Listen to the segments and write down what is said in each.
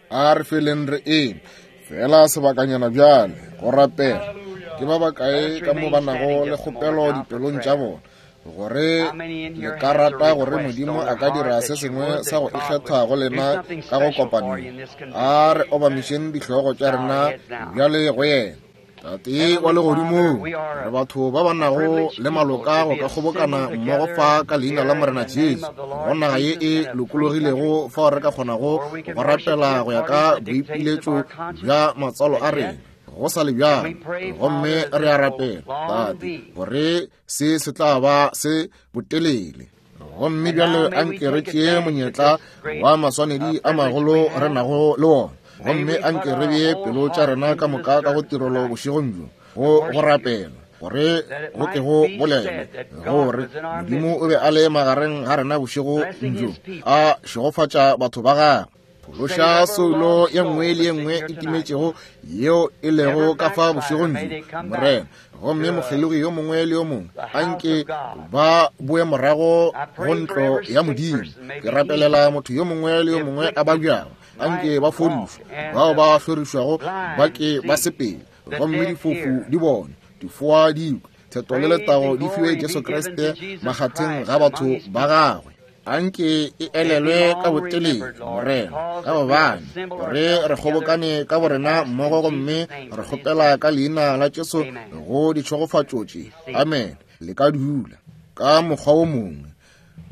A re feleng re eme fela sebakanyana bjale go rapela. Ke ba bakae ka mo ba nago le kgopelo dipelong tša bona, gore le ka rata gore Modimo a ka dira se sengwe sa go ikgetha go lena ka go kopano ye? A re obamišeng dihlogo tša rena bjale go yena. Tate wa Legodimong, re batho ba ba nago le maloka go ka kgobokana mmogo fa ka Leina la Morena Jesu, go naga ye e lokologilego fao re ka kgonago go rapela go ya ka boipiletšo bja matswalo a rena, go sa le bjalo. Gomme re a rapela, Tate, gore se se tla ba se botelele. Gomme bjale a nke re tšee monyetla wa maswanedi a magolo re nago le wona, gomme a nke re bee pelo tša rena ka moka ka go tirelo bošegong bjo, go go rapela, gore go ke go bolelwe gore Modimo o be a le magareng ga rena bošego bjo, a šegofatša batho ba gagwe. Phološa soulo ye nngwe le ye nngwe e timetšego yeo e lego ka fa bošegong bjo, Morena. Gomme mokgelogi yo mongwe le yo mongwe a nke ba boe morago go ntlo ya Modimo. Ke rapelela motho yo mongwe le yo mongwe a babjago, a nke ba fodišwe, bao ba hlorišwago ba ke ba sepele, gomme difofu di bone, difoa di kwe, theto le letago di fiwe Jesu Kriste makgatheng ga batho ba gagwe. A nke e elelwe ka botelele, Morena, ka gobane gore re kgobokane ka borena mmogo gomme re kgopela ka Leina la Jesu go ditšhegofatšo tše. Amen. Le ka dula. Ka mokgwa wo mongwe,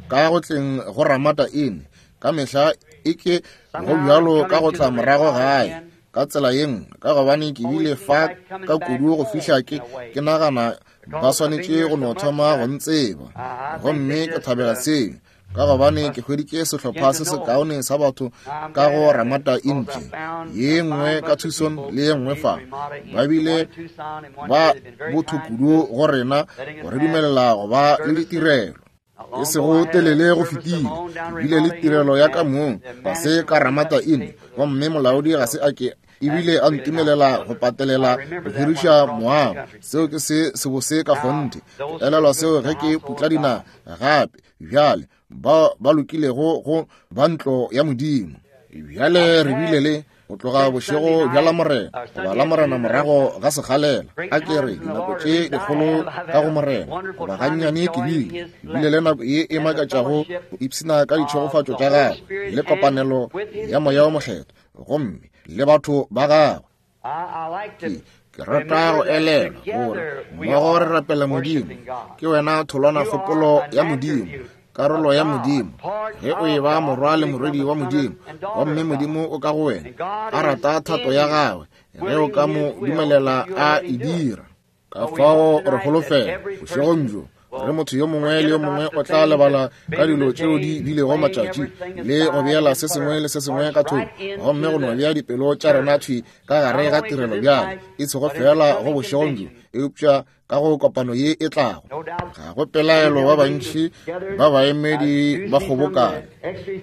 ka go tleng go Ramada Inn, ka mehla e ke go bjalo ka go tla morago gae ka tsela ye nngwe, ka gobane ke bile fa ka kudu go fihla ke, ke nagana ba swanetše go no thoma go ntseba. Gomme ke thabela seo, ka gobane ke hweditše sehlopha se sekaone sa batho ka go Ramada Inn tše, ye nngwe ka Tucson le ye nngwe fa. Ba bile ba botho kudu go rena go re dumelela go ba le ditirelo. E sego telele go fetile, ke bile le tirelo ya ka mong fase ka Ramada Inn, gomme molaodi ga se a ke ebile a ntumelela go patelela go hiriša moago. Seo ke se sebose ka kgonthe. Ke elelwa seo ge ke putla dinaga gape bjale, ba ba lokilego go ba ntlo ya Modimo. Bjale re bile le go tloga bošego bja Lamorena goba Lamorena morago ga sekgalela, a ke re dinako tše dikgolo ka go Morena, goba gannyane ke bile bile le nako ye e makatšago go ipshina ka ditšhegofatšo tša gagwe le kopanelo ya Moya wo Mokgethwa gomme le batho ba gagwe. Ke, ke rata go elelwa gore mmogo re rapela Modimo. Ke wena tholwanakgopolo ya Modimo, karolo ya Modimo. Ge o eba morwa le morwedi wa Modimo, gomme Modimo o ka go wena, a rata thato ya gagwe, ge o ka mo dumelela a e dira. Ka fao re holofela bošegong bjo gore motho yo mongwe le yo mongwe o tla lebala ka dilo tšeo di bilego matšatši le go beela se sengwe le se sengwe ka thoko, gomme go no bea dipelo tša rena thwi ka gare ga tirelo bjale, e sego feela go bošegong bjo, eupša ka go kopano ye e tlago. Ga go pelaelo ba bantši ba baemedi ba kgobokane.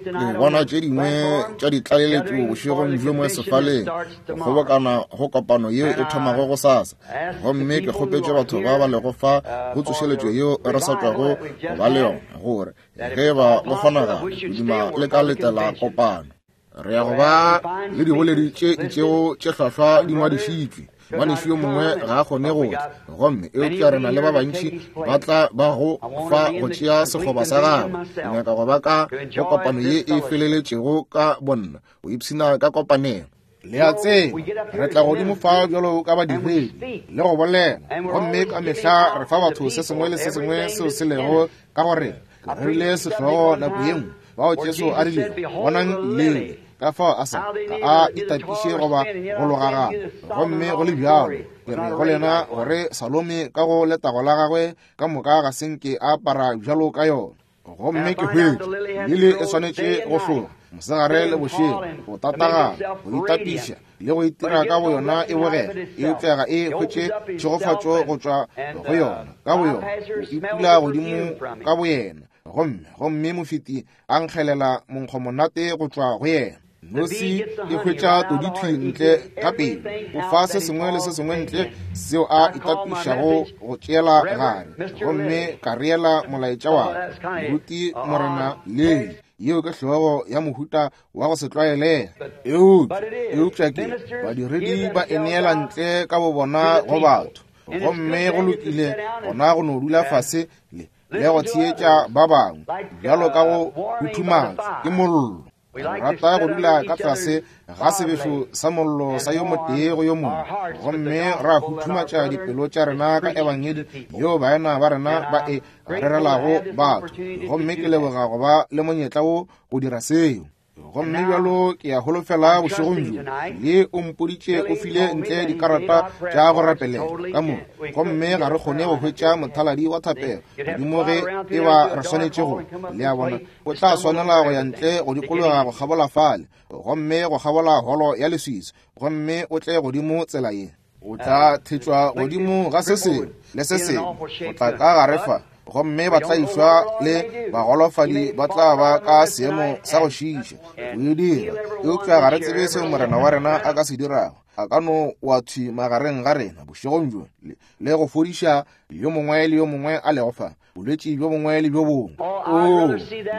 Ke bona tše dingwe tša ditlaleletšo bošegong bjo mo sefaleng, go kgobokana go kopano yeo e thomago gosasa. Gomme ke kgopetše batho ba ba lego fa go tsošeletšo yeo re sa tšwago go ba le yona, gore ge e ba go kgonagala, ke duma le ka letela kopano. Re ya go ba le diboledi tše itšego tše hlwahlwa di ngwadišitšwe. Ngwanešu yo mongwe ga a kgone go tla, gomme eupša re na le ba bantši ba tla ba go fa go tšea sekgoba sa gagwe. Ke nyaka go ba ka go kopano ye e feleletšego ka bonna, go ipshina ka kopanelo. Le a tseba, re tla godimo fa bjalo ka badiredi le go bolela, gomme ka mehla re fa batho se sengwe le se sengwe seo se lego ka go rena. Ke rerile sehlogo nako ye nngwe, bao Jesu a rilego, Bonang lili, ka fao a sa ga a itapiše goba go logagana. Gomme go le bjalo, ke re go lena gore Salome ka go letago la gagwe ka moka ga se nke a apara bjalo ka yona. Gomme ke hwetša lili e swanetše go hloga mosegare le bošego, go tatagana, go itapiša le go itira ka boyona e bogega, eupša ga e hwetše tšhegofatšo go tšwa go yona ka boyona, o ipula godimo ka boyena, gomme, gomme mofeti a nkgelela monkgomonate go tšwa go yena. Nosi e hwetša todithwi ntle ka pele, o fa se sengwe le se sengwe ntle seo a itapišago go tšeela gare, gomme ka reela molaetša wa ka, Moruti Morena Lehi. Yeo ke hlogo ya mohuta wa go se tlwaelege. Eupša ke badiredi ba e neela ntle ka bobona go batho. Gomme go lokile gona go no dula fase le go theetša ba bangwe bjalo ka go huthumatšwa ke mollo. Re rata go dula ka tlase ga sebešo sa mollo sa yo motee go yo mongwe, gomme ra huthumatša dipelo tša rena ka ebangedi yeo baena ba rena ba e rerelago batho. Gomme ke leboga go ba le monyetla wo go dira seo. Gomme bjalo ke a holofela bošegong bjo le o mpoditše o file ntle dikarata tša go rapelela ka mo, gomme ga re kgone go hwetša mothaladi wa thapelo godimo ge e ba re swanetše go. Le a bona, o tla swanela go ya ntle go dikologa go kgabola fale, gomme go kgabola holo ya leswiswi, gomme o tle godimo tsela ye. O tla thetšwa godimo ga se sengwe le se sengwe, o tla ka gare fa, gomme ba tla išwa le bagolofadi ba tla ba ka seemo sa go šiiša go e dira. Eupša ga re tsebe seo Morena wa rena a ka se dirago. A ka no wa thwi magareng ga rena bošegong bjo le go fodiša yo mongwe le yo mongwe a lego fa, bolwetši bjo bongwe le bjo bongwe. Oo,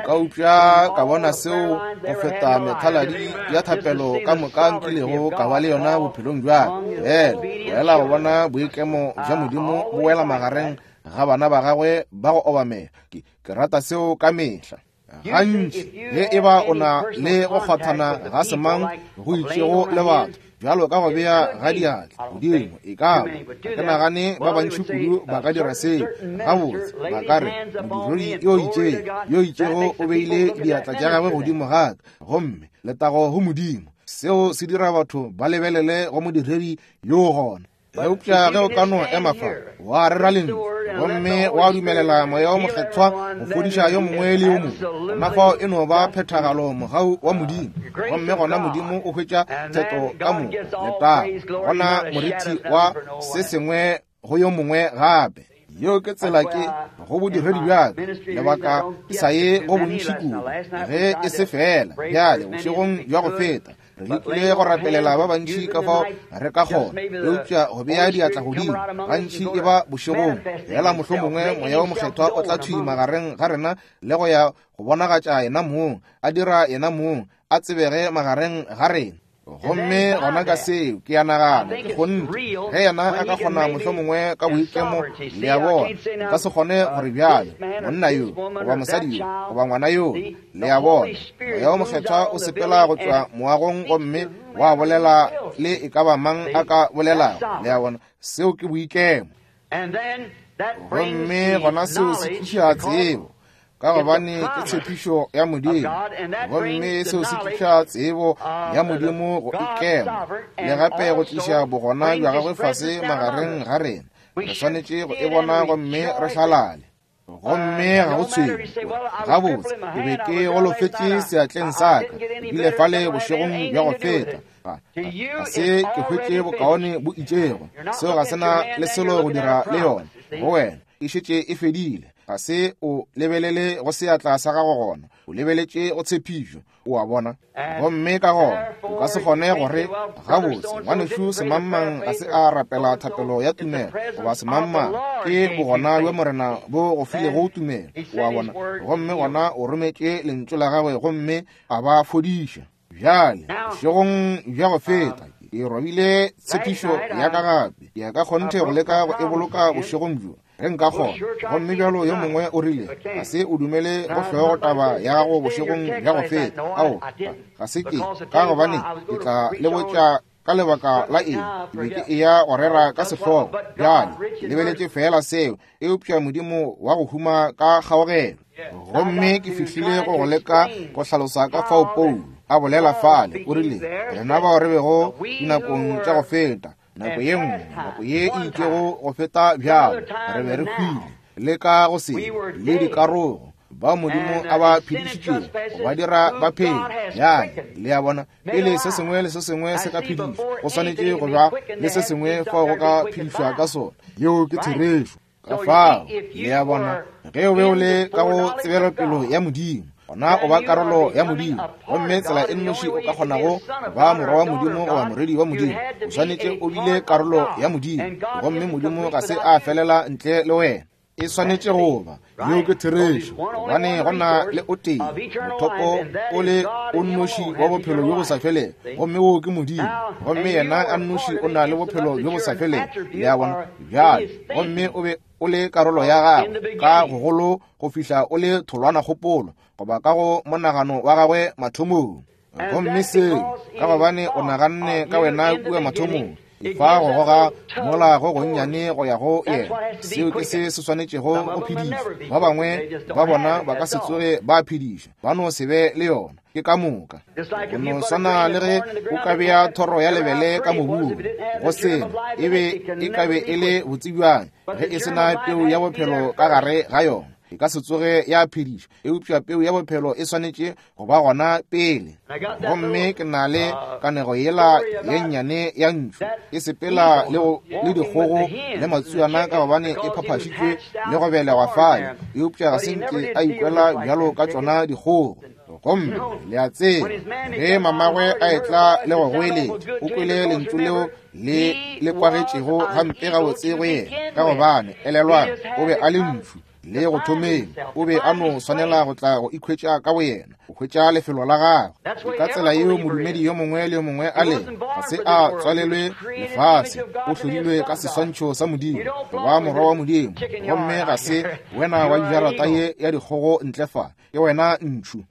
nka upša ka bona seo go feta methaladi ya thapelo ka moka nkilego ka ba le yona bophelong bja ka. Fela fela go bona boikemo bja Modimo bo wela magareng ga bana ba gagwe ba go obamela. Ke rata seo ka mehla. Gantši ge e ba o na le go kgwathana ga semang go itšego le batho, bjalo ka go bea ga diatla godimo, e ka ba ke nagane ba bantši kudu ba ka dira seo. Gabotse, ba ka re modiredi yo itšego o beile diatla tša gagwe godimo ga ka, gomme letago go Modimo. Seo se dira batho ba lebelele go modiredi yo gona. Eupša ge o ka no ema fa wa rera lentšu gomme wa dumelela Moya wo Mokgethwa go fodiša yo mongwe le yo mongwe, gona fao e no ba phethagalo mogau wa Modimo, gomme gona Modimo o hwetša theto ka moka letago, gona morithi wa se sengwe go yo mongwe gape. Yeo ke tsela ke go bodiredi bja ka, lebaka ke sa ye go bontši kudu ge e se fela. Bjale bošegong bja go feta re lekile go rapelela ba bantši ka fao re ka kgona, eupša go bea diatla godimo gantši e ba bošegong fela. Mohlomongwe Moya wo Mokgethwa o tla thwi magareng ga rena le go ya go bonagatša yena mong, a dira yena mong a tsebege magareng ga rena. Gomme gona ka seo ke a nagana ke kgonthe ge yena a ka kgona mohlomongwe ka boikemo, le a bona, nka se kgone gore bjale monna yo goba mosadi yo goba ngwana yo, le a bona, Moya wo Mokgethwa o sepela go tšwa moagong gomme wa bolela le e ka ba mang a ka bolelago. Le a bona, seo ke boikemo. Gomme gona seo se tliša tsebo, ka gobane ke tshepišo ya Modimo, gomme seo se tliša tsebo ya Modimo go ikema, le gape go tliša bogona bja gagwe fase magareng ga rena. Re swanetše go e bona gomme re hlalale. Gomme ga go tshwenye gabotse, ke be ke golofetše seatleng sa ka ebile fale bošegong bja go feta, ga se ke hwetše bokaone bo itšego. Seo ga se na le selo go dira le yona go wena, e šetše e fedile. Ga se o lebelele go seatla sa gago gona, o lebeletše go tshepišo, o a bona. Gomme ka gona o ka se kgone gore gabotse ngwanešu semangmang ga se a rapela thapelo ya tumelo, goba semangmang, ke bogona bja Morena bo go filego tumelo, o a bona. Gomme gona o rometše lentšu la gagwe gomme a ba fodiša. Bjale bošegong bja go feta ke robile tshepišo ya ka gape, ke ya ka kgonthe go leka go e boloka bošegong bjo ge nka kgona. Gomme bjalo yo mongwe o rile, ga se o dumele go hlogo taba ya gago bošegong bja go feta. Ao, ga se ke, ka gobane ke tla le botša ka lebaka la eng ke be ke eya go rera ka sehlogo. Bjale ke lebeletše feela seo, eupša Modimo wa go huma ka kgaogelo. Gomme ke fihlile go go leka go hlalosa ka fao Paulo a bolela fale, o rile, rena bao re bego dinakong tša go feta, nako ye nngwe, nako ye e itšego go feta bjalo, re be re hwile le ka go se le dikarogo, bao Modimo a ba phedišitšego go ba dira ba phele. Bjale le a bona, pele se sengwe le se sengwe se ka phedišwa, go swanetše go ba le se sengwe fao go ka phedišwa ka sona. Yeo ke therešo. Ka fao, le a bona, ge o be o le ka go tsebelopelo ya Modimo, gona o ba karolo ya Modimo. Gomme tsela e nnoši o ka kgonago go ba morwa wa Modimo goba morwedi wa Modimo, o swanetše o bile karolo ya Modimo. Gomme Modimo ga se a felela ntle le wena. E swanetše go ba. Yeo ke therešo, gobane go na le o tee mothopo o le o nnoši wa bophelo bjo bo sa felego, gomme woo ke Modimo. Gomme yena a nnoši o na le bophelo bjo bo sa felego. Le a bona? Bjale, gomme o be o le karolo ya gagwe ka gogolo go fihla o le tholwanakgopolo, goba ka go monagano wa gagwe mathomong. Gomme seo ka gobane o naganne ka wena kua mathomong, fa go goga mola go gonnyane go ya go yena. Seo ke se se swanetšego go phedišwa. Ba bangwe ba bona ba ka se tsoge ba phedišwa, ba no se be le yona. Ke ka moka. Go no swana le ge o ka bea thoro ya lebele ka mobung, go sena e be e ka be e le botsebjang ge e se na peu ya bophelo ka gare ga yona, e ka se tsoge ya phedišwa. Eupša peu ya bophelo e swanetše go ba gona pele. Gomme ke na le kanego yela ye nnyane ya ntšhu e sepela le dikgogo le matsuana, ka gobane e phaphašitšwe le go belegwa fale, eupša ga se nke a ikwela bjalo ka tšona dikgogo. Gomme le a tseba, ge mamagwe a etla le go goeletša, o kwele lentšu leo le le kwagetšego gampe gabotse go yena, ka gobane elelwang, o be a le ntšhu le go thomeng. O be a no swanela go tla go ikhwetša ka boyena, go hwetša lefelo la gagwe. Ka tsela yeo modumedi yo mongwe le yo mongwe a leng, ga se a tswalelwe lefase, o hlodilwe ka seswantšho sa Modimo, go ba morwa wa Modimo. Gomme ga se wena wa dijarata ye ya dikgogo ntle fa, ke wena ntšhu.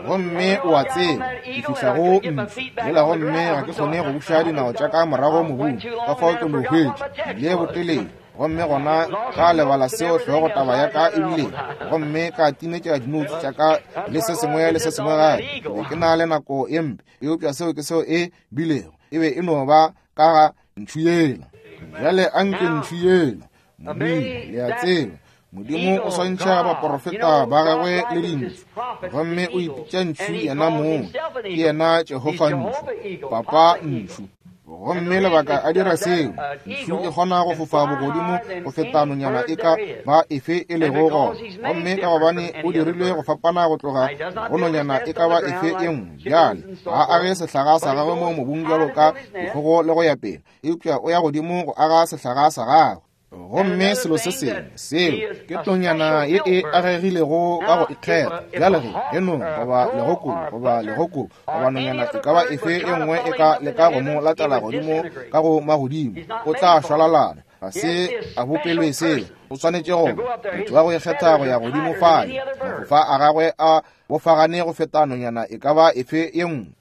Gomme o a tseba, ke fihla go ntšhu yela, gomme ga ke kgone go buša dinao tša ka morago mobung, ka fao ke no hwetša le botelele. Gomme gona ka lebala seo hlogo taba ya ka e bile, gomme ka timetša dinoutse tša ka le se sengwe le se sengwe gape. Ke be ke na le nako ye mpe, eupša seo ke seo e bilego. E be e no ba ka ga ntšhu yela. Bjale anke ntšhu yela, Modimo, le a tseba, Modimo o swantšha baporofeta ba gagwe le dintšhu, gomme o ipitša ntšhu yena mong. Ke yena Jehofa ntšhu, Papa ntšhu. Gomme lebaka a dira seo, ntšhu e kgona go fofa bogodimo go feta nonyana e ka ba efe e lego gona. Gomme ka gobane o dirilwe go fapana go tloga go nonyana e ka ba efe e nngwe, bjale ga age sehlaga sa gagwe mo mobung bjalo ka dikgogo le go ya pele, eupša o ya godimo go aga sehlaga sa gagwe. Gomme selo se sengwe seo ke tlonyana ye e agegilego ka go ikgetha. Bjale ge enong goba legoko goba legoko goba nonyana e ka ba efe e nngwe e ka leka go mo latela godimo ka go magodimo, o tla šwalalana. Ga se a bopelwe seo. O swanetše go motho wa go ikgetha go ya godimo fale. Mafofa a gagwe a bofagane go feta nonyana e ka ba efe e nngwe.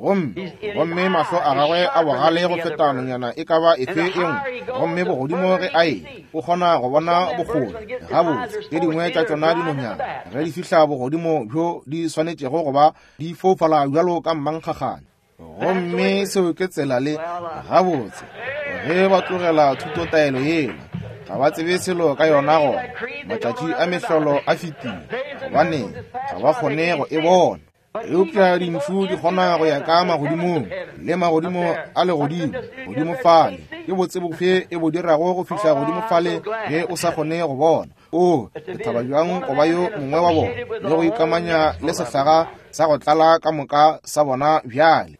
Gomme mahlo a gagwe a bogale go feta nonyana e ka ba efe e nngwe. Gomme bogodimo ge a e, o kgona go bona bokgole gabotse. Tše dingwe tša tšona dinonyana ge di fihla bogodimo bjo di swanetšego go ba, di foufala bjalo ka mmankgagane. Gomme seo ke tsela le gabotse ge ba tlogela thutotaelo yela, ga ba tsebe selo ka yona. Gona matšatši a mehlolo a fetile, gobane ga ba kgone go e bona. Eupša dintšhu di kgona go ya ka magodimong le magodimo a legodimo godimo fale. Ke botse bofe e bo dirago go fihla godimo fale ge o sa kgone go bona? O, ke thaba bjang go ba yo mongwe wa bona le go ikamanya le sehlaga sa go tlala ka moka sa bona bjale.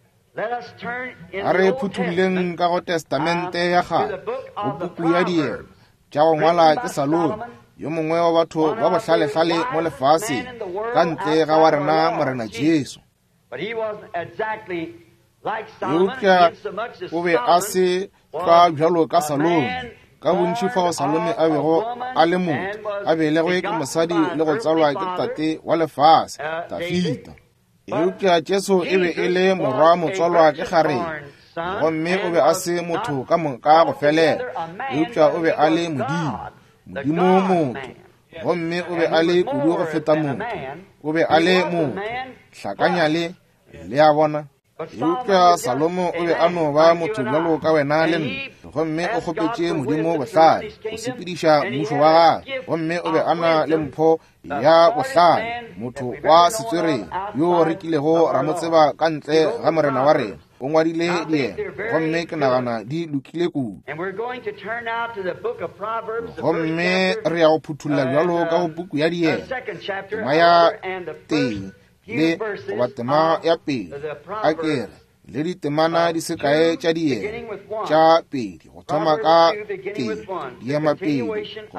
A re phuthulleng ka go Testamente ya Kgale, go puku ya Diema tša go ngwala ke Salomo, yo mongwe wa batho ba bohlalehlale mo lefaseng ka ntle ga wa rena Morena Jesu. Eupša o be a se tlwa bjalo ka Salome, ka bontši fao Salome a bego a le motho, a belegwe ke mosadi le go tswalwa ke tate wa lefase, Dafida. Eupša Jesu e be e le morwa motswalwa ke kgarebe, gomme o be a se motho ka moka go felela, eupša o be a le Modimo, Modimo motho, gomme o be a le kudu go feta motho, o be a le motho. Hlakanya le, le a bona. Eupša Salomo o be a no ba motho bjalo ka wena le nna, gomme o kgopetše Modimo bohlale go sepediša mmušo wa gagwe, gomme o be a na le mpho ya bohlale, motho wa setswerere yo re kilego ra mo tseba ka ntle ga Morena wa rena. O ngwadile diema, gomme ke nagana di lokile kudu. Gomme re ya go phuthulla bjalo ka go puku ya Diema, tema ya tee le goba tema ya pele, a ke re. Le ditemana di se kae tša diema tša pedi go thoma ka tee, diema pedi go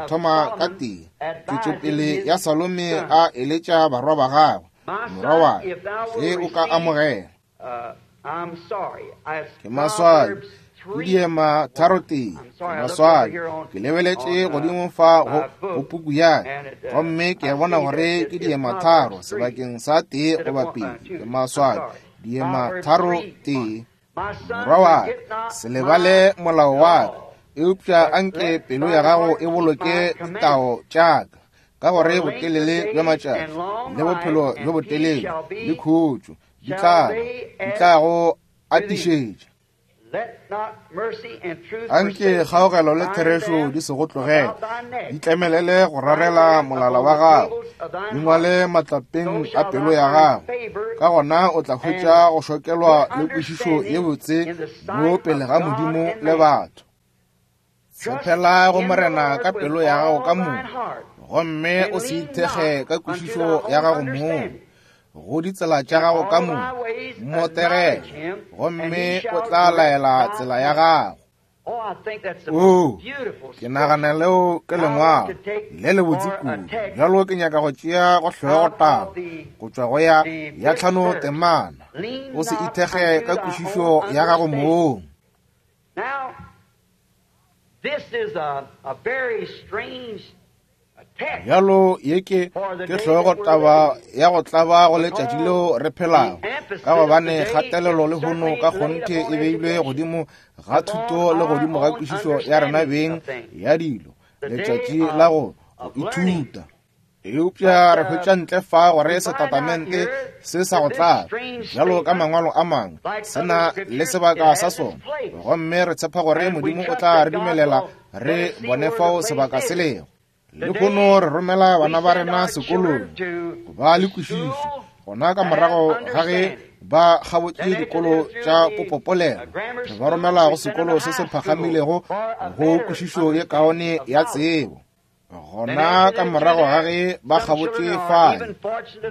thoma ka tee. Tšwetšopele ya Salome a eletša barwa ba gagwe, morwa wa ka, ge o ka amogela. Ke maswabi, ke diema 3:1. Ke maswabi, ke lebeletše godimo fa go puku ya ka, gomme ke a bona gore ke diema 3 sebakeng sa 1 goba 2. Ke maswabi, diema 3:1. Morwa wa ka, se lebale molao wa ka, eupša anke pelo ya gago e boloke ditao tša ka, ka gore botelele bja matšatši le bophelo bjo botelele le khutšo di tla go atišetša. Anke kgaogelo le therešo di se go tlogele, di tlemelele go rarela molala wa gago, di ngwale matlapeng a pelo ya gago. Ka gona o tla hwetša go šokelwa le kwešišo ye botse mo pele ga Modimo le batho. Tshepela go Morena ka pelo ya gago ka moka, gomme o se ithekge ka kwešišo ya gago mong. Go ditsela tša gago ka moka mmotegele, gomme o tla laela tsela ya gago. Oo, ke nagana leo ke lengwalo le lebotse kudu. Bjalo ke nyaka go tšea go hlogo taba go tšwa go ya 5 temana. O se ithekge ka kwešišo ya gago mong. Now, this is a very strange Bjalo ye ke hlogo taba ya go tlaba go letšatši leo re phelago, ka gobane kgatelelo le hono ka kgonthe e beilwe godimo ga thuto le godimo ga kwešišo ya rena beng ya dilo, letšatši la go ithuta. Eupša re hwetša ntle fa gore setatamente se sa go tlaba, bjalo ka mangwalo a mangwe, se na le sebaka sa sona, gomme re tshepa gore Modimo o tla re dumelela re bone fao sebaka se lego. Lehono re romela bana ba rena sekolong go ba le kwešišo, gona ka morago ga ge ba kgabotše dikolo tša popopolelo, re ba romela go sekolo se se phagamilego go kwešišo ye kaone ya tsebo. Gona ka morago ga ge ba kgabotše fale,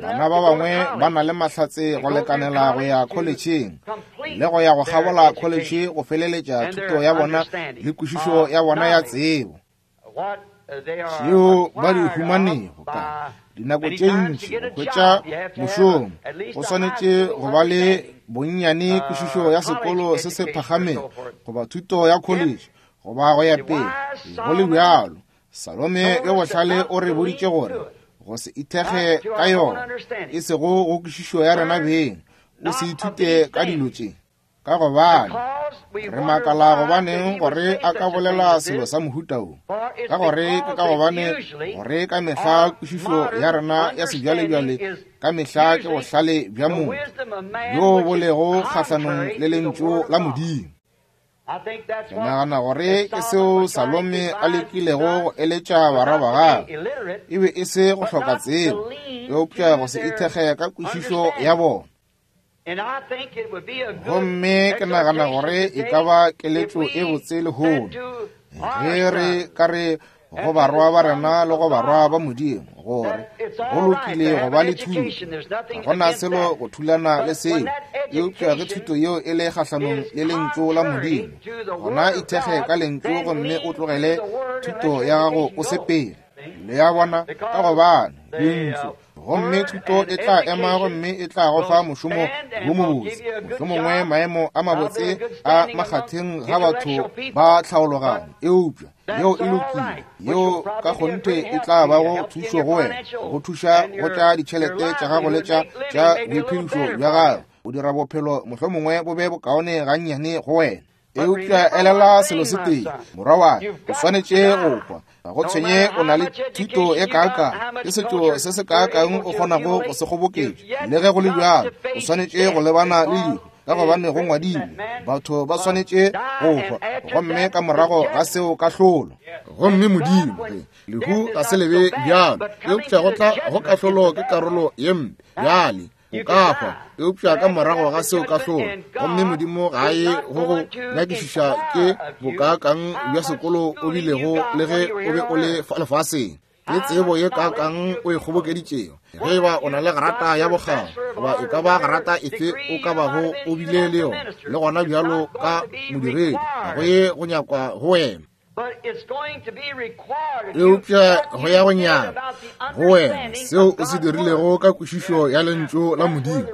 bana ba bangwe ba na le mahlatse go lekanela go ya kholetšheng le go ya go kgabola kholetšhe go feleletša thuto ya bona le kwešišo ya bona ya tsebo. Tšeo ba di humanego ka dinako tše ntši go hwetša mošomo, go swanetše go ba le bonnyane kwešišo ya sekolo se se phagamego goba thuto ya kholetšhe goba go ya pele. Go le bjalo, Salome yo bohlale o re boditše gore go se ithekge ka yona, e sego go kwešišo ya rena beng, o se ithute ka dilo tše, ka gobane re makala gobaneng gore a ka bolela selo sa mohuta wo, ka gore ke ka gobane gore ka mehla kwešišo ya rena ya sebjalebjale ka mehla ke bohlale bja motho bjo bo lego kgahlanong le lentšu la Modimo. Ke nagana gore ke seo Salome a lekilego go eletša barwa ba gagwe, e be e se go hloka tsebo, eupša go se ithekge ka kwešišo ya bona. Gomme ke nagana gore e ka ba keletšo e botse lehono ge re ka re go barwa ba rena le go barwa ba Modimo gore go lokile go ba le thuto, ga go na selo go thulana le seo, eupša ge thuto yeo e le kgahlanong le lentšu la Modimo, gona ithekge ka lentšu gomme o tlogele thuto ya gago o sepele. Le a bona, ka gobane lentšu, gomme thuto e tla ema gomme e tla go fa mošomo wo mobotse, mohlomongwe maemo a mabotse a makgatheng ga batho ba tlhaologanyo, eupša yeo e lokile, yeo ka kgonthe e tla bago thušo go wena, go thuša go tša ditšhelete tša gago le tša boiphedišo bja gago, go dira bophelo mohlomongwe bo be bokaone gannyane go wena. Eupša elela selo se tee, morwa wa ka, o swanetše go hwa. Ga go tshwenye o na le thuto e kaakang, ke setšo se se kaakang o kgonago go se kgoboketša, le ge go le bjalo o swanetše go lebana le lehu, ka gobane go ngwadilwe, batho ba swanetše go hwa, gomme ka morago ga seo kahlolo. Gomme Modimo, ge lehu ga se lebe bjalo, eupša go tla go kahlolo ke karolo ye mpe. Bjale o ka hwa, eupša ka morago ga seo kahlolo. Gomme Modimo ga a ye go go nyakišiša ke bokaakang bja sekolo o bilego le ge o be o le fa lefaseng. Ke tsebo ye kaakang o e kgobokeditšego? Ge e ba o na le grata ya bokgabo, goba e ka ba grata efe o ka bago o bile le yona, le gona bjalo ka modiredi, ga go ye go nyakwa go wena. Eupša go ya go nyaka go wena seo o se dirilego ka kwešišo ya Lentšu la Modimo.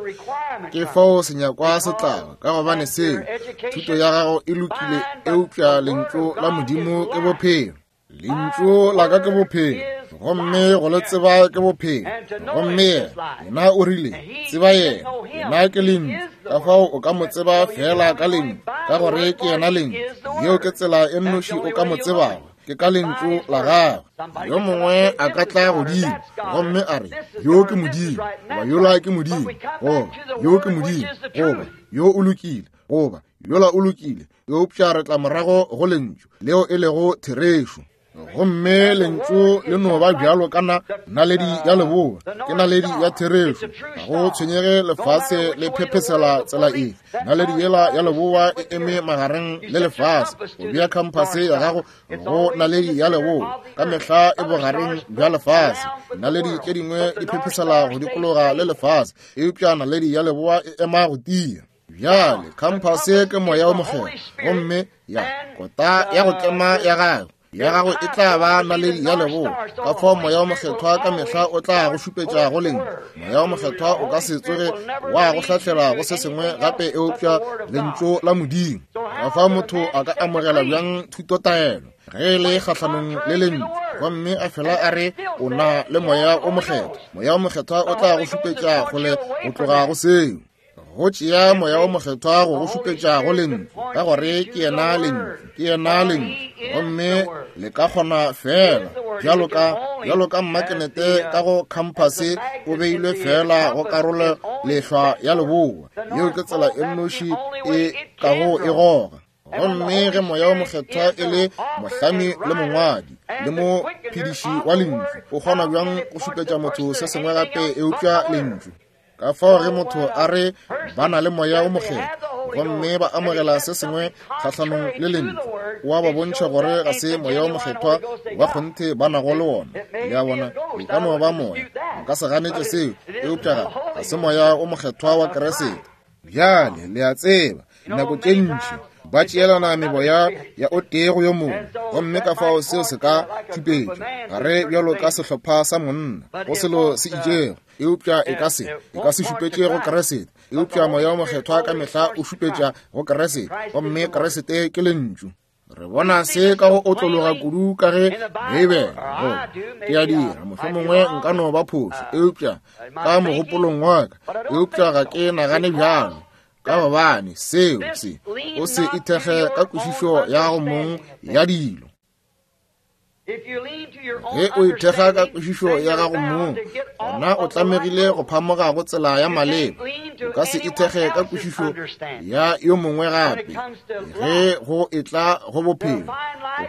Ke fao senyakwa se tlago, ka gobane seo, thuto ya gago e lokile, eupša Lentšu la Modimo ke bophelo. Lentšu la ka ke bophelo, gomme go le tseba ke bophelo. Gomme yena, yena o rile, tseba yena, yena ke Lentšu. Ka fao o ka mo tseba feela ka Lentšu, ka gore ke yena Lentšu. Yeo ke tsela e nnoši o ka mo tsebago, ke ka Lentšu la gagwe. Yo mongwe a ka tla godimo gomme a re, Yo ke Modimo, goba yola ke Modimo, goba yo ke Modimo, goba yo o lokile, goba yola o lokile. Eupša re tla morago go Lentšu leo e lego therešo. Gomme Lentšu le no ba bjalo ka na naledi ya leboa, ke naledi ya therešo. Ga go tshwenyege lefase le phephesela tsela efe, naledi yela ya leboa e eme magareng le lefase. O bea khamphase ya gago go naledi ya leboa, ka mehla e bogareng bja lefase. Naledi tše dingwe di phephesela go dikologa le lefase, eupša naledi ya leboa e ema go tia. Bjale, khamphase ke Moya wo Mokgethwa, gomme ya kota ya go tlema ya gago ya gago e tla ba naledi ya leboa. Ka fao Moya wo Mokgethwa ka mehla o tla go šupetša go Lentšu. Moya wo Mokgethwa o ka se tsoge wa go hlahlela go se sengwe gape eupša Lentšu la Modimo. Ka fao motho a ka amogela bjang thutotaelo ge e le kgahlanong le Lentšu, gomme a fela a re o na le Moya wo Mokgethwa? Moya wo Mokgethwa o tla go šupetša kgole go tloga go seo. Go tšea Moya wo Mokgethwa go go šupetša go Lentšu, ka gore ke yena Lentšu, ke yena Lentšu. Gomme le ka kgona feela bjalo ka, bjalo ka mmakenete ka go khamphase o beilwe feela go karolo lehlwa ya leboa. Yeo ke tsela e nnoši e kago e goga. Gomme ge Moya wo Mokgethwa e le mohlami le mongwadi le mophediši wa Lentšu, o kgona bjang go šupetša motho se sengwe gape eupša Lentšu? Ka fao ge motho a re ba na le Moya wo Mokgethwa gomme ba amogela se sengwe kgahlanong le Lentšu, o a ba bontšha gore ga se Moya wo Mokgethwa wa kgonthe ba nago le wona. Le a bona, e ka no ba moya, nka se ganetše seo, eupša ga, ga se Moya wo Mokgethwa wa Kriste. Bjale, le a tseba, nako tše ntši ba tšeelana meboya ya o tee go yo mongwe, gomme ka fao seo se ka tšupetšwa gare bjalo ka sehlopha sa monna go selo se itšego, eupša e ka se, e ka se šupetše go Kriste. Eupša Moya wo Mokgethwa ka mehla o šupetša go Kriste, gomme Kriste ke Lentšu. Re bona se ka go otlologa kudu ka ge Beibele, go ke a dira, mohlomongwe nka no ba phošo, eupša ka mogopolong wa ka, eupša ga ke nagane bjalo, ka gobane seo se, o se ithekge ka kwešišo ya gago mong ya dilo. Ge o ithekga ka kwešišo ya gago mong, gona o tlamegile go phamoga go tsela ya maleba. O ka se ithekge ka kwešišo ya yo mongwe gape. Ge go etla go bophelo, go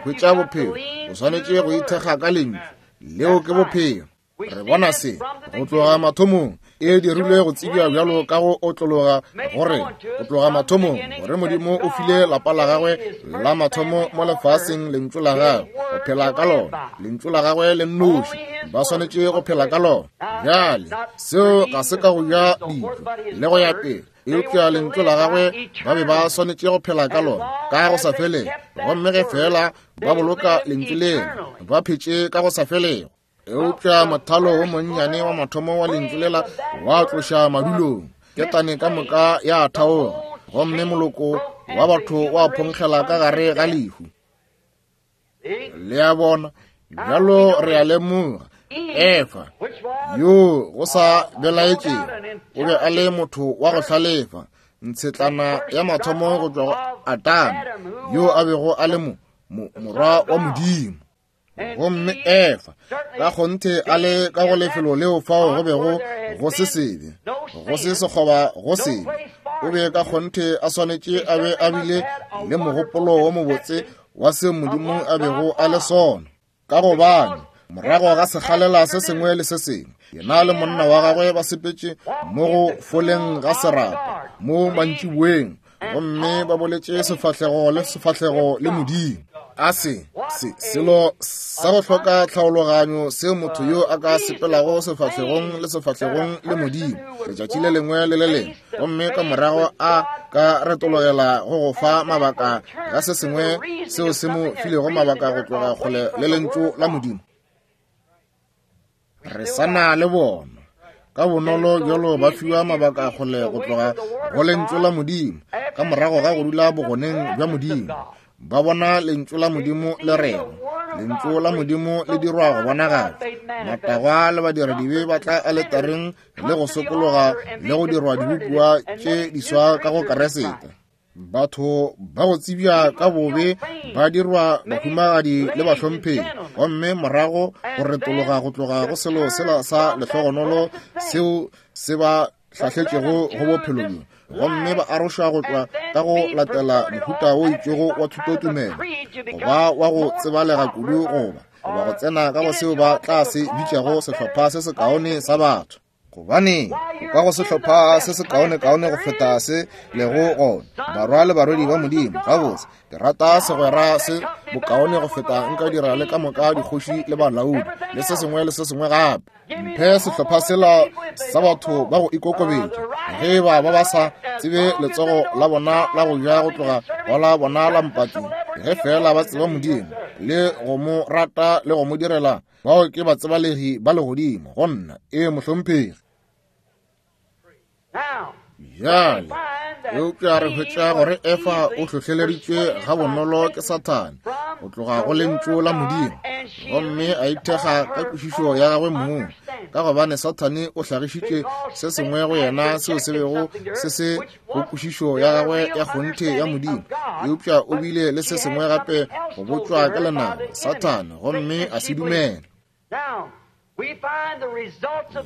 hwetša bophelo, o swanetše go ithekga ka Lentšu. Leo ke bophelo. Re bona se go tloga mathomong, e dirilwe go tsebja bjalo ka go otlologa gore go tloga mathomong gore Modimo o file lapa la gagwe la mathomo mo lefaseng Lentšu la gagwe go phela ka lona, Lentšu la gagwe le nnoši, ba swanetše go phela ka lona. Bjale seo ga se ka go ja dijo le go ya pele, eupša Lentšu la gagwe ba be ba swanetše go phela ka lona ka go sa felego, gomme ge feela ba boloka Lentšu lela ba phetše ka go sa felego. Eupša mothalo wo monnyane wa mathomo wa Lentšu lela wa tloša madulong, ketane ka moka ya thaoga, gomme moloko wa batho wa phonkgela ka gare ga lehu. Le a bona, bjalo re a lemoga Efa yo go sa belaetšego o be a le motho wa go hlalefa, ntshetlana ya mathomo go tšwa go Adama yo a bego a le mo, mo, morwa wa Modimo. Gomme Efa ka kgonthe a le ka go lefelo leo fao go bego go se sebe, go se sekgoba go sebe, o be ka kgonthe a swanetše a be a bile le mogopolo wo mobotse wa se Modimo a bego a le sona. Ka gobane morago ga sekgalela se sengwe le se sengwe, yena le monna wa gagwe ba sepetše mo go foleng ga serapa mo mantšiboeng, gomme ba boletše sefahlego le sefahlego le Modimo. A se, se selo sa go hloka tlhaologanyo seo motho yo a ka sepelago sefahlegong le sefahlegong le Modimo letšatši le lengwe le le lengwe, gomme ka morago a ka retologela go go fa mabaka ga se sengwe seo se mo filego mabaka go tloga kgole le Lentšu la Modimo. Re sa na le bona ka bonolo bjalo ba fiwa mabaka kgole go tloga go Lentšu la Modimo ka morago ga go dula bogoneng bja Modimo. Ba bona Lentšu la Modimo le rego, Lentšu la Modimo le dirwa go bonagatšwa. Matagwa le badiradibe ba tla aletareng le go sokologa le go dirwa dibopiwa tše diswa ka go Keresete. Batho ba go tsebja ka bobe ba dirwa bahumagadi le bahlomphegi, gomme morago go retologa go tloga go selo sela sa lehlogonolo seo se ba hlahletšego go bophelo bjo, gomme ba arošwa go tloga ka go latela mohuta o itšego wa thutotumelo, goba wa go tsebalega kudu, goba go tsena ka go seo ba tla se bitšago sehlopha se sekaone sa batho. Gobane o ka go sehlopha se sekaonekaone go feta se lego gona, barwa le barwedi ba Modimo. Gabotse, ke rata segwera se bokaone go feta nka dira le ka moka dikgoši le balaodi le se sengwe le se sengwe gape. Mphe sehlopha sela sa batho ba go ikokobetša, ge e ba ba ba sa tsebe letsogo la bona la go ja go tloga go la bona la mpati, ge feela ba tseba Modimo le go mo rata le go mo direla. Bao ke batsebalegi ba legodimo go nna. Ee, mohlomphegi. Bjale, eupša re hwetša gore Efa o hlohleleditšwe gabonolo ke Sathane go tloga go Lentšu la Modimo, gomme a ithekga ka kwešišo ya gagwe mong, ka gobane Sathane o hlagišitše se sengwe go yena seo se bego se se go kwešišo ya gagwe ya kgonthe ya Modimo, eupša o bile le se sengwe gape go botšwa ka lenaba, Sathane, gomme a se dumela.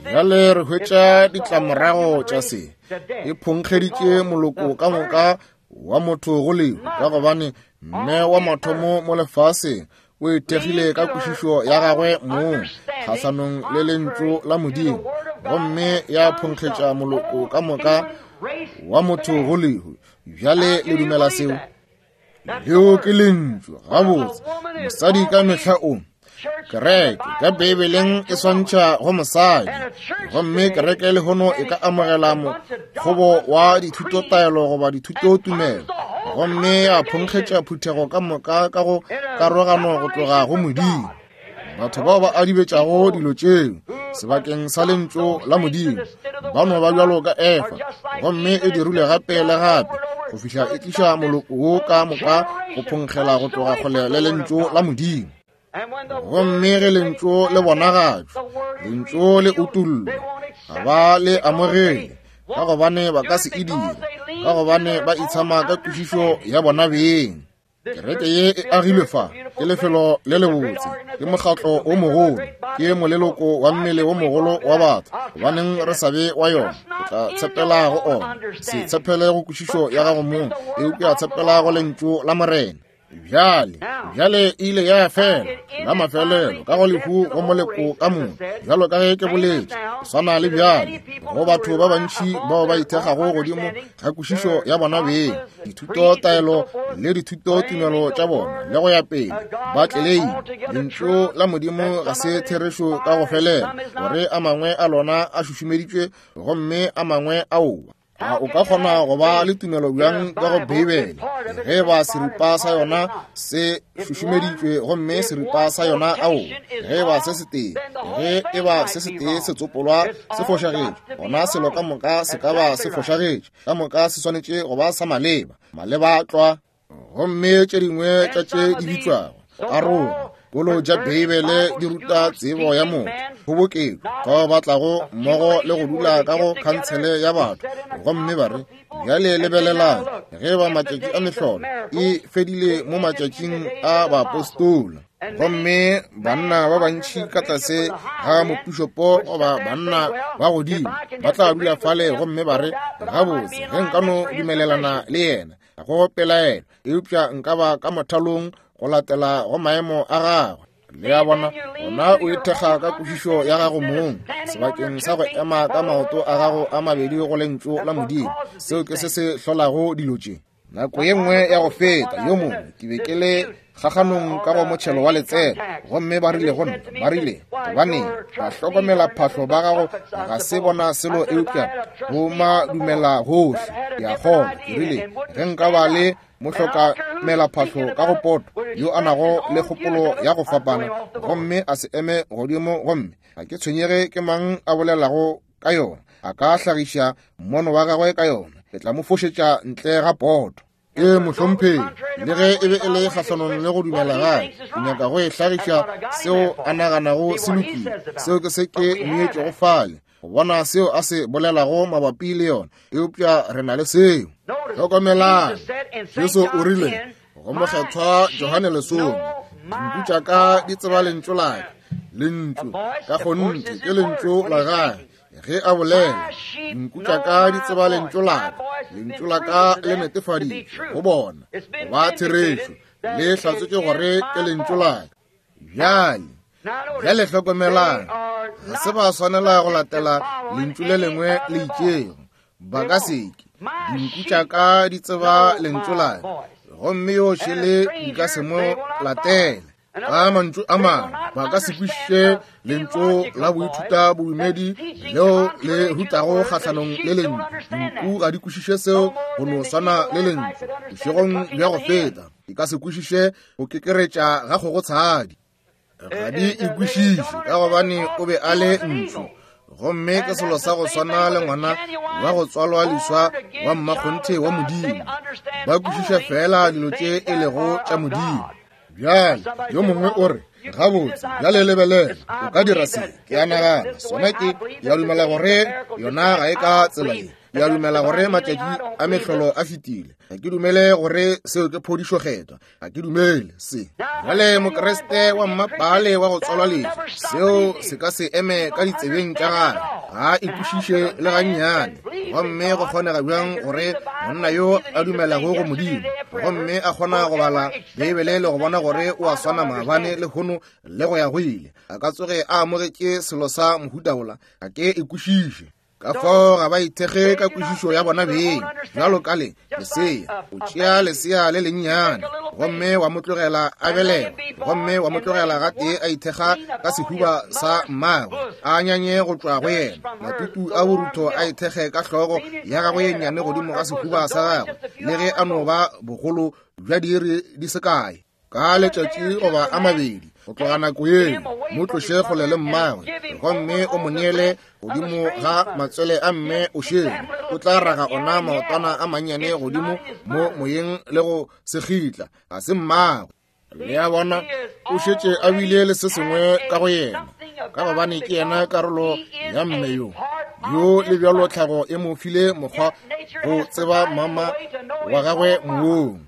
Bjale re hwetša ditlamorago tša se. E phonkgeditše moloko ka moka wa motho go lehu, ka gobane mme wa mathomo mo lefaseng o ithekgile ka kwešišo ya gagwe mong kgahlanong le Lentšu la Modimo, gomme ya phonkgetša moloko ka moka wa motho go lehu. Bjale le dumela seo? Leo ke Lentšu. Gabotse, mosadi ka mehla o kereke ka Beibeleng e swantšha go mosadi, gomme kereke lehono e ka amogela mokgobo wa dithutotaelo goba dithutotumelo, gomme ya phonkgetša phuthego ka moka ka go karogano go tloga go Modimo. Batho bao ba adibetšago dilo tšeo sebakeng sa Lentšu la Modimo ba no ba bjalo ka Efa, gomme e dirile gape le gape go fihla e tliša moloko wo ka moka go phonkgela go tloga kgole le Lentšu la Modimo. Gomme ge Lentšu le bonagatšwa, Lentšu le utollwa, ga ba le amogele, ka gobane ba ka se e dire, ka gobane ba itshama ka kwešišo ya bona beng. Kereke ye e agilwe fa, ke lefelo le lebotse, ke mokgatlo o mogolo, ke moleloko wa mmele o mogolo wa batho. Gobaneng re sa be wa yona? O tla tshepela go ona. Se tshepele go kwešišo ya gago mong, eupša tshepela go Lentšu la Morena. Bjale, bjale e ile ya fela la mafelelo ka go lehu go moleko ka moka, bjalo ka ge ke boletše, go swana le bjale go batho ba bantši bao ba ithekgago godimo ga kwešišo ya bona beng, dithutotaelo le dithutotumelo tša bona le go ya pele, ba tleleima Lentšu la Modimo ga se therešo ka go felela, gore a mangwe a lona a šušumeditšwe gomme a mangwe aowa. A o ka kgona go ba le tumelo bjang ka go Beibele ge ba seripa sa yona se šušumeditšwe gomme seripa sa yona aowa? Ge ba se setee, ge e ba se setee se tsopolwa se fošagetše, gona selo ka moka se ka ba se fošagetše. Ka moka se swanetše go ba sa maleba, maleba tlwa. Gomme tše dingwe tša tše di bitšwago aroga kolo tša Beibele di ruta tsebo ya motho, kgoboketšo, bao ba tlago mmogo le go dula ka go khansele ya batho, gomme ba re, Bjale lebelelang, ge ba matšatši a mehlolo e fedile mo matšatšing a baapostola, gomme banna ba bantši ka tlase ga mopišopo goba banna ba godimo ba tla dula fale gomme ba re, Gabotse, ge nka no dumelelana le yena, ga go pelaelo, eupša nka ba ka mothalong go latela go maemo a gagwe. Le a bona, gona o ithekga ka kwešišo ya gago mong sebakeng sa go ema ka maoto a gago a mabedi go Lentšu la Modimo. Seo ke se se hlolago dilo tše. Nako ye nngwe ya go feta, yo mongwe, ke be ke le kgakganong ka go motšhelo wa letseno, gomme ba rile go nna, ba rile, gobaneng, bahlokomelaphahlo ba gago ga se bona selo eupša go madumela gohle. Ke a kgolwa, ke rile, ge nka ba le mohlokamelaphahlo ka go poto yo a nago le kgopolo ya go fapana, gomme a se eme godimo, gomme ga ke tshwenyege ke mang a bolelago ka yona, a ka hlagiša mmono wa gagwe ka yona, ke tla mo fošetša ntle ga poto. Ee, mohlomphegi, le ge e be e le kgahlanong le go dumela gae, ke nyaka go e hlagiša seo a naganago se lokile. Seo ke se ke mmeetšego fale, go bona seo a se bolelago mabapi le yona, eupša re na le seo. Hlokomelang, Jesu o rile go mokgethwa Johane lesome, dinku tša ka di tseba lentšu la ka. Lentšu ka kgonthe ke lentšu la gagwe ge a bolela. Dinku tša ka di tseba lentšu la ka, lentšu la ka le netefaditšwe go bona go ba therešo, le hlatsotše gore ke lentšu la ka. Bjale, bjale hlokomelang, ga se ba swanela go latela lentšu le lengwe le itšego. Ba ka se ke. Dinku tša ka di tseba lentšu la ka, gomme yo šele di ka se mo latele. Ka mantšu a mangwe, ba ka se kwešiše lentšu la boithuta bodumedi leo le rutago kgahlanong le lentšu. Dinku ga di kwešiše seo go no swana le lentšu. Bošegong bja go feta, di ka se kwešiše go kekeretša ga kgogotshadi. Ga di e kwešiše ka gobane o be a le ntšu. Gomme ke selo sa go swana le ngwana wa go tswalwa leswa wa mmakgonthe wa Modimo. Ba kwešiša feela dilo tše e lego tša Modimo. Bjale, yo mongwe o re, gabotse, bjale lebelela, o ka dira se. Ke a nagana, sona ke, ke a dumela gore yona ga e ka tsela ye. Ke a dumela gore matšatši a mehlolo a fetile. Ga ke dumele gore seo ke phodišo kgethwa. Ga ke dumele se. Bjale Mokriste wa mmapaale wa go tswalwa leswa, seo se ka se eme ka ditsebeng tša gagwe. Ga e kwešiše le gannyane. Gomme go kgonega bjang gore monna yo a dumelago go Modimo, gomme a kgona go bala Beibele le go bona gore o a swana maabane, lehono le go ya go ile, a ka tsoge a amogetše selo sa mohuta wola? Ga ke e kwešiše. Ka fao ga ba ithekge ka kwešišo ya bona beng. Bjalo ka le lesea, o tšea lesea le lennyane gomme wa mo tlogela a belegwa, gomme wa mo tlogela gatee a ithekga ka sehuba sa mmagwe, a nyanye go tšwa go yena, matutu a borutho a ithekge ka hlogo ya gagwe ye nnyane godimo ga sehuba sa gagwe, le ge a no ba bogolo bja diiri di se kae. Ka letšatši goba a mabedi go tloga nako yeo, mo tloše kgole le mmagwe gomme o mo neele godimo ga matswele a mme o šele. O tla raga ona maotwana a mannyane godimo mo moyeng le go sekgitla. Ga se mmagwe. Le a bona, o šetše a bile le se sengwe ka go yena, ka gobane ke yena karolo ya mme yo. Yo le bjalo tlhago e mo file mokgwa go tseba mama wa gagwe moong.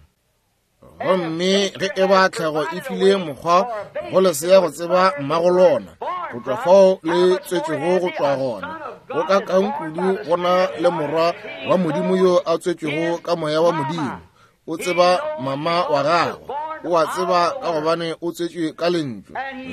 Gomme ge e ba tlhago e file mokgwa go lesea go tseba mmago lona, go tšwa fao le tswetšwego go tšwa gona, go ka kang kudu go na le morwa wa Modimo yo a tswetšwego ka moya wa Modimo. O tseba mama wa gagwe, o a tseba ka gobane o tswetšwe ka lentšu,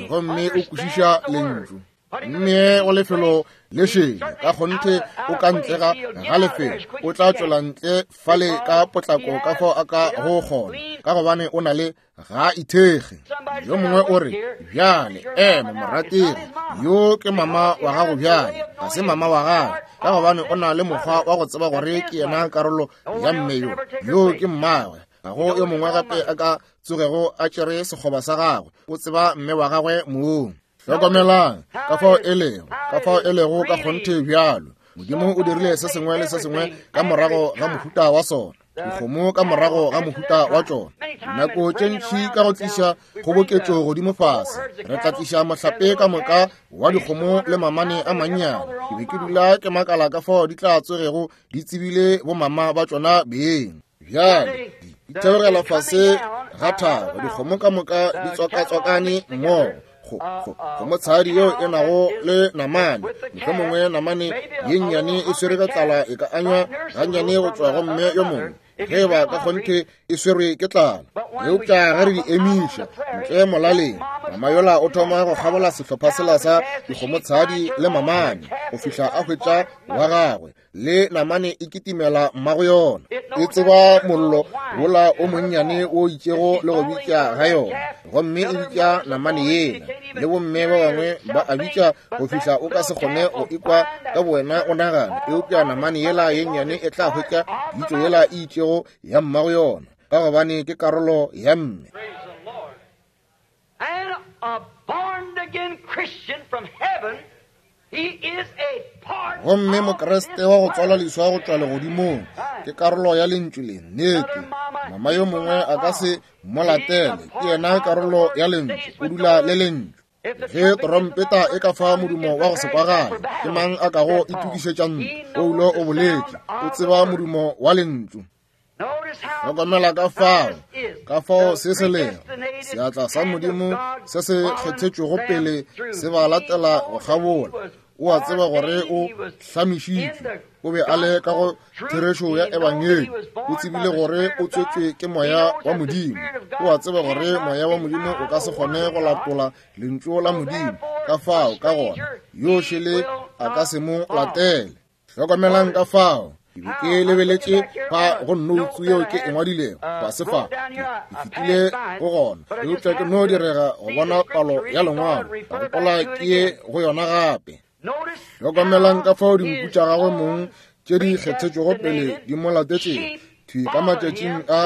gomme o kwešiša lentšu. Mme go lefelo le šele, ka kgonthe o ka ntle ga ga lefelo, o tla tšwela ntle fale ka potlako ka fao a ka go kgona, ka gobane o na le ga ithekge. Yo mongwe o re, bjale ema morategi, yo ke mama wa gago bjale. Ga se mama wa gagwe, ka gobane o na le mokgwa wa go tseba gore ke yena karolo ya mme yo. Yo ke mmagwe. Ga go yo mongwe gape a ka tsogego a tšere sekgoba sa gagwe. O tseba mme wa gagwe mong. Hlokomelang ka fao e lego, ka fao e lego ka kgonthe bjalo. Modimo o dirile se sengwe le se sengwe ka morago ga mohuta wa sona, dikgomo ka morago ga mohuta wa tšona. Nako tše ntši ka go tliša kgoboketšo godimo fase, re tla tliša mohlape ka moka wa dikgomo le mamane a mannyane. Ke be ke dula ke makala ka fao di tla tsogego di tsebile bomama ba tšona beng. Bjale di theogela fase ga thaba, dikgomo ka moka di tswakatswakane mmogo. Kgomotshadi yeo e nago le namane, mohlomongwe namane ye nnyane e swerwe ka tlala, e ka anywa gannyane go tšwa go mme yo mongwe ge e ba ka kgonthe e swerwe ke tlala. Eupša ge re di emiša ntle molaleng, Mama yola o thoma go kgabola sehlopha sela sa dikgomotshadi le mamane go fihla a hwetša wa gagwe, le namane e kitimela mmago yona. E tseba mollo wola o monnyane o itšego le go bitša ga yona, gomme e bitša namane yela, le bomme ba bangwe ba a bitša go fihla o ka se kgone go ikwa ka bowena o nagana, eupša namane yela ye nnyane e tla hwetša pitšo yela e itšego ya mmago yona, ka gobane ke karolo ya mme. Gomme Mokriste wa go tswalwa leswa go tšwa legodimong ke karolo ya lentšu le. Nnete, mama yo mongwe a ka se mo latele, ke yena karolo ya lentšu, o dula le lentšu. Ge trompeta e ka fa modumo wa go se kwagale, ke mang a kago itokišetša ntlo? Paulo o boletše, o tseba modumo wa lentšu. Hlokomela ka fao, ka fao se se lego seatla sa Modimo se se kgethetšwego pele se ba latela go kgabola. O a tseba gore o hlamišitšwe, o be a le ka go therešo ya ebangedi, o tsebile gore o tswetšwe ke Moya wa Modimo. O a tseba gore Moya wa Modimo o ka se kgone go latola Lentšu la Modimo, ka fao ka gona yo šele a ka se mo latele. Hlokomelang ka fao ke be ke lebeletše fa go noutsu yeo ke e ngwadilego fase fa, ke fetile go gona, eupša ke no direga go bona palo ya lengwalo, ka gopola ke ye go yona gape. Hlokomelang ka fao dinku tša gagwe mong tše di kgethetšwego pele di mo latetšego thwi ka matšatšing a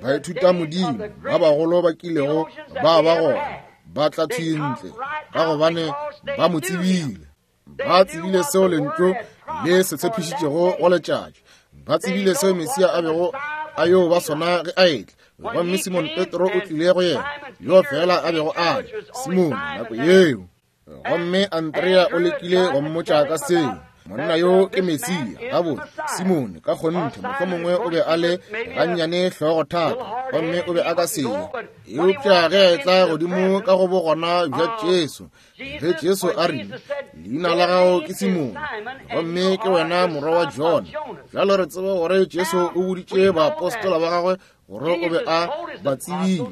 baithutamodimo ba bagolo ba kilego ba ba gona, ba tla thwi ntle ka gobane ba mo tsebile. Ba tsebile seo lentšu le se tshepišitšego go letšatši. Ba tsebile seo Mesia a bego a yo ba sona ge a etla. Gomme Simon Petro o tlile go yena, yo fela a bego a le Simon nako yeo. Gomme Andrea o lekile go mmotša ka seo. Monna yo ke Mesia. Gabotse, Simone ka kgonthe mohlomongwe o be a le gannyane hlogo thata, gomme o be a ka se ye. Eupša ge a etla godimo ka go bogona bja Jesu, ge Jesu a rile, Leina la gago ke Simone, gomme ke wena morwa wa Jona. Bjalo re tseba gore Jesu o boditše baapostola ba gagwe gore o be a ba tsebile,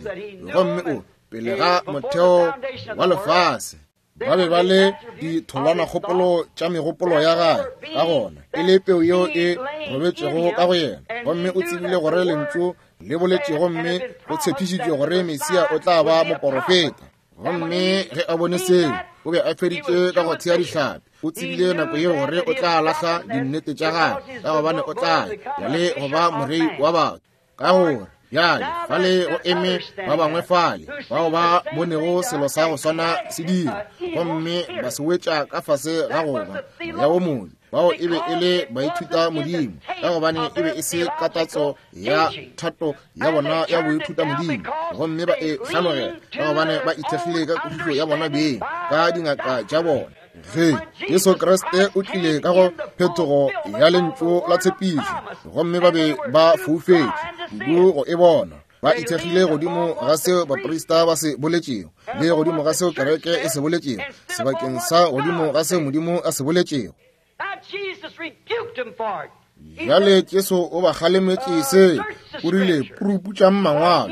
gomme o pele ga motheo wa lefase ba be ba le ditholwanakgopolo tša megopolo ya gagwe, ka gona e le peu yeo e robetšego ka go yena, gomme o tsebile gore lentšu le boletše gomme go tshepišitšwe gore Mesia o tla ba moporofeta. Gomme ge a bone seo, o be a feditše ka go thea dihlapi. O tsebile nako yeo gore o tla lahla dinnete tša gagwe, ka gobane o tla ya le go ba morei wa batho. Ka gore bjale fale go eme ba bangwe fale bao ba bonego selo sa go swana se dira, gomme ba se wetša ka fase ga go ba moya wo mobe. Bao e be e le baithuta modimo, ka gobane e be e se katatso ya thato ya bona ya boithuta modimo, gomme ba e hlanogela ka gobane ba ithekgile ka kwešišo ya bona beng, ka dingaka tša bona. Ge Jesu Kriste o tlile ka go phetogo ya lentšu la tshepišo, gomme ba be ba foufetše kudu go e bona, ba ithekgile godimo ga seo baprista ba se boletšego le godimo ga seo kereke e se boletšego, sebakeng sa godimo ga seo Modimo a se boletšego. Bjale Jesu o ba kgalemetše se, o rile, Puruputšang mangwalo,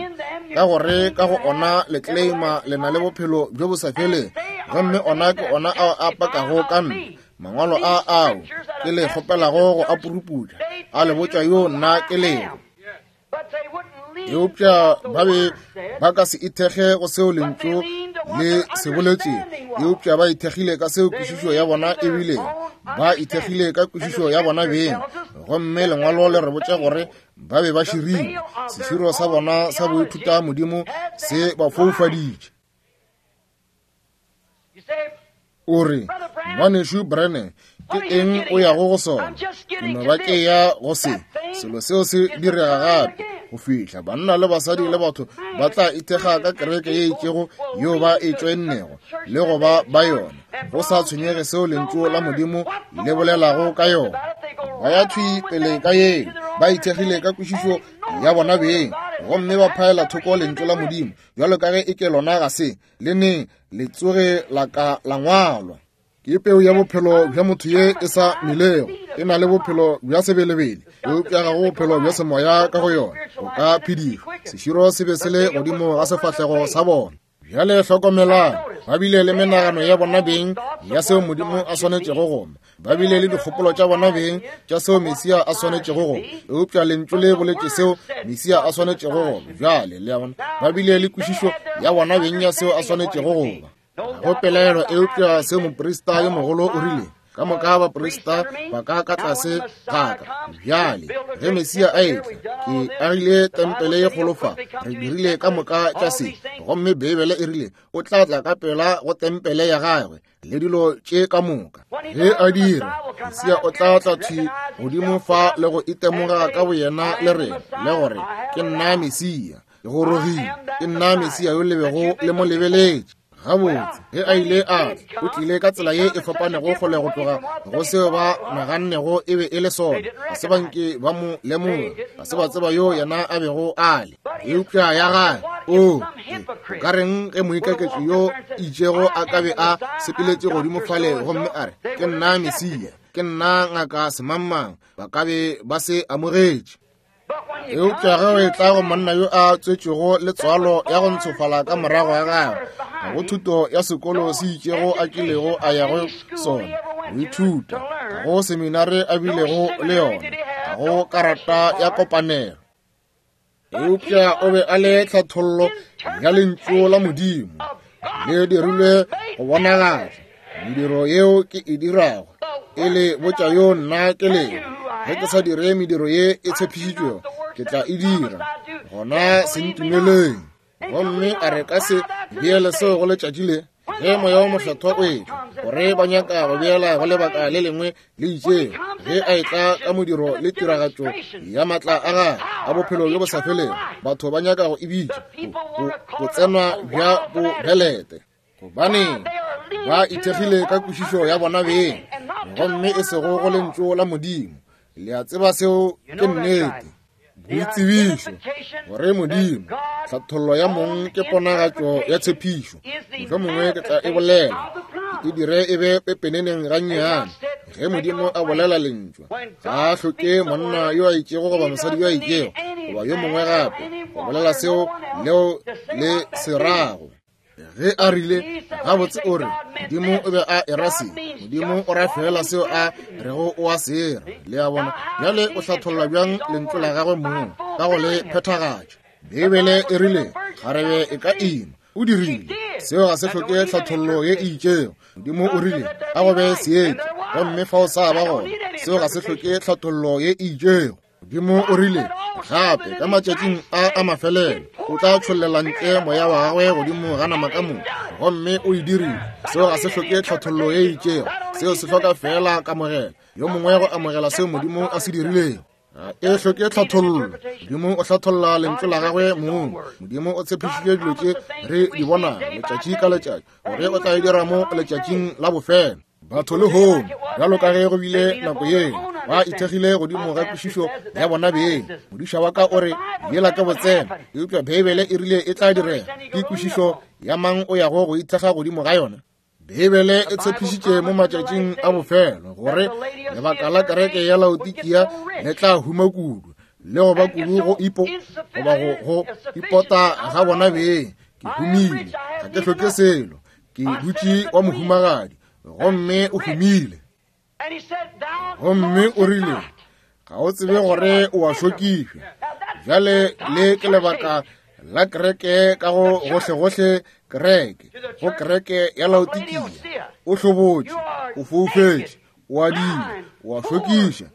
ka gore ka go ona le kleima le na le bophelo bjo bo sa felego, gomme ona ke ona ao a pakago ka nna. Mangwalo a ao ke le kgopelago go a puruputša, a le botša yo nna ke lego. Eupša ba be ba ka se ithekge go seo lentšu le se boletšego, eupša ba ithekgile ka seo kwešišo ya bona e bilego. Ba ithekgile ka kwešišo ya bona beng, gomme lengwalo le re botša gore ba be ba širile. Seširo sa bona sa boithuta modimo se ba foufaditše. O re, Ngwanešu Branham, ke eng o yago go sona? Ke no ba ke ya go se. Selo seo se direga gape go fihla banna le basadi le batho ba tla ithekga ka kereke ye itšego yeo ba e tšoennego le go ba ba yona, go sa tshwenyege seo lentšu la Modimo le bolelago ka yona. Ba ya thwi pele ka yeo, ba ithekgile ka kwešišo ya bona beng, gomme ba phaela thoko lentšu la Modimo bjalo ka ge e ke lona ga se le neng le tsoge la ka la ngwalwa. Ke peu ya bophelo bja motho ye e sa melego, e na le bophelo bja sebelebele, eupša ga go bophelo bja semoya ka go yona go ka phedišwa. Seširo se be se le godimo ga sefahlego sa bona. Bjale hlokomelang, ba bile le menagano ya bona beng ya seo Modimo a swanetšego go ba. Ba bile le dikgopolo tša bona beng tša seo Mesia a swanetšego go ba. Eupša Lentšu le boletše seo Mesia a swanetšego go ba. Bjale, le a bona, ba bile le kwešišo ya bona beng ya seo a swanetšego go ba. Ga go pelaelo eupša seo moprista yo mogolo o rile, Ka moka baprista ba ka ka tlase ga ka. Bjale, ge Mesia a etla, ke agile tempele ye kgolo fa, re dirile ka moka tša se. Gomme Beibele e rile, o tla tla ka pela go tempele ya gagwe le dilo tše ka moka. Ge a dira, Mesia o tla tla thwi godimo fa le go itemoga ka boyena le rena, le gore, Ke nna Mesia. Ke gorogile. Ke nna Mesia yo le bego le mo lebeletše. Gabotse, ge a ile a tla, o tlile ka tsela ye e fapanego kgole go tloga go seo ba nagannego e be e le sona. Ga se ba nke ba mo lemoga, ga se ba tseba yo yena a bego a le. Eupša ya gage, oo, o ka reng ge moikaketši yo itšego a ka be a sepeletše godimo fale gomme a re, Ke nna Mesia, ke nna ngaka semangmang, ba ka be ba se amogetše. Eupša ge o etla go monna yo a tswetšwego le tswalo ya go ntshofala ka morago ga gagwe, ga go thuto ya sekolo se itšego a kilego a ya go sona go ithuta, ga go seminare a bilego le yona, ga go karata ya kopanelo. Eupša o be a le tlhathollo ya Lentšu la Modimo le dirilwe go bonagatša. Mediro yeo ke e dirago e le botša yo nna ke lego. Ge ke sa dire mediro ye e tshepišitšwego, ke tla e dira. Gona se ntumeleng. Gomme a re ka se beele seo go letšatši le, ge Moya wo Mokgethwa o etla, gore ba nyaka go beela go lebaka le lengwe le itšego, ge a etla ka modiro le tiragatšo ya matla a gagwe a bophelo bjo bo sa felego, batho ba nyaka go e bitša go tsenwa bja bobelete. Gobaneng, ba ithekgile ka kwešišo ya bona beng, gomme e sego go Lentšu la Modimo. Le a tseba seo ke nnete. Boitsebišo gore Modimo, tlhathollo ya mong ke ponagatšo ya tshepišo. Mohlomongwe ke tla e bolela, ke e dire e be pepeneneng gannyane. Ge Modimo a bolela Lentšu, ga a hloke monna yo a itšego goba mosadi yo a itšego goba yo mongwe gape go bolela seo leo le se rago. Ge a rile, gabotse o re, Modimo o be a era se. Modimo o ra feela seo a rego o a se era. Le a bona? Bjale o hlatholla bjang Lentšu la gagwe mong ka go le phethagatša? Beibele e rile, Kgarebe e ka ima. O dirile. Seo ga se hloke tlhathollo ye e itšego. Modimo o rile, A go be seetša, gomme fao sa ba gona. Seo ga se hloke tlhathollo ye e itšego. Modimo o rile, gape ka matšatšing a a mafelelo o tla tšhollela ntle moya wa gagwe godimo ga nama ka moka, gomme o e dirile. Seo ga se hloke tlhathollo ye e itšego, seo se hloka feela kamogelo, yo mongwe go amogela seo Modimo a se dirilego. Ga e hloke tlhathollo. Modimo o hlatholla lentšu la gagwe mong. Modimo o tshepišitše dilo tše re di bonago letšatši ka letšatši, gore o tla e dira mo letšatšing la bofelo. Batho lehono, bjalo ka ge go bile nako yeo, ba ithekgile godimo ga kwešišo ya bona beng. Modiša wa ka o re, Yela ke botsena, eupša Beibele e rile e tla direga. Ke kwešišo ya mang o yago go ithekga godimo ga yona? Beibele e tshepišitše mo matšatšing a bofelo gore lebaka la kereke ya Laodikia le tla huma kudu le go ba kudu go ipo goba go go ipota ga bona beng. Ke humile, ga ke hloke selo. Ke dutše wa mohumagadi, gomme o humile. Gomme o rile, Ga o tsebe gore o a šokišwa. Bjale le ke lebaka la kereke ka go gohlegohle kereke, go kereke ya Laodikia. O hlobotše, o foufetše, o adile, o a šokiša,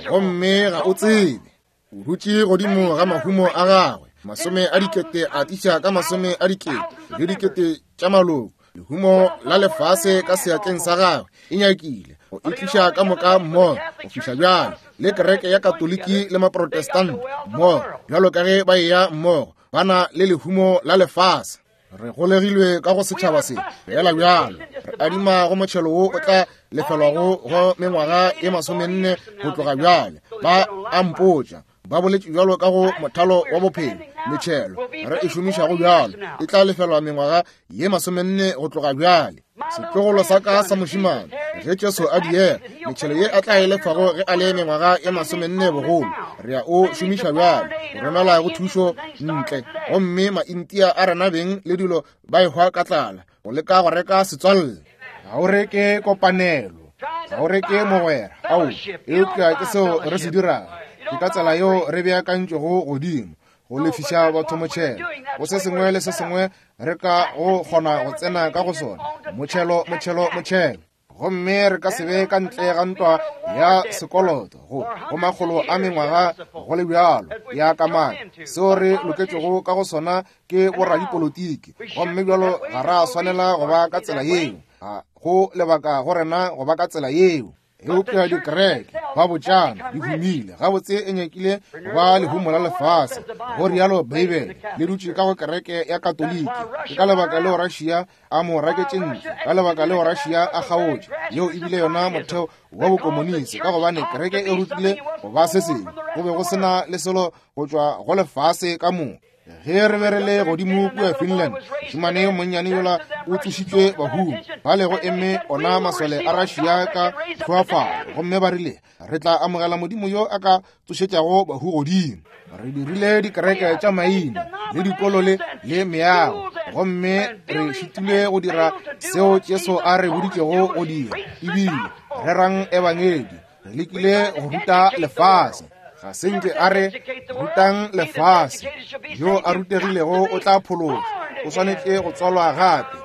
gomme ga o tsebe. O dutše godimo ga mahumo a gagwe, masome a dikete a tiša ka masome a dikete le dikete tša maloko. Lehumo la lefase ka seatleng sa gagwe e nyakile go e tliša ka moka mmogo go fihla bjale le kereke ya Katoliki le Maprotestant mmogo, bjalo ka ge ba eya mmogo, ba na le lehumo la lefase. Re golegilwe ka go setšhaba se fela bjalo, re adima go motšhelo wo o tla lefelwago go mengwaga e 40 go tloga bjale. Ba a mpotša, ba boletše bjalo ka go mothalo wa bophelo, metšhelo re e šomišago bjalo e tla lefelwa mengwaga ye 40 go tloga bjale. Setlogolo sa ka sa mošemane Ge Jesu a diega, metšhelo ye a tla e lefago ge a le mengwaga ye 40 bogolo, re a o šomiša bjale go romela go thušo ntle, gomme Maintia a rena beng le dilo ba ehwa ka tlala go leka go reka setswalle. Ga o reke kopanelo, ga o reke mogwera, ao, eupša ke seo re se dirago. Ke ka tsela yeo re beakantšwego godimo go lefiša batho motšhelo go se sengwe le se sengwe re ka go kgona go tsena ka go sona, motšhelo, motšhelo, motšhelo. Gomme re ka se be ka ntle ga ntwa ya sekoloto go go makgolo a mengwaga go le bjalo ya kamano. Seo re loketšego ka go sona ke boradipolotiki, gomme bjalo ga ra swanela go ba ka tsela yeo. Ga go lebaka go rena go ba ka tsela yeo. Eupša dikereke ba botšana di humile gabotse, e nyakile ba lehumo la lefase, go rialo Beibele, le dutše ka go kereke ya Katoliki. Ke ka lebaka leo Russia a mo raketše ntle, ka lebaka leo Russia a kgaotše. Yeo e bile yona motheo wa bokomonisi, ka gobane kereke e rutile go ba se sengwe, go be go se na le selo go tšwa go lefase ka moka. Ge re be re le godimo kua Finland, mošemane yo monnyane yola o tsošitšwe bahung, ba lego eme ona masole a Russia ka tlhoafalo, gomme ba rile, re tla amogela Modimo yo a ka tsošetšago bahu godimo. Re dirile dikereke tša maina le dikolo le le meago, gomme re šitilwe go dira seo Jesu a re boditšego go dira, ebile rerang ebangedi. Re lekile go ruta lefase, ga se nke a re rutang lefase. Yo a rutegilego o tla phološwa, o swanetše go tswalwa gape,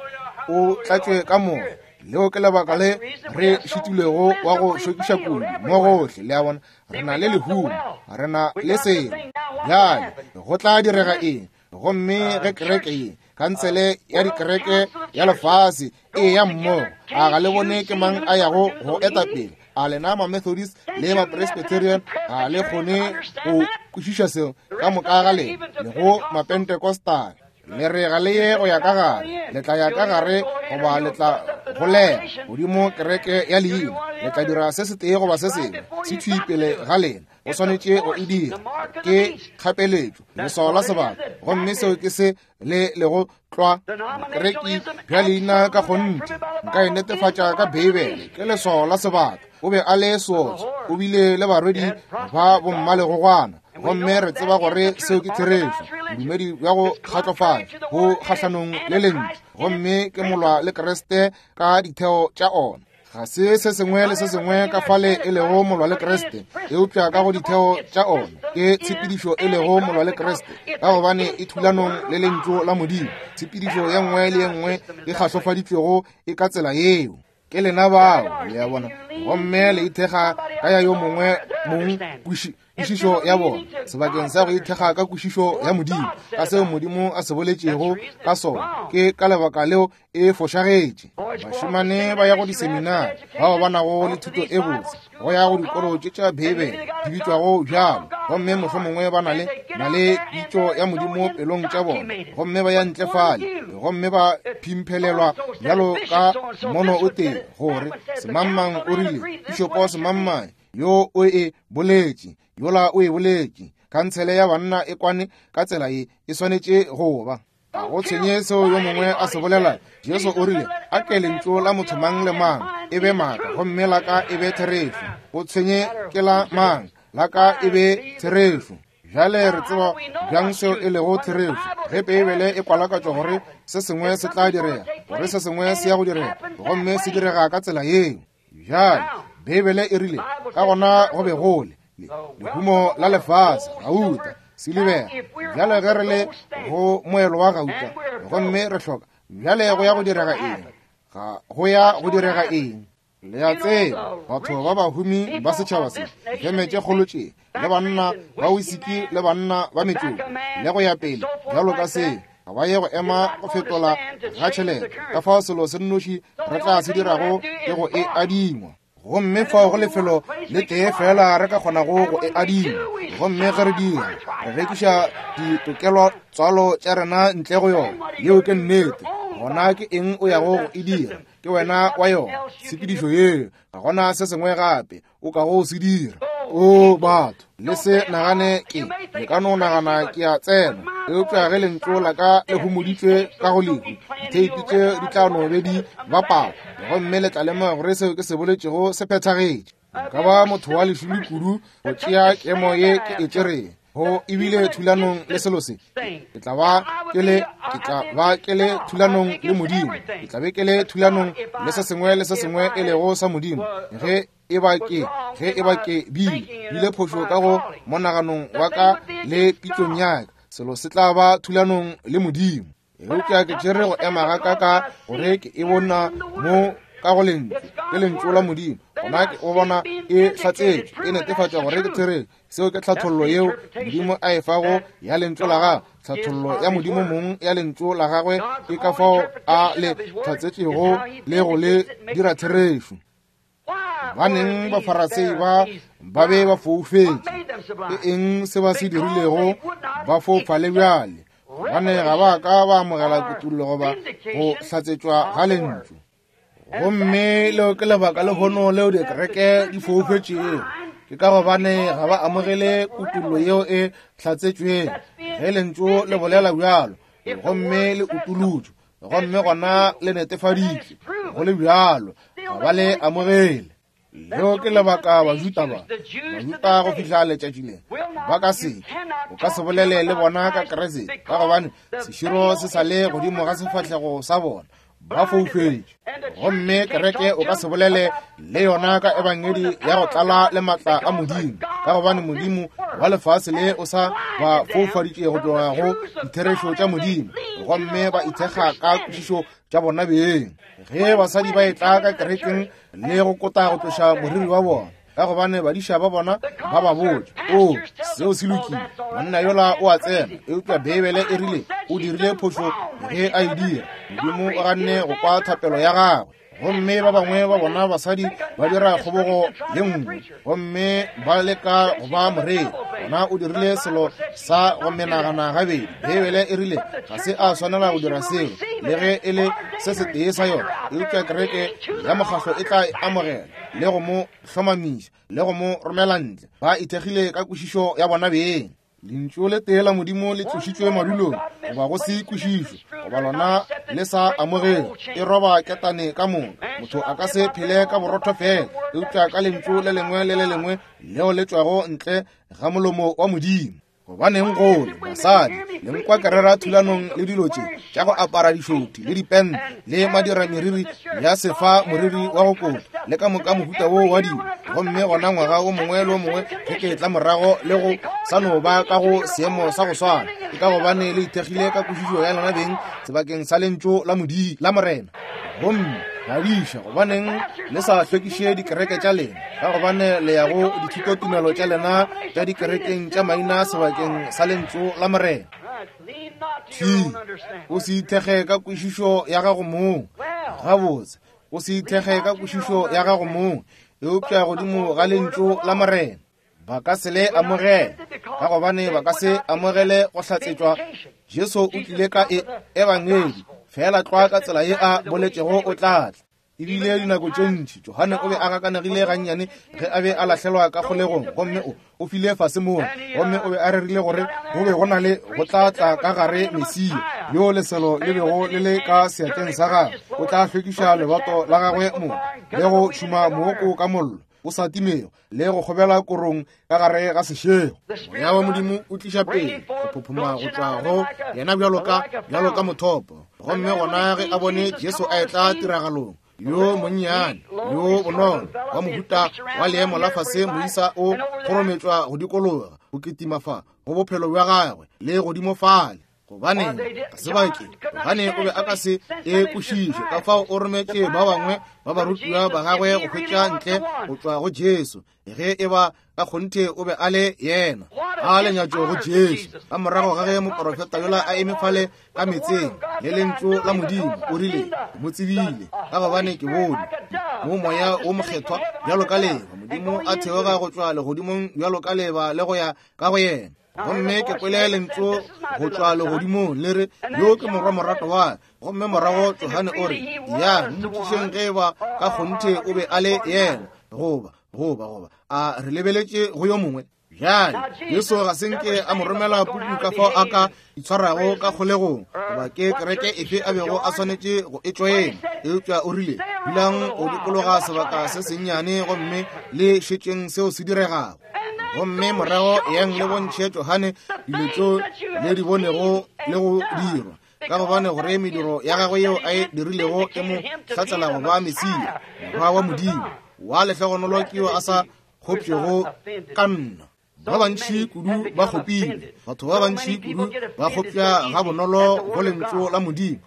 o tlatšwe ka moya. Leo ke lebaka le re šitilwego wa go šokiša kudu mo gohle. Le a bona, re na le lehumo, re na le selo. Bjale go tla direga eng? Gomme ge kereke ye, khansele ya dikereke ya lefase, e ya mmogo, a ga le bone ke mang a yago go eta pele? A lena ma-Methodist le ma-Presbyterian ga le kgone go kwešiša seo? Ka moka ga lena le go ma-Pentecostal, le re ga le ye go ya ka gare, le tla ya ka gare goba le tla golega godimo kereke ya leina, le tla dira se setee goba se sengwe, se thwi pele ga lena. O swanetše go e dira, ke kgapeletšo, leswao la sebaka, gomme seo ke se le lego tlwa. Bokereki bja leina ka kgonthe, nka e netefatša ka Beibele, ke leswao la sebaka. O be a le seotswa, o bile le barwedi ba bommalegogwana, gomme re tseba gore seo ke therešo. Bodumedi bja go kgatlofatša bo kgahlanong le lentšu, gomme ke molwa le Kriste ka ditheo tša ona. Ga se se sengwe le se sengwe ka fale e lego molwa le Kriste, eupša ka go ditheo tša ona ke tshepedišo e lego molwa le Kriste, ka gobane e thulanong le lentšu la Modimo. Tshepedišo ye nngwe le ye nngwe e kgahlofaditšwego e ka tsela yeo. Ke lena bao, le a bona, gomme le ithekga ka ya yo mongwe mong kwešišo ya bona sebakeng sa go ithekga ka kwešišo ya Modimo, ka seo Modimo a se boletšego ka sona. Ke ka lebaka leo e fošagetše. Bašemane ba ya go diseminari, bao ba nago le thuto e botse, go ya go dikolo tše tša Beibele di bitšwago bjalo, gomme mohlomongwe ba na le na le pitšo ya Modimo pelong tša bona, gomme ba ya ntle fale gomme ba phimphelelwa bjalo ka mono o tee, gore semangmang o rile, pišopo semangmang yo o e boletše, yola o e boletše, khansele ya banna e kwane ka tsela ye e swanetše go ba. Ga go tshwenye seo yo mongwe a se bolela. Jesu o rile, a ke lentšu la motho mang le mang e be maaka, gomme la ka e be therešo. Go tshwenye ke la mang, la ka e be therešo. Bjale re tseba bjang seo e lego therešo? Ge Beibele e kwalakatšwa gore se sengwe se tla direga, gore se sengwe se ya go direga, gomme se direga ka tsela yeo. Bjale Beibele e rile, ka gona go be go le lehumo la lefase, gauta, silibera. Bjale ge re le go moelo wa gauta, gomme re hloka, bjale go ya go direga eng? Ga go ya go direga eng? Le a tseba, batho ba bahumi ba setšhaba se, difeme tše kgolo tše, le banna ba wisiki le banna ba metšoko, le go ya pele, bjalo ka se, ga ba ye go ema go fetola ga tšhelete. Ka fao selo se nnoši re tla se dirago ke go e adingwa. Gomme fao go lefelo le tee fela re ka kgonago go e adima, gomme ge re dira, re rekiša ditokelo tswalo tša rena ntle go yona. Yeo ke nnete. Gona ke eng o yago go e dira? Ke wena wa yona tshepedišo yeo. Ga gona se sengwe gape o ka go se dira. O batho, le se nagane ke, le ka no nagana ke a tsena. Eupša ge lentšu la ka le homoditšwe ka go lehu, ditheipi tše di tla no be di bapala, gomme le tla lemoga gore seo ke se boletšego se phethagetše. Nka ba motho wa lešilo kudu go tšea kemo ye ke e tšereng go ebile thulanong le selo se. Ke tla ba ke le, ke tla ba ke le thulanong le Modimo. Ke tla be ke le thulanong le se sengwe le se sengwe e lego sa Modimo. Ge e ba ke, ge e ba ke bile, bile phošo ka go monaganong wa ka le pitšong ya ka, selo se tla ba thulanong le Modimo. Eupša ke tšere go ema ga ka ka gore ke e bona mo ka go lentšu, ke lentšu la Modimo. Gona ke o bona e hlatsetšwe, e netefatša gore ke therešo. Seo ke tlhathollo yeo Modimo a e fago ya lentšu la gagwe. Tlhathollo ya Modimo mong ya lentšu la gagwe ke ka fao a le hlatsetšego le go le dira therešo. Baneng Bafarasei ba ba be ba foufetše. Ke eng se ba se dirilego? Ba foufale bjale, gobane ga ba ka ba amogela kutullo goba go hlatsetšwa ga lentšu. Gomme leo ke lebaka lehono leo dikereke di foufetšego, ke ka gobane ga ba amogele kutullo yeo e hlatsetšwego. Ge lentšu le bolela bjalo gomme le utulotšwe, gomme gona le netefaditšwe go le bjalo, ga ba le amogele. Leo ke lebaka Bajuda ba, Bajuda go fihla letšatši le, ba ka se, o ka se bolele le bona ka Kriste, ka gobane seširo se sa le godimo ga sefahlego sa bona, ba foufetše. Gomme kereke o ka se bolele le yona ka ebangedi ya go tlala le maatla a Modimo, ka gobane Modimo wa lefase le o sa ba foufaditše go tloga go ditherešo tša Modimo, gomme ba ithekga ka kwešišo tša bona beng. Ge basadi ba etla ka kerekeng le go kota go tloša moriri wa bona, ka gobane badiša ba bona ba ba botša, o seo se lokile, monna yola o a tsena, eupša Beibele e rile o dirile phošo ge a e dira. Modimo o ganne go kwa thapelo ya gagwe. Gomme ba bangwe ba bona basadi ba dira kgobogo ye nngwe, gomme ba leka go ba moreri. Gona o dirile selo sa go menagana gabedi. Beibele e rile ga se a swanela go dira seo, le ge e le se setee sa yona, eupša kereke ya mokgahlo e tla e amogela le go mo hlomamiša le go mo romela ntle. Ba ithekgile ka kwešišo ya bona beng. Lentšu le tee la Modimo le tlošitšwe madulong, goba go se kwešišwe, goba lona le sa amogelwe, e roba ketane ka moka. Motho a ka se phele ka borotho fela, eupša ka lentšu le lengwe le le lengwe leo le tšwago ntle ga molomo wa Modimo. Gobaneng gole basadi le nkwa ke rera thulanong le dilo tše tša go apara dišothi le dipente le madira meriri ya sefa moriri wa go kota le ka moka mohuta wo wa dilo, gomme gona ngwaga o mongwe le o mongwe ge ke tla morago le go sa no ba ka go seemo sa go swana, ke ka gobane le ithekgile ka kwešišo ya lena beng sebakeng sa lentšu la Modimo la Morena. Gomme badiša, gobaneng le sa hlwekiše dikereke tša lena? Ka gobane le ya go dithutotumelo tša lena tša dikerekeng tša maina sebakeng sa lentšu la Morena. Thi, o se ithekge ka kwešišo ya gago mong. Gabotse, o se ithekge ka kwešišo ya gago mong, eupša godimo ga lentšu la Morena. Ba ka se le amogele, ka gobane ba ka se amogele go hlatsetšwa. Jesu o tlile ka e ebangedi, feela tlwa ka tsela ye a boletšego o tla tla. Ebile dinako tše ntši Johane o be a gakanegile gannyane ge a be a lahlelwa ka kgolegong, gomme o file fase moo, gomme o be a rerile gore go be go na le go tla tla ka gare Mesia, yo leselo le bego le le ka seatleng sa gagwe, o tla hlwekiša lebato la gagwe mo le go tšhuma mooko ka mollo o sa timego le go kgobela korong ka gare ga sešego. Moya wa Modimo o tliša pele go phophoma go tšwa go yena bjalo ka, bjalo ka mothopo. Gomme gona ge a bone Jesu a etla tiragalong, yo monnyane, yo bonolo, wa mohuta wa leemo la fase, moisa o kgorometšwa go dikologa, go kitima fa go bophelo bja gagwe le godimo fale. Gobaneng ga se ba ke? Gobane o be a ka se e kwešiše. Ka fao o rometše ba bangwe ba barutiwa ba gagwe go hwetša ntle go tšwa go Jesu ge e ba ka kgonthe o be a le yena. A lenyatšo go Jesu ka morago ga ge moporofeta yola a eme fale ka metseng le lentšu la Modimo, o rile, Ke mo tsebile, ka gobane ke bone mo moya wo mokgethwa bjalo ka leba, Modimo a theoga go tšwa legodimong bjalo ka leba le go ya ka go yena. Gomme ke kwele lentšu go tšwa legodimong le re, Yo ke morwa morato wa. Gomme morago Johane o re, Ya, mmotšišeng ge eba ka kgonthe o be a le yena, goba, goba, goba a re lebeletše go yo mongwe. Bjale, Jesu ga se nke a mo romela puku ka fao a ka itshwarago ka kgolegong, goba ke kereke efe a bego a swanetše go e tšoena, eupša o rile, Dulang go dikologa sebaka se sennyane gomme le šetšeng seo se diregago. Gomme morago eyang le bontšhe Johane dilo tšeo le di bonego le go dirwa, ka gobane gore mediro ya gagwe yeo a e dirilego e mo hlatsela go ba Mesia, Morwa wa Modimo. Wa lehlogonolo ke yo a sa kgopšego ka nna. Ba bantši kudu ba kgopile. Batho ba bantši kudu ba kgopša gabonolo go Lentšu la Modimo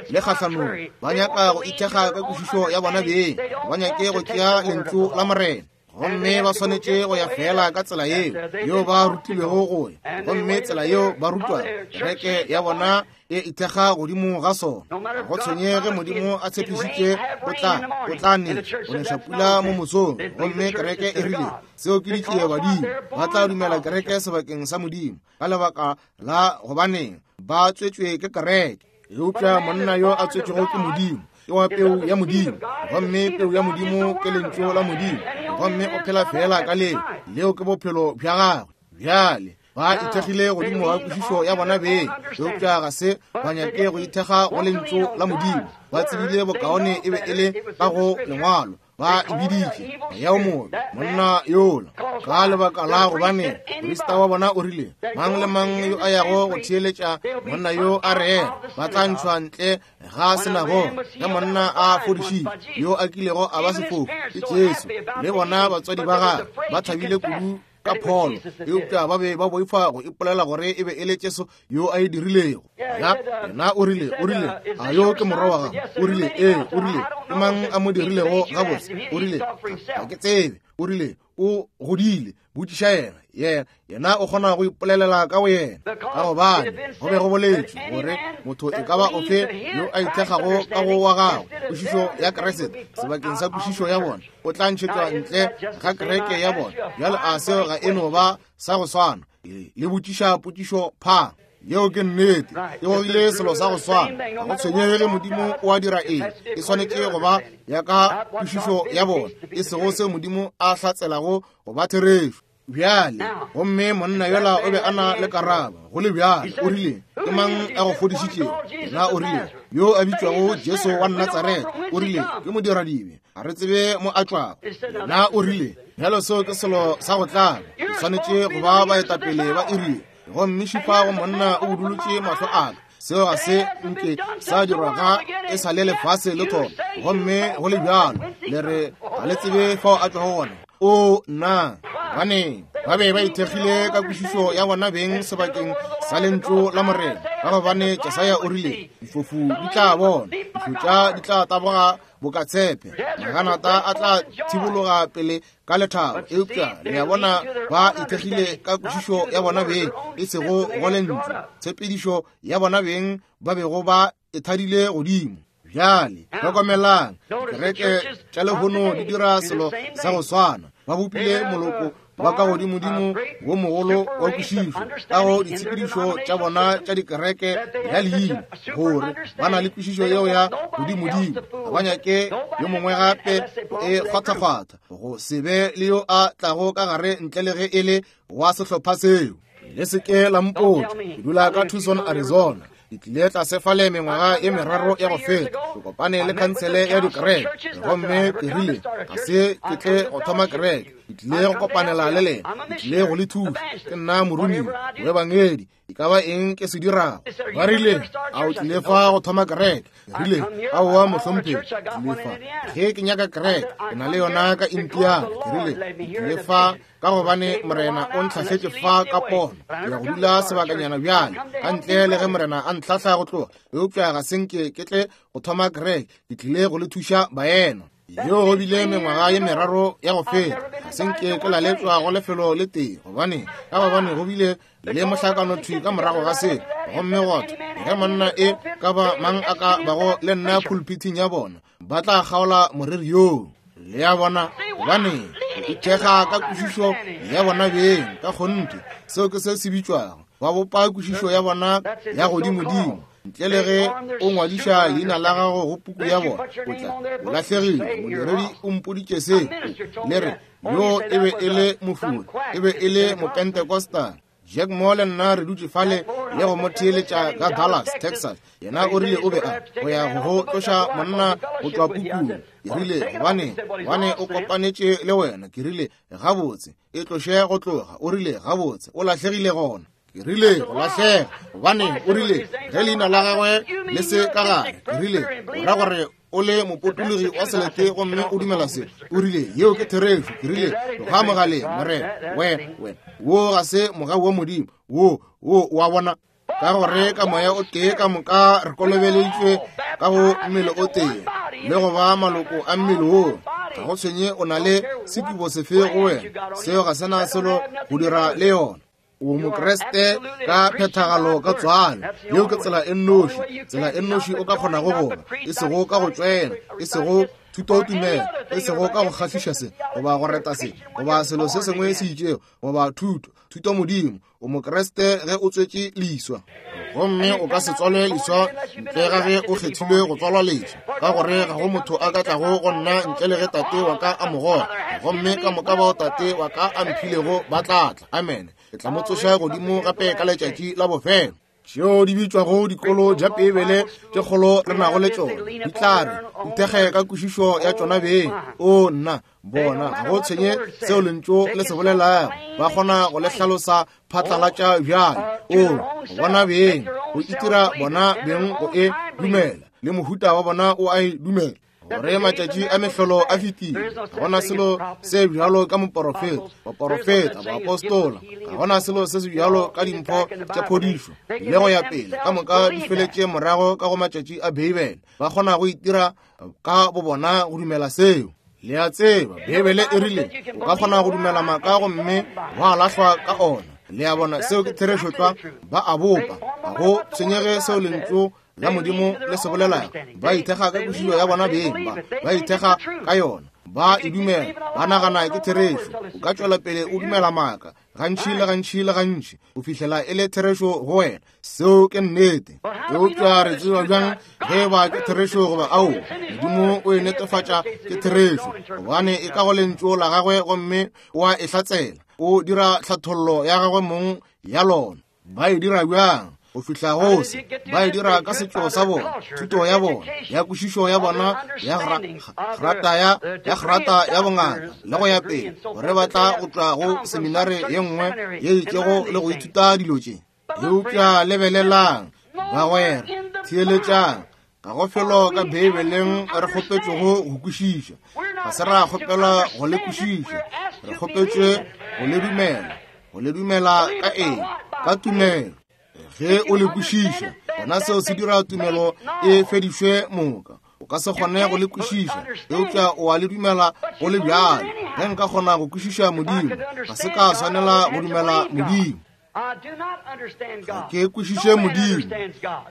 le kgahlanong. Ba nyaka go ithekga ka kwešišo ya bona beng. Ba nyake go tšea Lentšu la Morena. Gomme ba swanetše go ya feela ka tsela yeo yeo ba rutilwego go ya. Gomme tsela yeo ba rutwago, kereke ya bona e ithekga godimo ga sona. Ga go tshwenye ge Modimo a tshepišitše o tla, o tla ne go neša pula mo mosong, gomme kereke e rile, seo ke ditšie badimo. Ba tla dumela kereke sebakeng sa Modimo, ka lebaka la gobaneng ba tswetšwe ke kereke. Eupša monna yo a tswetšwego ke Modimo ke wa peu ya Modimo, gomme peu ya Modimo ke Lentšu la Modimo, gomme o phela feela ka leo. Leo ke bophelo bja gagwe. Bjale ba ithekgile godimo ga kwešišo ya bona beng, eupša ga se ba nyake go ithekga go Lentšu la Modimo. Ba tsebile bokaone e be e le ka go Lengwalo. Ba e biditše moya o mobe, monna yola, ka lebaka la gobane moprista wa bona o rile, mang le mang yo a yago go theeletša monna yo a rera, ba tla ntšhwa ntle ga sinagoge. Ge monna a fodišitšwe, yo a kilego a ba sefofu ke Jesu, le bona batswadi ba gagwe ba thabile kudu ka pholo, eupša ba be ba boifa go ipolela gore e be e le Jesu yo a e dirilego. Ya, yena o rile, o rile, a yo ke morwa wa gago? O rile, ee. O rile, ke mang a mo dirilego gabotse? O rile, ga ke tsebe. O rile, o godile, botšiša yena. Yena, yena o kgona go ipolelela ka go yena, ka gobane go be go boletšwe gore motho e ka ba ofe yo a ithekgago ka go wa gagwe kwešišo ya Kriste sebakeng sa kwešišo ya bona, o tla ntšhetšwa ntle ga kereke ya bona. Bjale a seo ga e no ba sa go swana? Le botšiša potšišo pha. Yeo ke nnete. E gogile selo sa go swana. Ga go tshwenyege ge Modimo o a dira eng, e swanetše go ba ya ka kwešišo ya bona, e sego seo Modimo a hlatselago go ba therešo. Bjale, gomme monna yola o be a na le karabo, go le bjalo. O rile, ke mang a go fodišitšego? Yena o rile, yo a bitšwago Jesu wa Natsaretha. O rile, ke modiradibe, ga re tsebe mo a tšwago. Yena o rile, bjalo seo ke selo sa go tlaba. Ke swanetše go ba baetapele ba iri. Gomme šupa go monna o budulotše mahlo a ka. Seo ga se nke sa dirwa ga e sa le lefase le thoma. Gomme go le bjalo, le re ga le tsebe fao a tšwago gona. O nna, gobaneng ba be ba ithekgile ka kwešišo ya bona beng sebakeng sa Lentšu la Morena? Ka gobane Jesaya o rile, difofu di tla bona, dihlotša di tla taboga boka tshepe, maganata a tla thibologa pele ka lethabo. Eupša le a bona, ba ithekgile ka kwešišo ya bona beng, e sego go Lentšu, tshepedišo ya bona beng ba bego ba e thadile godimo. Bjale hlokomelang, dikereke tša lehono di dira selo sa go swana. Ba bopile moloko wa ka godimodimo wo mogolo wa kwešišo ka go ditshepedišo tša bona tša dikereke ya leina, gore ba na le kwešišo yeo ya godimodimo. Ga ba nyake yo mongwe gape go e kgwathakgwatha, go se be le yo a tlago ka gare ntle le ge e le wa sehlopha seo. Le se ke la mpotša, ke dula ka Tucson, Arizona. Ke tlile tlase fale mengwaga ye meraro ya go feta, ke kopane le khansele ya dikereke, gomme ke rile, ga se ke tle go thoma kereke, ke tlile go kopanela le lena, ke tlile go le thuša. Ke nna moromiwa, moebangedi, e ka ba eng ke se dirago. Ba rile, a o tlile fa go thoma kereke? Ke rile, aowa mohlomphegi, ke tlile fa ge ke nyaka kereke, ke na le yona ka Indiana. Ke rile, ke tlile fa ka gobane Morena o ntlhahletše fa ka pono. Ke ya go dula sebakanyana bjale, ka ntle le ge Morena a ntlhahla go tloga, eupša ga se nke ke tle go thoma kereke, ke tlile go le thuša baena. Yeo go bile mengwaga ye meraro ya go feta, ga se nke ke laletšwa go lefelo le tee, gobane ka gobane go bile le mohlakano thwi ka morago ga se. Gomme gotho ge monna e ka ba mang a ka bago le nna pulpithing ya bona, ba tla kgaola moreri yoo. Le a bona? Gobane go ithekga ka kwešišo ya bona beng, ka kgonthe, seo ke se se bitšwago, ba bopa kwešišo ya bona ya godimodimo. Ntle le ge o ngwadiša leina la gago go puku ya bona, o tla o lahlegile. Modiredi o mpoditše se. Le re, Yo e be e le mofuri, e be e le Mopentecostal. Jack Moore le nna re dutše fale le go mo theeletša ka Dallas, Texas. Yena o rile o be a go ya go go tloša monna go tšwa pukung. Ke rile, gobane, gobane o kopanetše le wena. Ke rile, gabotse, e tloše go tloga. O rile, gabotse, o lahlegile gona. Ke rile, go lahlega. Gobane, o rile, ge leina la gagwe le se ka gare. Ke rile, o ra gore o le mopotologi wa selete gomme o dumela se. O rile, yeo ke therešo. Ke rile, tloga mogaleng, morena. Wena, wena, wo ga se mogau wa Modimo. Wo, wo, wa bona. Ka gore ka moya o tee ka moka re kolobeleditšwe ka go mmele o tee, le go ba maloko a mmele wo. Ga go tshwenye o na le sekubo sefe go wena, seo ga se na selo go dira le yona. O Mokriste ka phethagalo ka tswalo. Yeo ke tsela e nnoši, tsela e nnoši o ka kgonago go ba, e sego ka go tšwela, e sego thutotumelo, e sego ka go kgahliša se, goba go reta se, goba selo se sengwe se itšego, goba thuto, thutomodimo. O Mokriste ge o tswetše leswa. Gomme o ka se tswalwe leswa ntle ga ge o kgethilwe go tswalwa leswa, ka gore ga go motho a ka tlago go nna ntle le ge Tate wa ka a mo goga. Gomme ka moka bao Tate wa ka a mphilego ba tla tla. Amene. Ke tla mo tsoša godimo gape ka letšatši la bofelo. Tšeo di bitšwago dikolo tša Beibele tše kgolo re nago le tšona di tla re ithekge ka kwešišo ya tšona beng. O nna, bona ga go tshwenye seo lentšu le se bolelago, ba kgona go le hlalosa phatlalatša bjale. O bona beng go itira bona beng go e dumela, le mohuta wa bona o a e dumela. Gore matšatši a mehlolo a fetile, ga gona selo se bjalo ka moporofeta, baporofeta, baapostola, ga gona selo se se bjalo ka dimpho tša phodišo le go ya pele. Ka moka di feletše morago ka go matšatši a Beibele. Ba kgona go itira ka bobona go dumela seo. Le a tseba, Beibele e rile o ka kgona go dumela maaka gomme wa lahlwa ka ona. Le a bona, seo ke therešo tlwa. Ba a bopa, ga go tshwenyege seo lentšu la Modimo le se bolelago. Ba ithekga ka kwešišo ya bona beng, ba ithekga ka yona, ba e dumela, ba nagana ke therešo. O ka tšwela pele o dumela maaka gantši le gantši le gantši go fihlela e le therešo go wena. Seo ke nnete. Eupša re tseba bjang ge e ba ke therešo goba aowa? Modimo o e netefatša ke therešo, gobane e ka go lentšu la gagwe gomme o a e hlatsela. O dira tlhathollo ya gagwe mong ya lona. Ba e dira bjang? Go fihla go se, ba e dira ka setšo sa bona, thuto ya bona, ya kwešišo ya bona, ya grata ya, ya grata ya bongaka, le go ya pele, gore ba tla go tšwa go seminare ye nngwe ye itšego le go ithuta dilo tše. Eupša lebelelang, bagwera, theeletšang, ga go felo ka Beibeleng re kgopetšwego go kwešiša. Ga se ra kgopelwa go le kwešiša, re kgopetšwe go le dumela. Go le dumela ka eng? Ka tumelo. Ge o le kwešiša, gona seo se dira tumelo e fedišwe moka. O ka se kgone go le kwešiša, eupša o a le dumela go le bjalo. Ge nka kgona go kwešiša Modimo, ga se ka swanela go dumela Modimo. Ga ke kwešiše Modimo.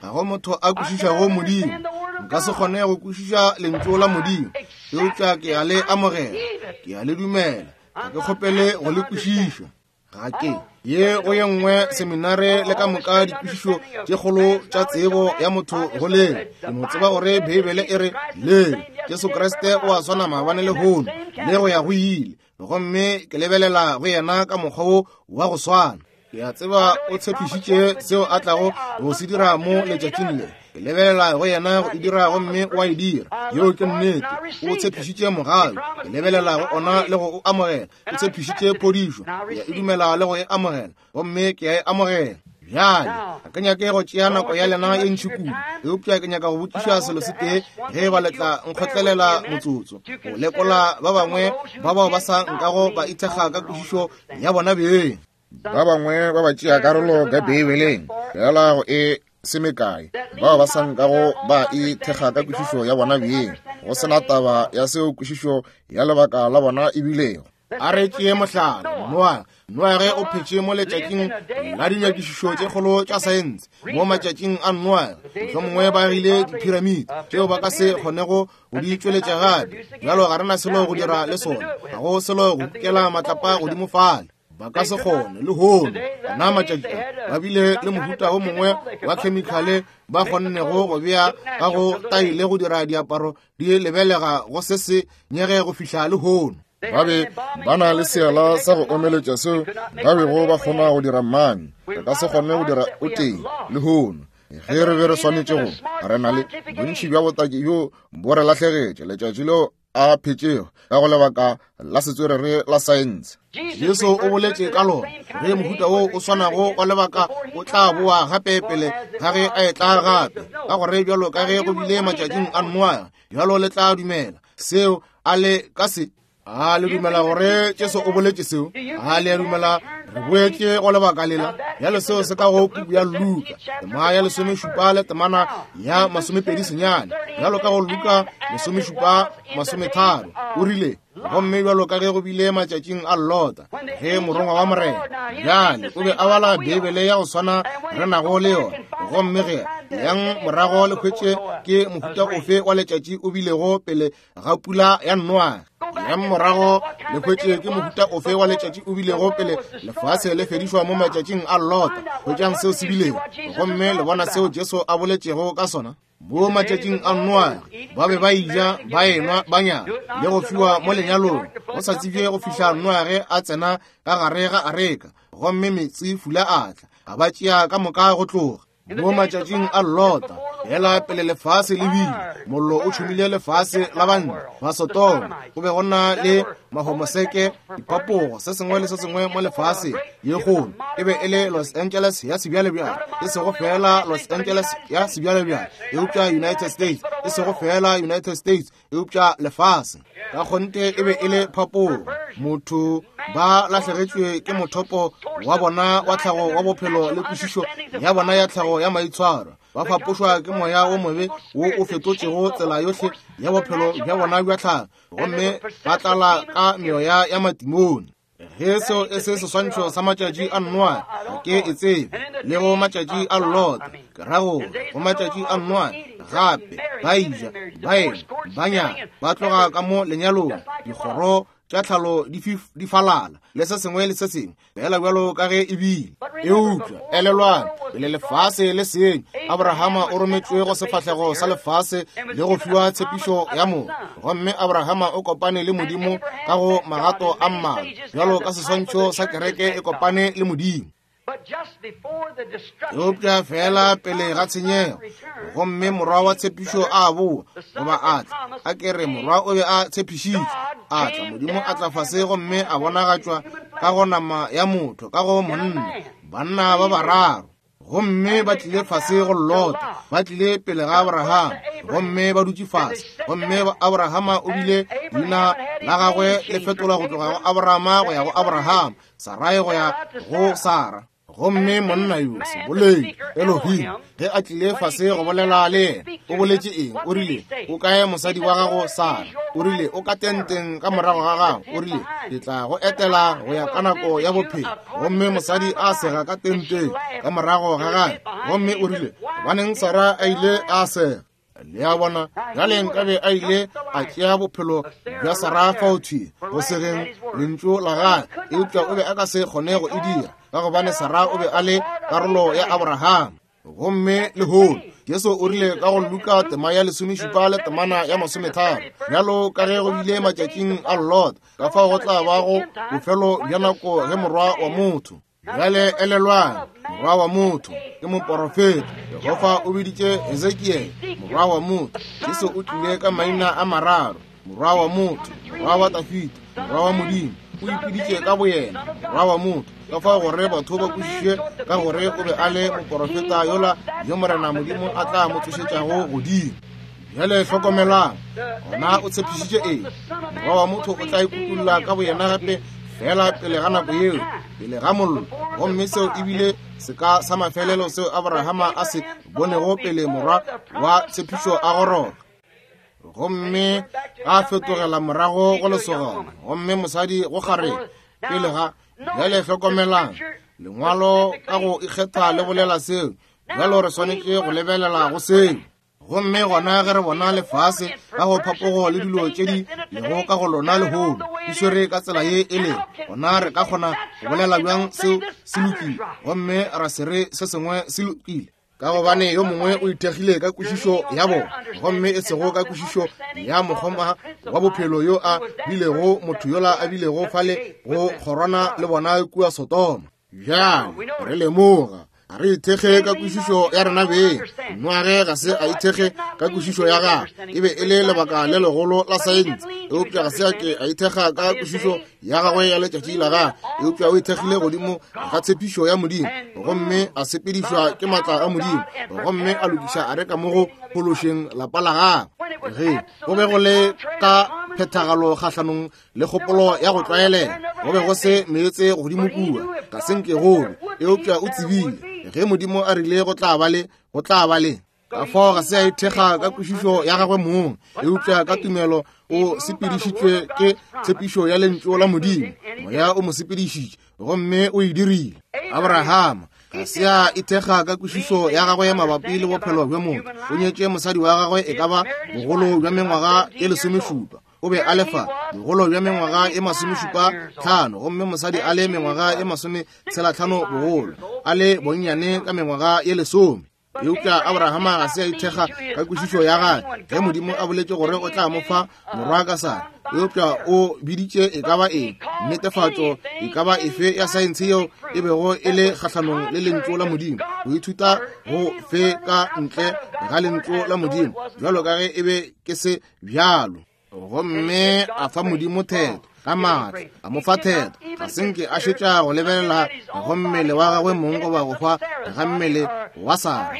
Ga go motho a kwešišago Modimo. Nka se kgone go kwešiša lentšu la Modimo, eupša ke a le amogela, ke a le dumela. Ga ke kgopele go le kwešiša. Ga ke ye go ye nngwe seminare le ka moka dikwešišo tše kgolo tša tsebo ya motho go leng. Ke no tseba gore Beibele e re leng Jesu Kriste o a swana maabane le lehono le go ya go ile, gomme ke lebelela go yena ka mokgwa wo wa go swana. Ke a tseba o tshepišitše seo a tlago go se dira mo letšatšing le. Ke lebelela go yena go e dira gomme o a e dira. Yeo ke nnete. O tshepišitše mogau. Ke lebelela go ona le go o amogela. O tshepišitše phodišo. Ke a e dumela le go e amogela, gomme ke a e amogela. Bjale, ga ke nyake go tšea nako ya lena ye ntši kudu, eupša ke nyaka go botšiša selo se tee, ge e ba le tla nkgotlelela motsotso, go lekola ba bangwe ba bao ba sa nkago ba ithekga ka kwešišo ya bona beng. Ba bangwe ba ba tšea karolo ka Beibeleng fela go e se mekae, bao ba sa nkago ba ithekga ka kwešišo ya bona beng, go se na taba ya seo kwešišo ya lebaka la bona e bilego. A re tšee mohlala, Noa. Noage o phetše mo letšatšing la dinyakišišo tše kgolo tša saense. Mo matšatšing a Noage, mohlomongwe ba agile diphiramiti tšeo ba ka se kgonego go di tšweletša gape. Bjalo ga re na selo go dira le sona, ga go selo go kukela matlapa godimo fale. Ba ka se kgone lehono. Ona matšatši a ba bile le mohuta o mongwe wa khemikhale ba kgonnego go bea ka go taile go dira diaparo di lebelega go se se nyege go fihla lehono. Ba be ba na le seala sa go omeletša seo ba bego ba kgona go dira mami. Re ka se kgone go dira o tee lehono ge re be re swanetše go. Re na le bontši bja botaki bjo bo re lahlegetše letšatši leo a phetšego ka go lebaka la setswerere la saense. Jesu o boletše ka lona ge mohuta wo o swanago wa lebaka o tla boa gape pele ga ge a etla gape, ka gore bjalo ka ge go bile matšatšing a Noa, bjalo le tla dumela seo. A le ka se? A le dumela gore Jesu o boletše seo? A le a dumela re boetše go lebaka lela? Bjale seo se ka go puku ya Luka tema ya 17 le temana ya 29, bjalo ka go Luka 17:30 o rile, gomme bjalo ka ge go bile matšatšing a Lota, ge morongwa wa Morena. Bjale o be a bala Beibele ya go swana re nago le yona, gomme ge yang morago le hwetše ke mohuta ofe wa letšatši o bilego pele ga pula ya Noa. Yang morago le hwetše ke mohuta ofe wa letšatši o bilego pele lefase le fedišwa mo matšatšing a Lota. Hwetšang seo se bilego, gomme le bona seo Jesu a boletšego ka sona. Mo matšatšing a Noa ba be ba ija, ba enwa, ba nyala le go fiwa mo lenyalong, go sa tsebje go fihla Noage a tsena ka gare ga areka, gomme meetse fula a tla, a ba tšea ka moka go tloga. Mo matšatšing a Lota, hela pele lefase le bile, mollo o tšhumile lefase la banna ba Sodoma. Go be go na le mahomoseke, dipapogo, se sengwe le se sengwe mo lefase ye kgolo. E be e le Los Angeles ya sebjalebjale, e sego fela Los Angeles ya sebjalebjale, eupša United States, e sego fela United States, eupša lefase. Ka kgonthe e be e le phapogo. Motho ba lahlegetšwe ke mothopo wa bona wa tlhago wa bophelo le kwešišo ya bona ya tlhago ya maitshwaro. Ba fapošwa ke moya wo mobe wo o fetotšego tsela yohle ya bophelo bja bona bja tlhago, gomme ba tlala ka meoya ya matimone. Ge seo e se seswantšho sa matšatši a Noa, ga ke e tsebe, le go matšatši a Lota, ke ra gore go matšatši a Noa gape ba ija, ba enwa, ba nyala, ba tloga ka mo lenyalong, dikgoro tša tlhalo di falala, le se sengwe le se sengwe, fela bjalo ka ge e bile. Eupša elelwang, pele lefase le senya, Abrahama o rometšwe go sefahlego sa lefase le go fiwa tshepišo ya morwa. Gomme Abrahama o kopane le Modimo ka go magato a mmalwa, bjalo ka seswantšho sa kereke e kopane le Modimo. Eupša fela pele ga tshenyego, gomme morwa wa tshepišo a boa, goba a tla, a ke re morwa o be a tshepišitšwe, a tla, Modimo a tla fase gomme a bonagatšwa ka go nama ya motho, ka go monna, banna ba bararo. Gomme ba tlile fase go Lota, ba tlile pele ga Abrahama, gomme ba dutše fase. Gomme Abrahama o bile leina la gagwe le fetolwa go tloga go Abrahama go ya go Abrahama, Sarai go ya go Sara. Gomme monna yo seboledi Elohim, ge a tlile fase go bolela le yena, o boletše eng? O rile, o kae mosadi wa gago Sara? O rile, o ka tenteng ka morago ga gago. O rile, ke tla go etela go ya ka nako ya bophelo. Gomme mosadi a sega ka tenteng ka morago ga gagwe. Gomme o rile, gobaneng Sara a ile a sega? Le a bona, bjale nkabe a ile a tšea bophelo bja Sara fao thwi go segeng lentšu la gagwe, eupša o be a ka se kgone go e dira, ka gobane Sara o be a le karolo ya Abraham. Gomme lehono Jesu o rile ka go Luka tema ya 17 le temana ya 30, bjalo ka ge go bile matšatšing a Lot, ka fao go tla bago bofelo bja nako ge morwa wa motho. Bjale elelwang, morwa wa motho ke moporofeta. Jehofa o biditše Hezekiele morwa wa motho. Jesu o tlile ka maina a mararo, morwa wa motho, morwa wa Dafida, morwa wa Modimo. O ipiditše ka boyena morwa wa motho, ka fao gore batho ba kwešiše ka gore o be a le moporofeta yola yo Morena Modimo a tla mo tsošetšago godimo. Bjale hlokomelang, gona o tshepišitše eng? Morwa wa motho o tla ikutulla ka boyena gape fela pele ga nako yeo, pele ga mollo. Gomme seo ebile seka sa mafelelo seo Abrahama a se bonego pele morwa wa tshepišo a goroga. Gomme a fetogela morago go lesogana, gomme mosadi go kgarebe pele ga. Bjale hlokomelang, lengwalo ka go ikgetha le bolela seo. Bjalo re swanetše go lebelela go seo. Gomme gona ge re bona lefase ka go phapogo le dilo tše di lego ka go lona lehono di swere ka tsela ye e lego, gona re ka kgona go bolela bjang seo se lokile gomme ra se re se sengwe se lokile? Ka gobane yo mongwe o ithekgile ka kwešišo ya bona, gomme e sego ka kwešišo ya mokgoma wa bophelo yo a bilego motho yola a bilego fale go kgorwana le bona kua Sodoma. Bjale re lemoga ga re ithekge ka kwešišo ya rena beng. Noage ga se a ithekge ka kwešišo ya gagwe, e be e le lebaka le legolo la saense, eupša ga se a ke a ithekga ka kwešišo ya gagwe ya letšatši la gagwe, eupša o ithekgile godimo ga tshepišo ya Modimo, gomme a sepedišwa ke maatla a Modimo, gomme a lokiša areka mo go phološeng lapa la gagwe. Ge go be go le ka phethagalo kgahlanong le kgopolo ya go tlwaelega, go be go se meetse godimo kua, ga se nke gobe, eupša o tsebile ge Modimo a rile go tla ba le, go tla ba le. Ka fao ga se a ithekga ka kwešišo ya gagwe mong, eupša ka tumelo o sepedišitšwe ke tshepišo ya lentšu la Modimo. Moya o mo sepedišitše gomme o e dirile. Abrahama ga se a ithekga ka kwešišo ya gagwe mabapi le bophelo bja motho. O nyetše mosadi wa gagwe e ka ba bogolo bja mengwaga e 17. O be a le fa bogolo bja mengwaga e 75, gomme mosadi a le mengwaga e 65 bogolo, a le bonnyane ka mengwaga e 10. Eupša Abrahama ga se a ithekga ka kwešišo ya gagwe ge Modimo a boletše gore o tla mo fa morwa ka Sara, eupša o biditše e ka ba eng, netefatšo e ka ba efe ya saense yeo e bego e le kgahlanong le lentšu la Modimo, go ithuta go fe ka ntle ga lentšu la Modimo, bjalo ka ge e be ke se bjalo. Gomme a fa Modimo theto ka maatla, a mo fa theto. Ga se nke a šetša go lebelela go mmele wa gagwe mong goba go hwa ga mmele wa Sara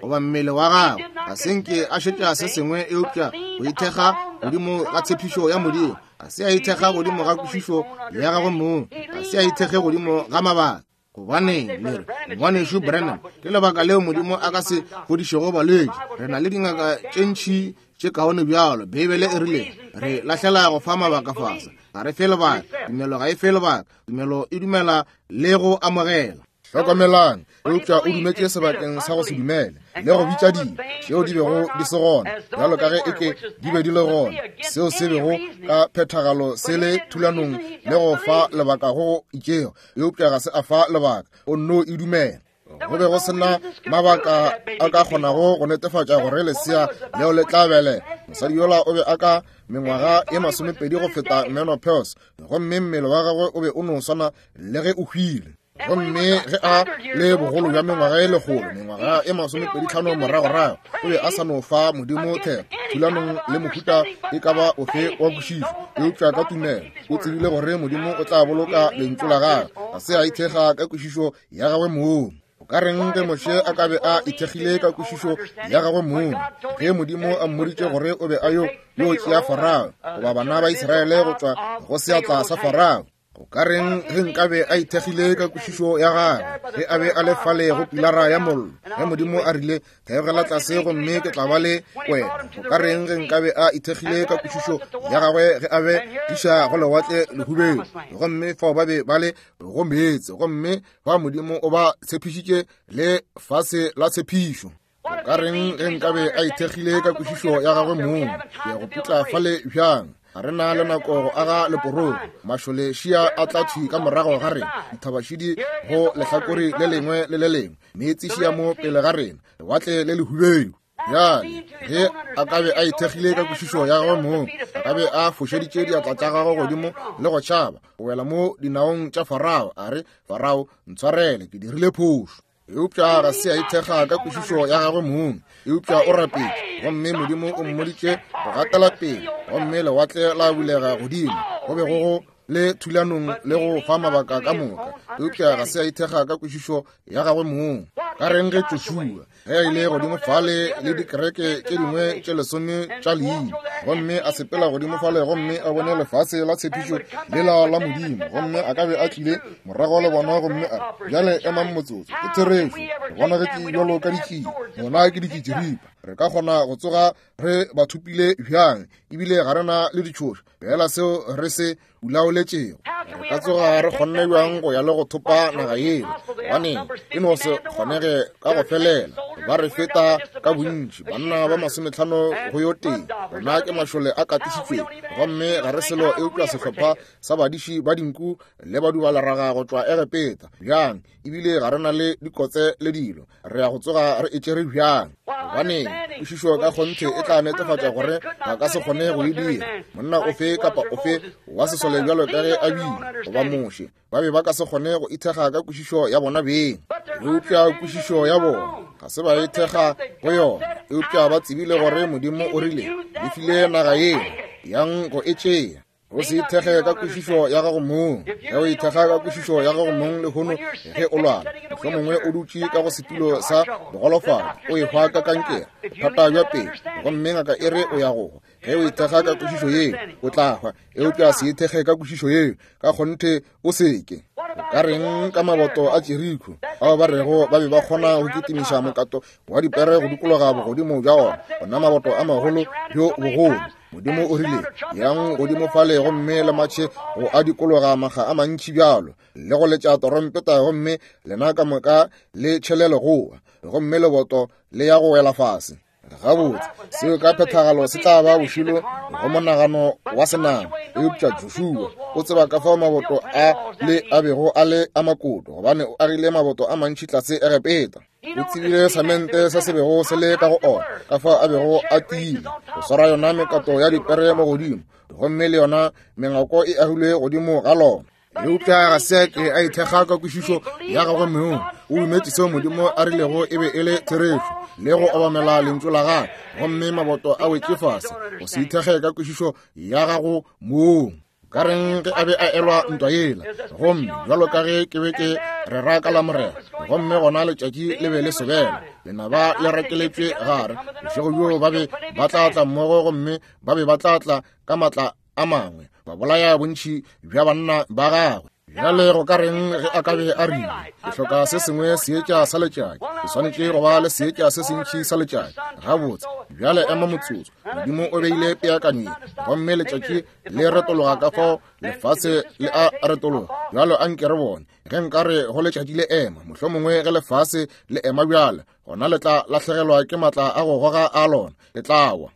goba mmele wa gagwe. Ga se nke a šetša se sengwe eupša go ithekga godimo ga tshepišo ya Modimo. Ga se a ithekga godimo ga kwešišo ya gagwe mong. Ga se a ithekge godimo ga mabaka. Gobaneng le re, Ngwanešu Branham, ke lebaka leo Modimo a ka se fodišego balwetši. Re na le dingaka tše ntši tše kaone bjalo. Beibele e rile re lahlela go fa mabaka fase. Ga re fe lebaka. Tumelo ga e fe lebaka. Tumelo e dumela le go amogela. Hlokomelang, eupša o dumetše sebakeng sa go se dumele le go bitša dilo tšeo di bego di se gona bjalo ka ge eke di be di le gona, seo se bego ka phethagalo se le thulanong le go fa lebaka go itšego. Eupša ga se a fa lebaka, o nno e dumela. Go be go sena mabaka a ka kgonago go netefatša gore lesea leo le tla belega. Mosadi yola o be a ka mengwaga e 20 go feta menopause, gomme mmele wa gagwe o be o no swana le ge o hwile. Gomme ge a le bogolo bja mengwaga e 100, mengwaga e 25 moragorago, o be a sa no fa Modimo theko thulanong le mohuta e ka ba ofe wa kwešišo, eupša ka tumelo o tsebile gore Modimo o tla boloka lentšu la gagwe. Ga se a ithekga ka kwešišo ya gagwe mong. O ka reng ge Moshe a ka be a ithekgile ka kwešišo ya gagwe mong ge Modimo a mmoditše gore o be a yo yo tšea Farao goba bana ba Israele go tšwa go seatla sa Farao? O ka reng ge nkabe a ithekgile ka kwešišo ya gagwe ge a be a le fale go pilara ya mollo, ge Modimo a rile, Theogela tlase gomme ke tla ba le wena? O ka reng ge nkabe a ithekgile ka kwešišo ya gagwe ge a be iša go lewatle lehubelo, gomme fao ba be ba le go meetse, gomme fa Modimo o ba tshepišitše le fase la tshepišo? O ka reng ge nkabe a ithekgile ka kwešišo ya gagwe mong? Ke ya go putla fale bjang? Ga re na le nako go aga leporogo. Mašole šia a tla thwi ka morago ga rena, dithabašidi go lehlakore le lengwe le le lengwe, meetse šia mo pele ga rena, lewatle le lehubedu. Bjale, ge a ka be a ithekgile ka kwešišo ya gagwe mong, a ka be a fošeditše diatla tša gagwe godimo le go tšhaba go wela mo dinaong tša Farao, a re, Farao, ntshwarele, ke dirile phošo. Eupša ga se a ithekga ka kwešišo ya gagwe mong, eupša o rapetše, gomme Modimo o mmoditše go gatela pele, gomme lewatle la bulega godimo. Go be go go le thulanong le go fa mabaka ka moka, eupša ga se a ithekga ka kwešišo ya gagwe mong. Ka reng ge Joshua, ge a ile godimo fale le dikereke tše dingwe tše 10 tša leina, gomme a sepela godimo fale gomme a bone lefase la tshepišo lela la Modimo, gomme a ka be a tlile morago le bona gomme a re, Bjale emang motsotso, ke therešo, re bona ge ke bjalo ka ditšie, bona ke ditšitširipa, re ka kgona go tsoga re ba thopile bjang, ebile ga re na le ditšhoša, fela seo re se ulaoletšego. Re ka tsoga re kgonne bjang go ya le go thopa naga yeo? Gobaneng, e no se kgonege ka go felela. Ba re feta ka bontši, banna ba 50 go yo tee. Bona ke mašole a katišitšwego, gomme ga re selo eupša sehlopha sa badiši ba dinku le badubaleraga go tšwa Egepeta. Bjang, ebile ga re na le dikotse le dilo. Re ya go tsoga re e tšere bjang? Gobaneng, kwešišo ka kgonthe e tla netefatša gore ba ka se kgone go e dira. Monna ofe kapa ofe wa sesole bjalo ka ge a bile, goba Moshe, ba be ba ka se kgone go ithekga ka kwešišo ya bona beng. Eupša kwešišo ya bona ga se ba ithekga go yona, eupša ba tsebile gore Modimo o rile, Le file naga yeo, yang go e tšea. O se ithekge ka kwešišo ya gago mong. Ge o ithekga ka kwešišo ya gago mong lehono ge o lwala, mohlomongwe o dutše ka go setulo sa bogolofadi, o ehwa ka kankere, bothata bja pelo, gomme ngaka e re o ya go hwa. Ge o ithekga ka kwešišo yeo, o tla hwa. Eupša se ithekge ka kwešišo yeo, ka kgonthe o seke. O ka reng ka maboto a Jeriko, bao ba rego ba be ba kgona go kitimiša mokato wa dipere go dikologa bogodimo bja ona, ona maboto a magolo bjo bogolo? Modimo o rile, Yang godimo fale gomme le matšhe go a dikologa makga a mantši bjalo, le go letša torompeta, gomme lena ka moka le tšhele legoa, gomme leboto le ya go wela fase. Gabotse, seo ka phethagalo se tla ba bošilo go monagano wa senama. Eupša Joshua o tseba ka fao maboto a le a bego a le a makoto, gobane o agile maboto a mantši tlase Egepeta. O tsebile samente se se bego se le ka go ona, ka fao a bego a tiile go swara yona mekato ya dipere mo godimo, gomme le yona mengwako e agilwe godimo ga lona. Eupša ga se a ke a ithekga ka kwešišo ya gagwe mong. O dumetše seo Modimo a rilego e be e le therešo, le go obamela lentšu la gagwe, gomme maboto a wetše fase. Go se ithekge ka kwešišo ya gago mong. Ka reng ge a be a elwa ntwa yela, gomme bjalo ka ge ke be ke rera ka Lamorena, gomme gona letšatši le be le sobela, lenaba le rakeletšwe gare, bošego bjoo ba be ba tla tla mmogo, gomme ba be ba tla tla ka matla a mangwe, ba bolaya bontši bja banna ba gagwe. Bjale go ka reng ge a ka be a rile, ke hloka se sengwe seetša sa letšatši, ke swanetše go ba le seetša se sentši sa letšatši? Gabotse, bjale ema motsotso. Modimo o beile peakanyo ye, gomme letšatši le retologa ka fao lefase le a retologa. Bjalo a nke re bone ge nka re go letšatši le ema, mohlomongwe ge lefase le ema bjale, gona le tla lahlegelwa ke matla a go goga a lona, le tla wa.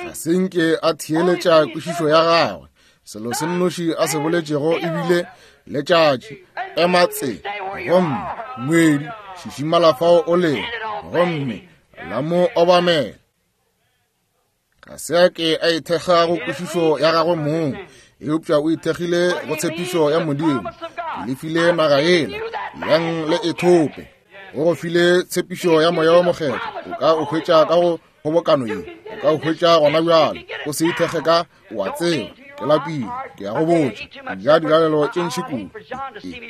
Ga se nke a theeletša kwešišo ya gagwe. Selo se nnoši a se boletšego e bile, letšatši ema tse, gomme ngwedi šišimala fao o lego, gomme la mo obamela. Ga se a ke a ithekga go kwešišo ya gagwe mong, eupša o ithekgile go tshepišo ya Modimo. Ke le file naga yela, yang le e thope. O go file tshepišo ya Moya wo Mokgethwa, o ka o hwetša ka go kgobokano ye, o ka o hwetša gona bjale. O se ithekge ka, o a tseba, ke lapile, ke ya go botša, ke ja dilalelo tše ntši kudu,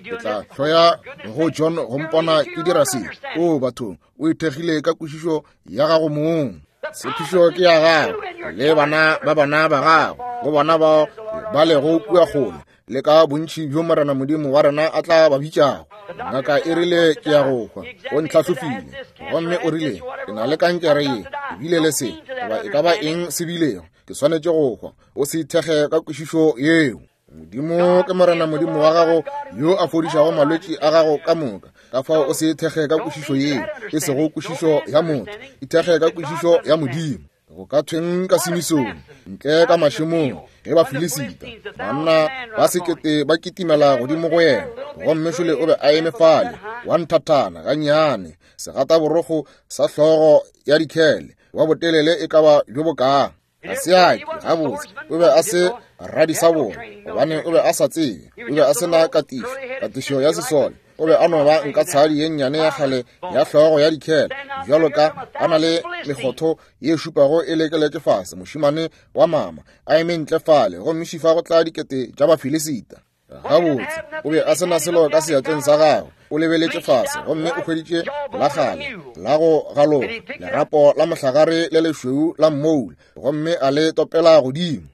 ke tla hloya go John go mpona ke dira se. O bathong, o ithekgile ka kwešišo ya gago mong. Tshepišo ke ya gago le bana ba bana ba gago, go bona bao ba lego kua kgole, le ka bontši bjo Morena Modimo wa rena a tla ba bitšago. Ngaka e rile ke ya go hwa, o ntlhahlofile, gomme o rile ke na le kankere ye, ebile le se, goba e ka ba eng se bilego, ke swanetše go hwa. O se ithekge ka kwešišo yeo. Modimo ke Morena Modimo wa gago yo a fodišago malwetši a gago ka moka. Ka fao o se ithekge ka kwešišo yeo, e sego kwešišo ya motho, ithekge ka kwešišo ya Modimo. Go ka thweng ka Simisone ntle ka mašemong ge Bafilisita banna ba sekete ba kitimela godimo go yena, gomme šole o be a eme fale wa nthathana gannyane, segataborokgo sa hlogo ya dikhele, wa botelele e ka ba bjo bokaa. Ga se a ke, gabotse, o be a se radisabona, gobane o be a sa tsebe, o be a se na katišo, katišo ya sesole. O be a no ba nka tshadi ye nnyane ya kgale ya hlogo ya dikhele, bjalo ka a na le mekgotho ye šupago e lekeletše fase, mošemane wa mama, a eme ntle fale, gomme šifa go tla dikete tša Bafilisita. Gabotse, o be a se na selo ka seatleng sa gagwe. O lebeletše fase gomme o hweditše la kgale la go galoga, lerapo la mohlagare le lešweu la mmoula, gomme a le topela godimo.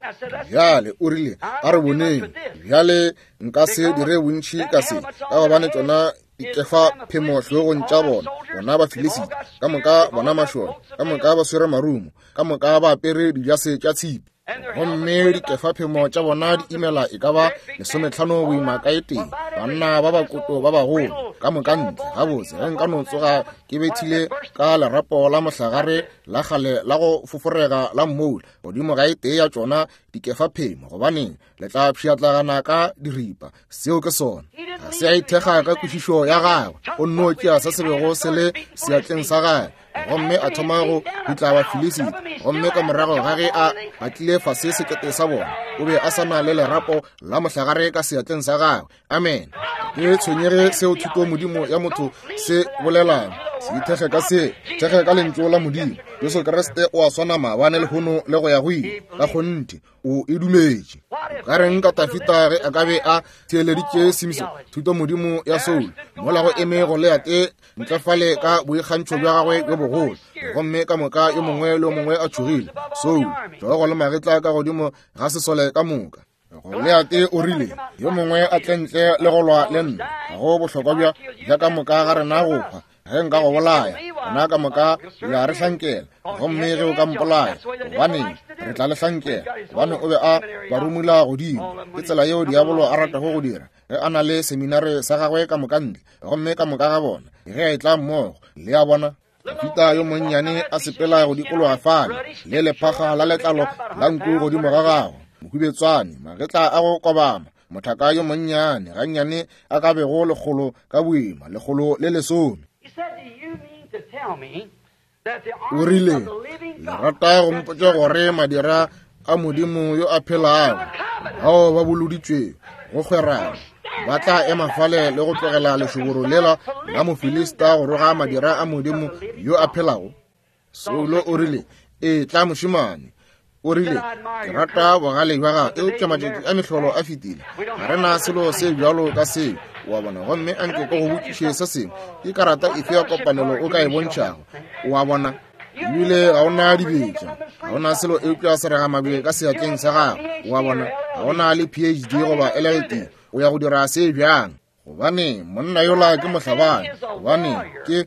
Bjale o rile, a re boneng, bjale nka se dire bontši ka se, ka gobane tšona dikefa phemo hlogong tša bona, bona Bafilisita, ka moka bona mašole, ka moka ba swere marumo, ka moka ba apere dijase tša tshipi. Gomme dikefaphemo tša bona di imela e ka ba 15 boima ka e tee, banna ba bakoto ba bagolo. Ka moka ntle, gabotse, ge nka no tsoga ke bethile ka lerapo la mohlagare la kgale la go foforega la mmoula godimo ga e tee ya tšona dikefaphemo, gobaneng le tla pšhatlagana ka diripa. Seo ke sona. Ga se a ithekga ka kwešišo ya gagwe, o nno tšea se se bego se le seatleng sa gagwe gomme a thoma go dutla Bafilisita. Gomme ka morago ga ge a batlile fase sekete sa bona, o be a sa na le lerapo la mohlagare ka seatleng sa gagwe. Amen. Ke tshwenyege seo thuto modimo ya motho se bolelang. Se ithekge ka se, thekge ka lentšu la Modimo. Jesu Kriste o a swana maabane, lehono le go ya go ile. Ka kgonthe o e dumetše. O ka reng ka Tafita ge a ka be a theeleditše Simson thuto modimo ya Saul, mola go eme Goliate ntle fale ka boikgantšho bja gagwe bjo bogolo, gomme ka moka yo mongwe le yo mongwe a tšhogile? Saul, hlogo le magetla ka godimo ga sesole ka moka. Goliate o rile, yo mongwe a tle ntle le go lwa le nna, ga go bohlokwa bja bja ka moka ga rena go hwa. Ge nka go bolaya, rena ka moka le a re hlankela, gomme ge o ka mpolaya, gobaneng, re tla le hlankela. Gobane o be a ba rumula godimo. Ke tsela yeo diabolo a ratago go dira ge a na le seminare sa gagwe ka moka ntle, gomme ka moka ga bona ge a etla mmogo. Le a bona? Dafita yo monnyane a sepela go dikologa fale le lephaga la letlalo la nku godimo ga gagwe, mohubetswane, magetla a go kobama, mothaka yo monnyane gannyane a ka bego 100 ka boima, 110. O rile, le rata go mpotša gore madira a Modimo yo a phelago, bao ba boloditšwego go kgwerana, ba tla ema fale le go tlogela lešoboro lela la Mofilista go roga madira a Modimo yo a phelago? Saulo o rile, e tla mošemane. O rile, ke rata bogale bja gago, eupša matšatši a mehlolo a fetile. Ga re na selo se bjalo ka seo, wa bona. Gomme a nke ke go botšiše se sengwe, ke karata efe ya kopanelo o ka e bontšhago? Wa bona? Ebile ga o na dibetša, ga o na selo eupša seragamabje ka seatleng sa gago, wa bona. Ga o na le PhD goba LLD, o ya go dira se bjang? Gobane monna yola ke mohlabani, gobane ke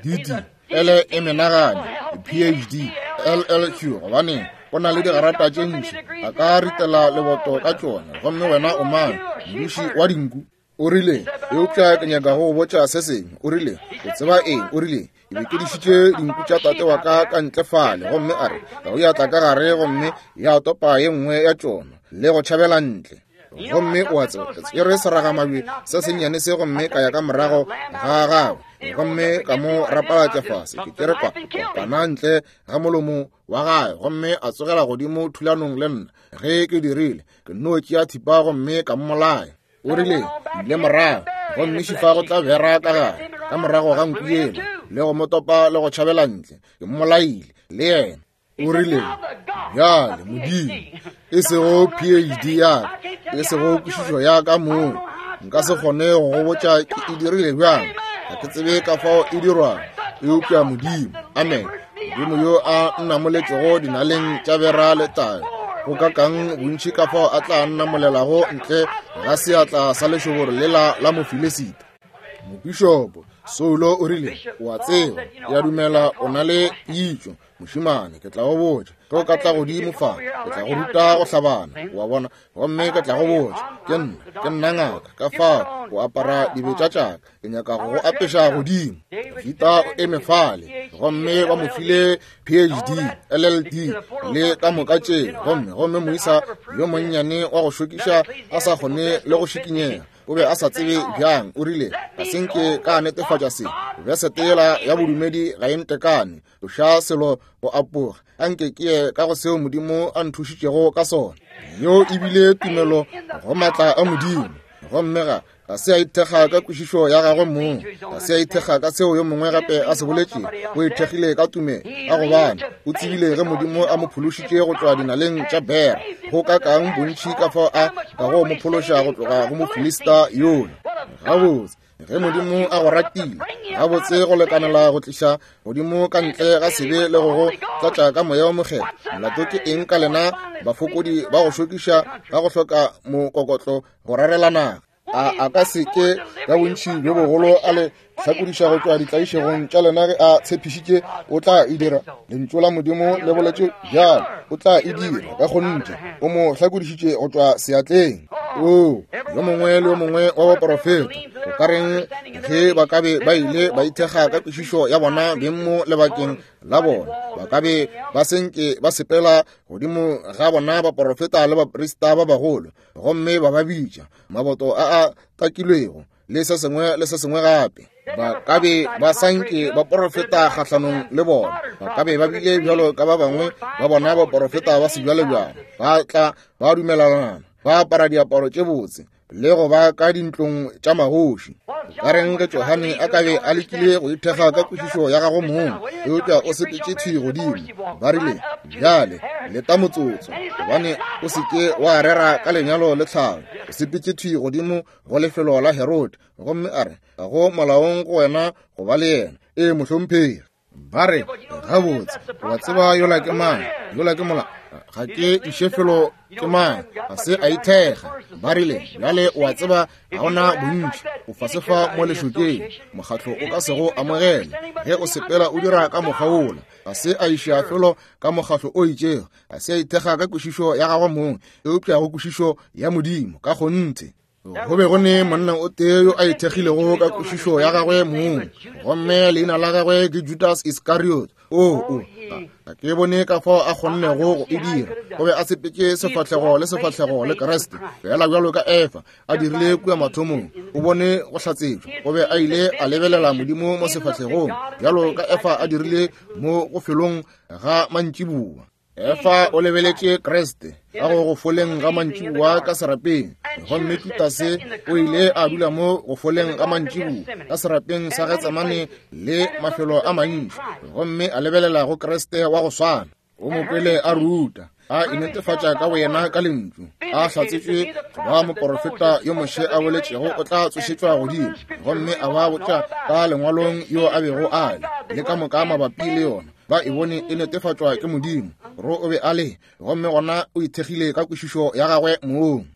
DD L e menagane PhD LLQ, gobane o na le digarata tše ntši, a ka ritela leboto ka tšona, gomme wena o mang, modiši wa dinku? O rile, eupša ke nyaka go botša se sengwe. O rile, o tseba eng? O rile, ke be ke dišitše dinku tša tate wa ka ka ntle fale, gomme a re, tau ya tla ka gare gomme ya topa ye nngwe ya tšona le go tšhabela ntle. Gomme o a tseba, ke tšere seragamabje se sennyane se gomme ka ya ka morago ga gagwe, gomme ka mo rapalatša fase. Ke tšere kopana ntle ga molomo wa gagwe, gomme a tsogela godimo thulanong le nna. Ge ke dirile, ke nno tšea thipa gomme ka mmolaya. O rile, ile morago, gomme šifa go tla bera ka gare ka morago ga nku yela, le go mo topa le go tšhabela ntle. Ke mmolaile le yena. O rile, bjale Modimo, e sego PhD ya ka, e sego kwešišo ya ka mong, nka se kgone go go botša ke e dirile bjang, ga ke tsebe ka fao e dirwang, eupša Modimo, amen, Modimo yo a nnamoletšego dinaleng tša bera le tayo, go ka kang bontši ka fao a tla nnamolelago ntle ga seatla sa lešoboro lela la Mofilisita. Mopišopo Saulo o rile, o a tseba, ke a dumela o na le pitšo, mošemane, ke tla go botša, ge o ka tla godimo fa, ke tla go ruta go hlabana, wa bona, gomme ke tla go botša, ke nna, ke nna ngaka, ka fao o apara dibetša tša ka, ke nyaka go go apeša godimo. Dafita o eme fale, gomme ba mo file PhD, LLD, le ka moka tše, gomme, gomme moisa yo monnyane wa go šokiša a sa kgone le go šikinyega, o be a sa tsebe bjang. O rile, ga se nke ka netefatša se, besete yela ya bodumedi ga e ntekane, tloša selo go apoga, a nke ke ye ka go seo Modimo a nthušitšego ka sona. Yeo e bile tumelo go maatla a Modimo, gomme ga ga se a ithekga ka kwešišo ya gagwe mong, ga se a ithekga ka seo yo mongwe gape a se boletšego, o ithekgile ka tumelo, ka gobane o tsebile ge Modimo a mo phološitše go tšwa dinaleng tša bera, go ka kang bontši ka fao a ka go mo phološa go tloga go Mofilista yola. Gabotse, ge Modimo a go ratile gabotse go lekanela go tliša godimo ka ntle ga sebe le go go tlatša ka moya wa mokgethwa, molato ke eng ka lena bafokodi ba go šokiša ka go hloka mokokotlo go rarela naga? A ka se ke ka bontši bjo bogolo a le hlakodiša go tšwa ditlaišegong tša lena ge a tshepišitše o tla e dira? Lentšu la Modimo le boletše bjalo, o tla e dira ka kgonthe. O mo hlakodišitše go tšwa seatleng. Oo, yo mongwe le yo mongwe wa baporofeta, o ka reng ge ba ka be ba ile ba ithekga ka kwešišo ya bona beng mo lebakeng la bona, ba ka be ba senke ba sepela godimo ga bona baporofeta le baprista ba bagolo, gomme ba ba bitša maboto a a takilwego le se sengwe le se sengwe gape. Ba ka be ba sanke ba porofeta kgahlanong le bona, ba ka be ba bile bjalo ka ba bangwe ba bona baporofeta ba sebjalebjale, ba tla ba dumelelana, ba apara diaparo tše botse le go ba ka dintlong tša magoši. Ka reng ge Johane a ka be a lekile go ithekga ka kwešišo ya gagwe mong, eupša o sepetše thwi godimo. Ba rile, Bjale leta motsotso, gobane o se ke wa rera ka lenyalo le tlhalo. O sepetše thwi godimo go lefelo la Herode, gomme a re, Ga go molaong go wena go ba le yena. Ee, mohlomphegi. Ba re, Gabotse, wa tseba yola ke mang? Yola ke mola. Ga ke iše felo ke mang? Ga se a ithekga. Ba rile, Bjale o a tseba ga ona bontši, o fase fa mo lešokeng, mokgatlo o ka se go amogele ge o sepela o dira ka mokgwa wola. Ga se a iša felo ka mokgatlo o itšego, ga se a ithekga ka kwešišo ya gagwe mong, eupša go kwešišo ya Modimo ka kgonthe. Go be go ne monna o tee yo a ithekgilego ka kwešišo ya gagwe mong, gomme leina la gagwe ke Judas Iscariot. O, ga ke bone ka fao a kgonnego go e dira. O be a sepetše sefahlego le sefahlego le Kriste, fela bjalo ka Efa a dirile kua mathomong. O bone go hlatsetšwa. O be a ile a lebelela Modimo mo sefahlegong, bjalo ka Efa a dirile mo go felong ga mantšiboa. Efa o lebeletše Kriste ka go go foleng ga mantšiboa ka serapeng, gomme Judase o ile a dula mo go foleng ga mantšiboa ka serapeng sa Getsemane le mafelo a mantši, gomme a lebelela go Kriste wa go swana. O mo kwele a ruta, a inetefatša ka boyena ka lentšu, a hlatsetšwe go ba moporofeta yo Moshe a boletšego o tla tsošetšwa godimo, gomme a ba botša ka lengwalong yo a bego a le, le ka moka mabapi le yona. Ba e bone e netefatšwa ke Modimo, gore o be a le, gomme gona o ithekgile ka kwešišo ya gagwe mong.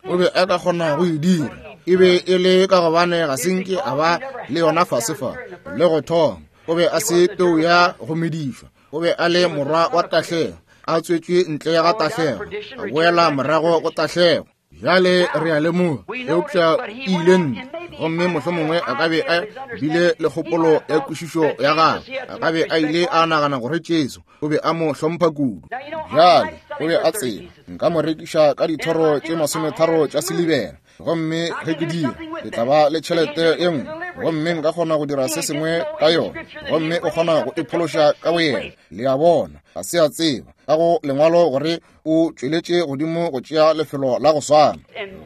O be a ka kgona go e dira. E be e le ka gobane ga se nke a ba le yona fase fa le go thoma. O be a se peu ya go medišwa. O be a le morwa wa tahlego, a tswetšwe ntle ga tahlego, a boela morago go tahlego. Bjale re a lemoga, eupša e ile ntle, gomme mohlomongwe a ka be a bile le kgopolo ya kwešišo ya gagwe, a ka be a ile a nagana gore Jesu o be a mo hlompha kudu. Bjale o be a tseba nka mo rekiša ka dithoro tše 30 tša silibera, gomme ge ke dira ke tla ba le tšhelete ye nngwe, gomme nka kgona go dira se sengwe ka yona, gomme o kgona go iphološa ka boyena. Le a bona, ga se a tseba ka go lengwalo gore o tšweletše godimo go tšea lefelo la go swana.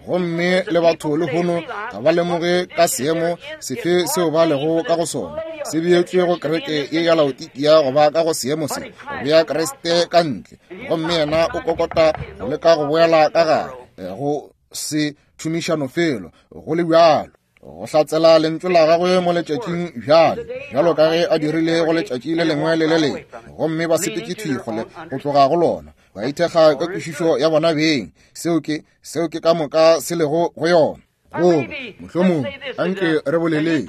Gomme le batho lehono ga ba lemoge ka seemo sefe seo ba lego ka go sona, se beetšwe go kereke ye ya Laodikia go ba ka go seemo se, go bea Kriste ka ntle, gomme yena o kokota go leka go boela ka gare go se tšhomišano felo go le bjalo. Go hlatsela lentšu la gagwe mo letšatšing bjale, bjalo ka ge a dirile go letšatši le lengwe le le lengwe, gomme ba sepetše thwi kgole go tloga go lona, ba ithekga ka kwešišo ya bona beng. Seo ke, seo ke ka moka se lego go yona. Goba, mohlomongwe, anke re boleleng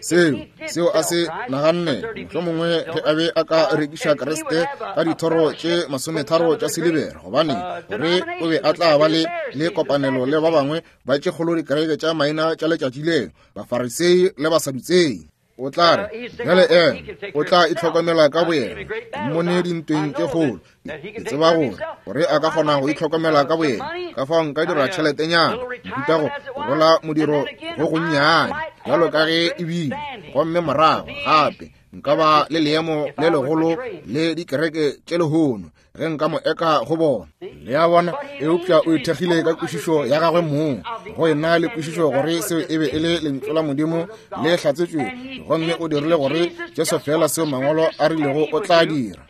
seo, seo a se naganne, mohlomongwe ge a be a ka rekiša Kriste ka dithoro tše 30 tša silibera, gobane gore o be a tla ba le, le kopanelo le ba bangwe ba tše kgolo dikereke tša maina tša letšatši leo, Bafarisei le Basadutsei. O tla re, bjale ena o tla itlhokomela ka boyena, ke mmone dintweng tše kgolo. Ke tseba gore, gore a ka kgona go itlhokomela ka boyena, ka fao nka dira tšheletenyana, nkuta go rola modiro go gonnyane, bjalo ka ge e bile, gomme morago gape nka ba le leemo le legolo le dikereke tše lehono ge nka mo eka go bona. Le a bona? Eupša o ithekgile ka kwešišo ya gagwe mong, go ena le kwešišo gore seo e be e le lentšu la Modimo le hlatsetšwe, gomme o dirile gore Jesu feela seo Mangwalo a rilego o tla dira.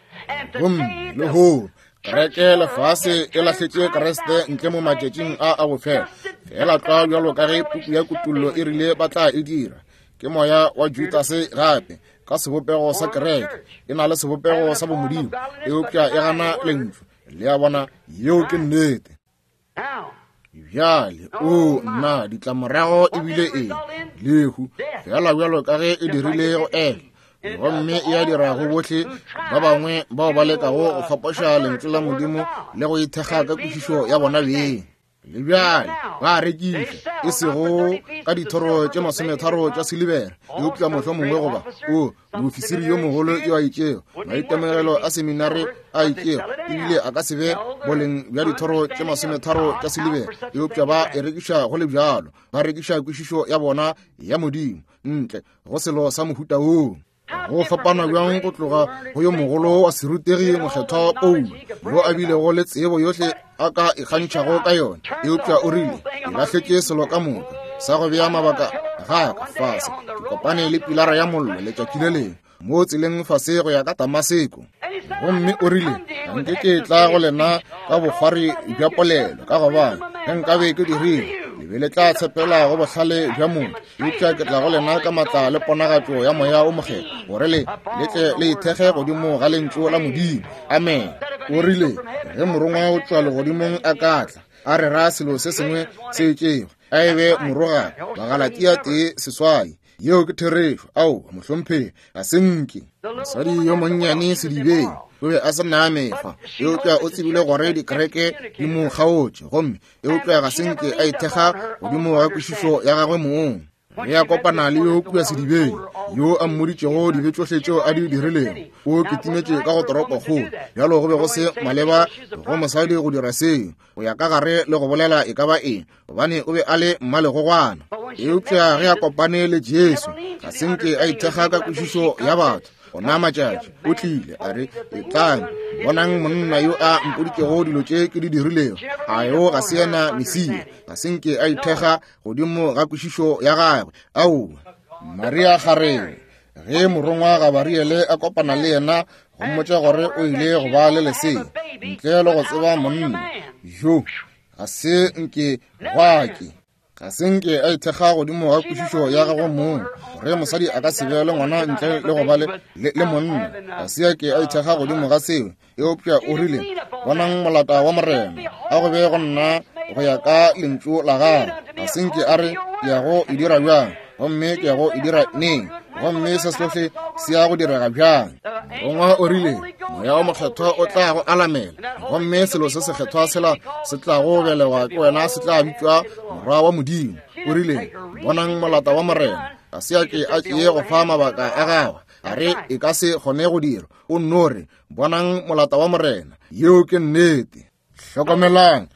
Gomme lehono kereke lefase e lahletše Kriste ntle mo matšatšing a a bofelo, feela tlwa bjalo ka ge puku ya Kutollo e rile ba tla e dira. Ke moya wa Judase gape, ka sebopego sa kereke, e na le sebopego sa bomodimo, eupša e gana lentšu. Le a bona, yeo ke nnete. Bjale, o nna, ditlamorago e bile eng? Lehu, feela bjalo ka ge e dirile go Eva, gomme e a dira go bohle ba bangwe bao ba lekago go fapoša lentšu la Modimo le go ithekga ka kwešišo ya bona beng. Le bjale ba a rekiša, e sego ka dithoro tše 30 tša silibera, eupša mohlomongwe goba o moofisiri yo mogolo yo a itšego, maitemogelo a seminare a itšego, ebile a ka se be boleng bja dithoro tše 30 tša silibera, eupša ba e rekiša go le bjalo, ba rekiša kwešišo ya bona ya Modimo ntle go selo sa mohuta woo. Go fapana bjang go tloga go yo mogolo wa serutegi mokgethwa Paulo, yo a bilego le tsebo yohle a ka ikgantšhago ka yona, eupša o rile, ke lahletše selo ka moka sa go bea mabaka ga ka fase, ke kopane le pilara ya mollo letšatši le lengwe mo tseleng fase go ya ka Damaseko. Gomme o rile, ga nke ke tla go lena ka bokgwari bja polelo, ka gobane ge nkabe ke dirile, le be le tla tshepela go bohlale bja motho, eupša ke tla go lena ka matla le ponagatšo ya Moya o Mokgethwa, gore le le tle le ithekge godimo ga lentšu la Modimo. Amen. O rile, ge morongwa o tšwa legodimong a ka tla a rera selo se sengwe se itšego, a e be morogana. Bagalatia 1:8. Yeo ke therešo. Ao, mohlomphegi, ga se nke. Mosadi yo monnyane sedibeng o be a se na mekgwa, eupša o tsebile gore dikereke di mo kgaotše, gomme eupša ga se nke a ithekga godimo ga kwešišo ya gagwe mong. Ge a kopana le yo kua sedibeng, yo a mmoditšego dibe tšohle tšeo a di dirilego, o kitimetše ka go toropokgolo. Bjalo go be go se maleba go mosadi go dira seo, go ya ka gare le go bolela e ka ba eng, gobane o be a le mmalegogwana. Eupša ge a kopane le Jesu, ga se nke a ithekga ka kwešišo ya batho. Gona matšatši o tlile a re, etlang, bonang monna yo a mpoditšego dilo tše ke di dirilego. A yo ga se yena Mesia? Ga se nke a ithekga godimo ga kwešišo ya gagwe. Aowa. Maria kgarebe, ge morongwa Gabariele a kopana le yena go mmotša gore o ile go ba le lesea ntle le go tseba monna yo, ga se nke gwa ke ga se nke a ithekga godimo ga kwešišo ya gagwe mong, gore mosadi a ka se be le ngwana ntle le go ba le monna. Ga se a ke a ithekga godimo ga seo, eupša o rile, bonang molata wa Morena, a go be go nna go ya ka lentšu la gagwe. Ga se nke a re, ke ya go e dira bjang, gomme ke ya go e dira neng, gomme se sohle se ya go direga bjang. Morongwa o rile, Moya o Mokgethwa o tla go alamela, gomme selo se sekgethwa sela se tlago belegwa ke wena se tla bitšwa Morwa wa Modimo. O rile, bonang molata wa Morena. Ga se a ke a tšee go fa mabaka a gagwe, a re e ka se kgone go dirwa. O nno re, bonang molata wa Morena. Yeo ke nnete. Hlokomelang,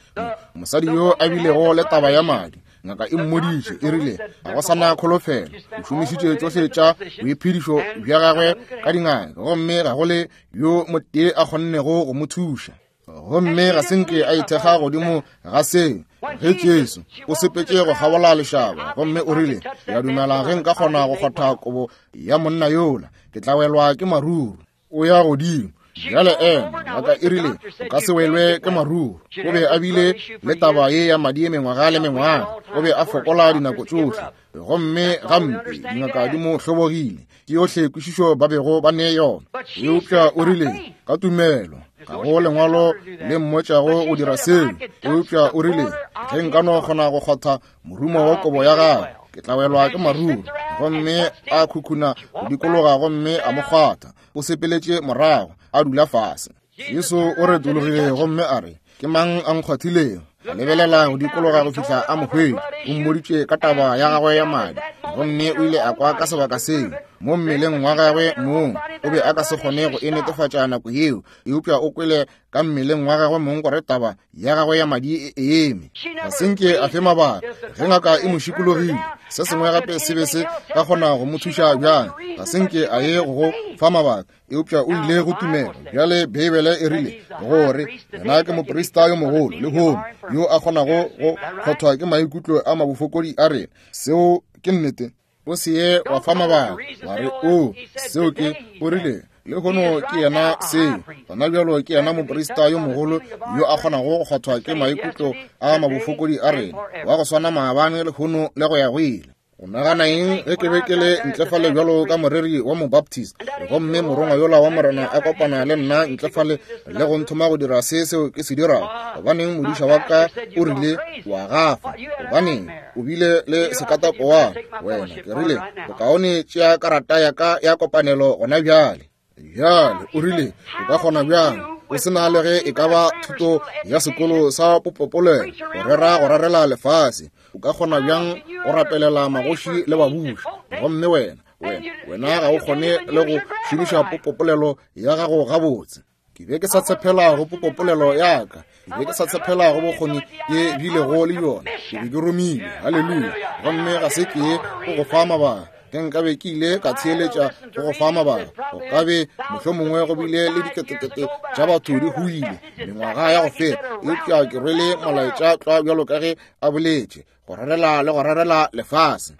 mosadi yo a bilego le taba ya madi, ngaka e mmoditše, e rile ga go sa na kholofelo, o šomišitše tšohle tša boiphedišo bja gagwe ka dingaka, gomme ga go le yo motee a kgonnego go mo thuša. Gomme ga se nke a ithekga godimo ga seo. Ge Jesu o sepetše go kgabola lešaba, gomme o rile, ke a dumela ge nka kgona go kgotha kobo ya monna yola, ke tla welwa ke maruru. O ya godimo bjale, ema. Ngaka e rile, o ka se welwe ke maruru. O be a bile le taba ye ya madi mengwaga le mengwaga, o be a fokola dinako tšohle, gomme gampe dingaka di mo hlobogile. Ke yohle kwešišo ba bego ba ne yona. Eupša o rile, ka tumelo, ga go lengwalo le mmotšago go dira seo, eupša o rile, ge nka no kgona go kgotha morumo wa kobo ya gagwe, ke tla welwa ke maruru. Gomme a khukhuna go dikologa gomme a mo kgwatha. O sepeletše morago, a dula fase. Jesu o retologile gomme a re, ke mang a nkgwathilego? A lebelela go dikologa go fihla a mo hwetša. O mmoditše ka taba ya gagwe ya madi, gomme o ile a kwa ka sebaka seo mo mmeleng wa gagwe mong. O be a ka se kgone go e netefatša nako yeo, eupša o kwele ka mmeleng wa gagwe mong gore taba ya gagwe ya madi e eme. Ga se nke a fe mabaka. Ge ngaka e mo šikologile, se sengwe gape se be se ka kgona go mo thuša bjang? Ga se nke a ye go fa mabaka, eupša o ile go tumelo. Bjale Beibele e rile gore yena ke moprista yo mogolo lehono yo a kgonago go kgothwa ke maikutlo a mabofokodi a rena. Seo ke nnete. O se ye wa fa mabaka wa re, o seo ke, o rile lehono ke yena seo, gona bjalo ke yena moprista yo mogolo yo a kgonago go kgothwa ke maikutlo a mabofokodi a rena, wa go swana maabane, lehono le go ya go ile. O nagana eng ge ke be ke le ntle fale bjalo ka moreri wa Mobaptist, gomme morongwa yola wa Morena a kopana le nna ntle fale le go nthoma go dira se seo ke se dirago? Gobaneng, modiša wa ka o rile, wa gafa. Gobaneng, o bile le sekatapowana wena. Ke rile, bokaone tšea karata ya ka ya kopanelo gona bjale. Bjale o rile, o ka kgona bjang? O se na le ge e ka ba thuto ya sekolo sa popopolelo, go rera go rarela lefase. O ka kgona bjang go rapelela magoši le babuši, gomme wena, wena, wena ga o kgone le go šomiša popopolelo ya gago gabotse? Ke be ke sa tshepela go popopolelo ya ka, ke be ke sa tshepela go bokgoni ke bilego le yona. Ke be ke romilwe, haleluya, gomme ga se ke go go fa mabaka. Ge nkabe ke ile ka theeletša go go fa mabaka, go ka be mohlomongwe go bile le diketekete tša batho di hwile mengwaga ya go feta. Eupša ke rwele molaetša tlwa bjalo ka ge a boletše, go rarela le go rarela lefase.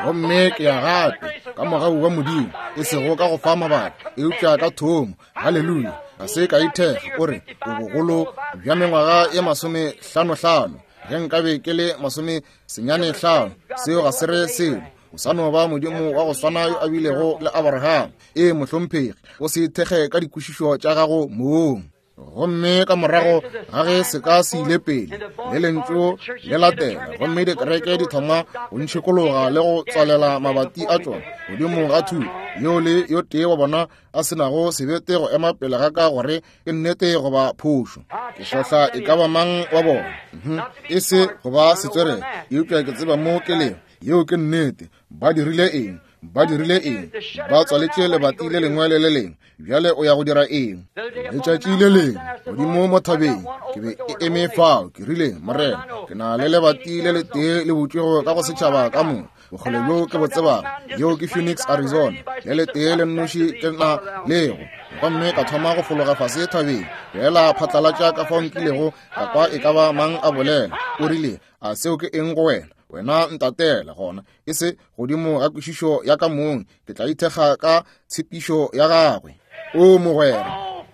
Gomme ke ya gape ka mogau wa Modimo, e sego ka go fa mabaka, eupša ka thomo. Haleluya! Ga se ka ithekga o re o bogolo bja mengwaga ye 55. Ge nkabe ke le 95, seo ga se re selo. O sa no ba Modimo wa go swana yo a bilego le Abraham. Ee, mohlomphegi, o se ithekge ka dikwešišo tša gago mong. Gomme ka morago ga ge seka se ile pele le lentšu le latela, gomme dikereke di thoma go ntšhikologa le go tswalela mabati a tšona godimo ga thuto, yo le yo tee wa bona a se nago sebete go ema pele ga ka gore ke nnete goba phošo. Ke hlohla e ka ba mang wa bona, e se go ba setswerere, eupša ke tseba mo ke lego. Yeo ke nnete. Ba dirile eng? Ba dirile eng? Ba tswaletše lebati le lengwe le le lengwe. Bjale o ya go dira eng? Letšatši le lengwe godimo mo thabeng, ke be ke eme fao, ke rile, Morena, ke na le lebati le letee le butšwego ka go setšhaba ka moka, bokgole bjo ke bo tsebago, yeo ke Phoenix, Arizona, le letee le nnoši ke na lego. Gomme ka thoma go fologa fase thabeng, feela phatlalatša ka fao nkilego ka kwa e ka ba mang a bolela. O rile, A seo ke eng go wena? Wena ntatela gona, e se godimo ga kwešišo ya ka mong, ke tla ithekga ka tshepišo ya gagwe. O mogwera,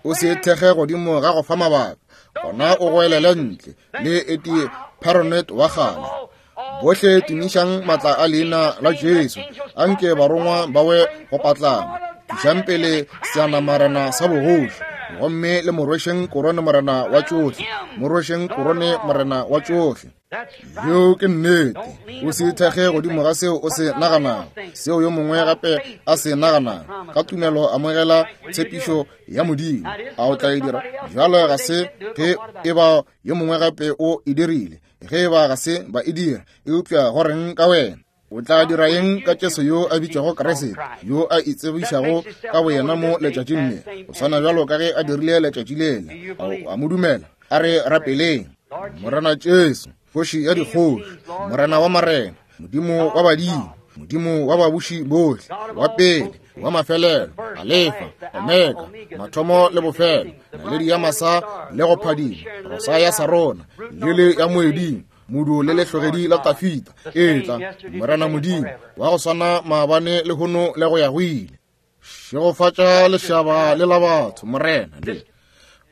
o se ithekge godimo ga go fa mabaka, gona o goelele ntle le Eddie Perronet wa kgale. Bohle tumišang matla a leina la Jesu, anke barongwa ba we go patlama. Tlišang pele seanamarena sa bogoši, gomme le mo rwešeng korone morena wa tšohle, mo rwešeng korone morena wa tšohle. Yeo ke nnete. O se ithekge godimo ga seo o se naganago, seo yo mongwe gape a se naganago. Ka tumelo amogela tshepišo ya Modimo. A o tla e dira? Bjalo ga se ge e ba yo mongwe gape o e dirile, ge e ba ga se ba e dira, eupša go reng ka wena? O tla dira eng ka Jesu yo a bitšwago Kriste, yo a itsebišago ka boyena mo letšatšing le, go swana bjalo ka ge a dirile letšatši lela? A o a mo dumela? A re rapeleng. Morena Jesu, Kgoši ya dikgoši, Morena wa marena, Modimo wa badimo, Modimo wa babuši bohle, wa pele, wa mafelelo, Alefa, Omega, mathomo le bofelo, naledi ya masa le go phadima, rosa ya Sarona, lele ya moeding, modu le lehlogedi la Tafita. Etla, Morena Modimo, wa go swana maabane le hono le go ya go ile. Šegofatša lešaba le la batho, Morena, le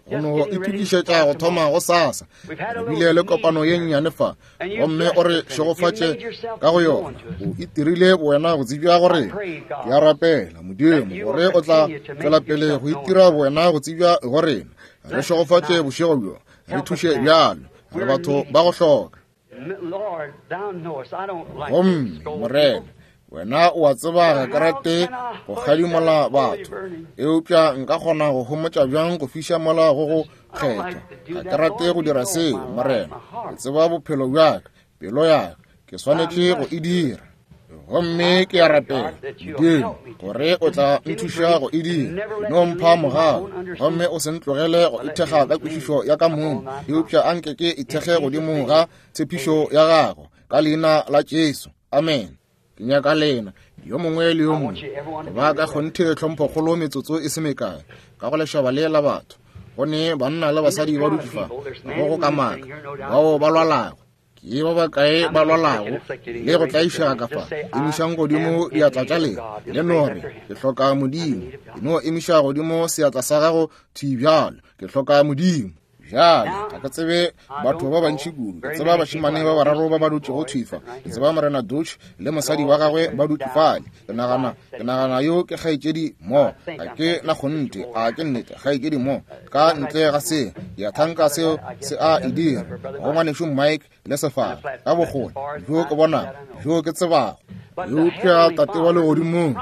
go no itokišetša go thoma go sasa. Re bile le kopano ye nnyane fa, gomme o re šegofatše ka go yona. O itirile bowena go tsebja go rena. Ke a rapela, Modimo, gore o tla tšwela pele go itira bowena go tsebja go rena. Re šegofatše bošego bjo, re thuše bjalo. Re batho ba go hloka. Gomme, Morena, wena o a tseba ga ke rate go kgadimola batho, eupša nka kgona go homotša bjang go fiša mola go go kgethwa? Ga ke rate go dira seo, Morena. Ke tseba bophelo bja ka, pelo ya ka, ke swanetše go e dira. Gomme ke a rapela, Modimo, gore o tla nthuša go e dira. No mpha mogau, gomme o se ntlogele go ithekga ka kwešišo ya ka mong, eupša anke ke ithekge godimo ga tshepišo ya gago, ka leina la Jesu. Amen. Ke nyaka lena, yo mongwe le yo mongwe, go ba ka kgonthe tlhomphokgolo metsotso e se mekae, ka go lešaba le la batho. Go ne banna le basadi ba dutše fa, go go kamaka, bao ba lwalago. Ke ba bakae ba lwalago le go tlaišega ka fa? Emišang godimo diatla tša lena, le no re, Ke hloka Modimo. E no emiša godimo seatla sa gago thwi bjalo, Ke hloka Modimo. Bjale, ga ke tsebe batho ba bantši kudu. Ke tseba bašemane ba bararo ba ba dutšego thwi fa. Ke tseba Morena Dutch le mosadi wa gagwe ba dutše fale. Ke nagana, ke nagana yo ke kgaetšedi mo. Ga ke na kgonthe, a ke nnete, kgaetšedi mo. Ka ntle ga se, ke a thanka seo se a e dira go ngwanešu Mike le sefala, ka bokgole bjo ke bonago, bjo ke tsebago. Eupša Tate wa Legodimong,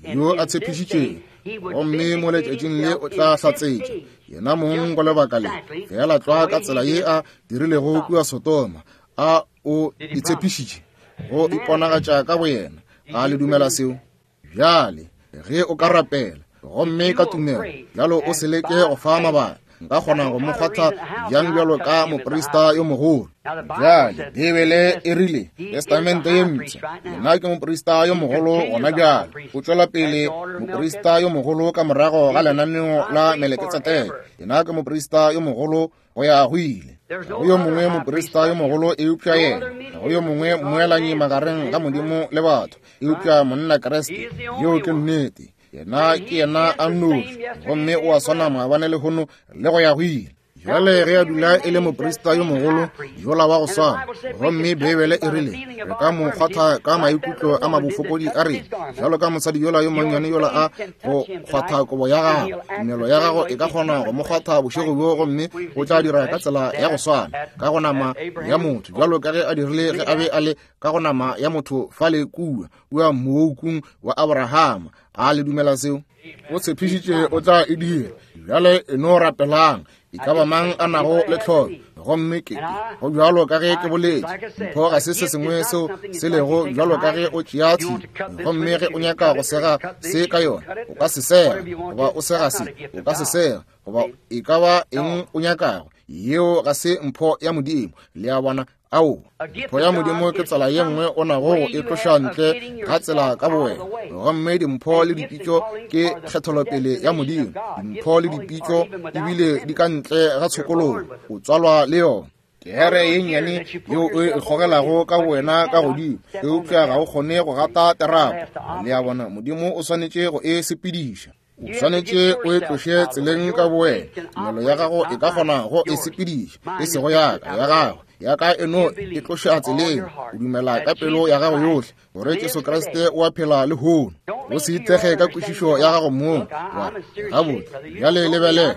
yo a tshepišitšego Gomme mo letšatšing le o tla hlatsetša yena mong go lebaka le, feela tlwa ka tsela ye a dirilego kua Sodoma. A o itshepišitše go iponagatša ka boyena? A le dumela seo? Bjale ge o ka rapela gomme ka tumelo bjalo o se leke go fa mabaka, nka kgona go mo kgwatha bjang bjalo ka moprista yo mogolo? Bjale Beibele e rile, Testamente ye Mpsha, yena ke moprista yo mogolo gona bjale, o tšwela pele moprista yo mogolo ka morago ga lenaneo la Meleketseteke. Yena ke moprista yo mogolo go ya go ile. Ga go yo mongwe moprista yo mogolo eupša yena, ga go yo mongwe mmoelanyi magareng ga Modimo le batho eupša monna Kriste. Yeo ke nnete. Yena ke yena a nnoši, gomme o a swana maabane lehono le go ya go ile. Bjale ge a dula e le moprista yo mogolo yola wa go swana, gomme Beibele e rile re ka mo kgwatha ka maikutlo a mabofokodi a rena, bjalo ka mosadi yola yo monnyane yola a go kgwatha kobo ya gago, tumelo ya gago e ka kgona go mo kgwatha bošego bjo, gomme o tla dira ka tsela ya go swana ka go nama ya motho, bjalo ka ge a dirile ge a be a le ka go nama ya motho fale kua kua mookung wa Abrahama. A le dumela seo? O tshepišitše o tla e dira. Bjale e no rapelang, e ka ba mang a nago le tlholo. Gomme ke go bjalo ka ge ke boletše, mpho ga se se sengwe seo se lego bjalo ka ge o tšea tshipi, gomme ge o nyaka go sega se ka yona, o ka se sega, goba o sega se, o ka se sega, goba e ka ba eng o nyakago. Yeo ga se mpho ya Modimo. Le a bona? Ao, mpho ya Modimo ke tsela ye nngwe o nago go e tloša ntle ga tsela ka bowena. Gomme dimpho le dipitšo ke kgetholopele ya Modimo. Dimpho le dipitšo ebile di ka ntle ga tshokologo, o tswalwa le yona. Kere ye nnyane yeo o e gogelago ka bowena ka godimo, eupša ga o kgone go gata terapo. Le a bona, Modimo o swanetše go e sepediša. O swanetše o e tloše tseleng ka bowena. Tumelo ya gago e ka kgona go e sepediša, e sego ya ka, ya gago. Ya ka e no e tloša tseleng. O dumela ka pelo ya gago yohle gore Jesu Kriste o a phela lehono. O se ithekge ka kwešišo ya gago mong. Wa re, gabotse, bjale lebelela,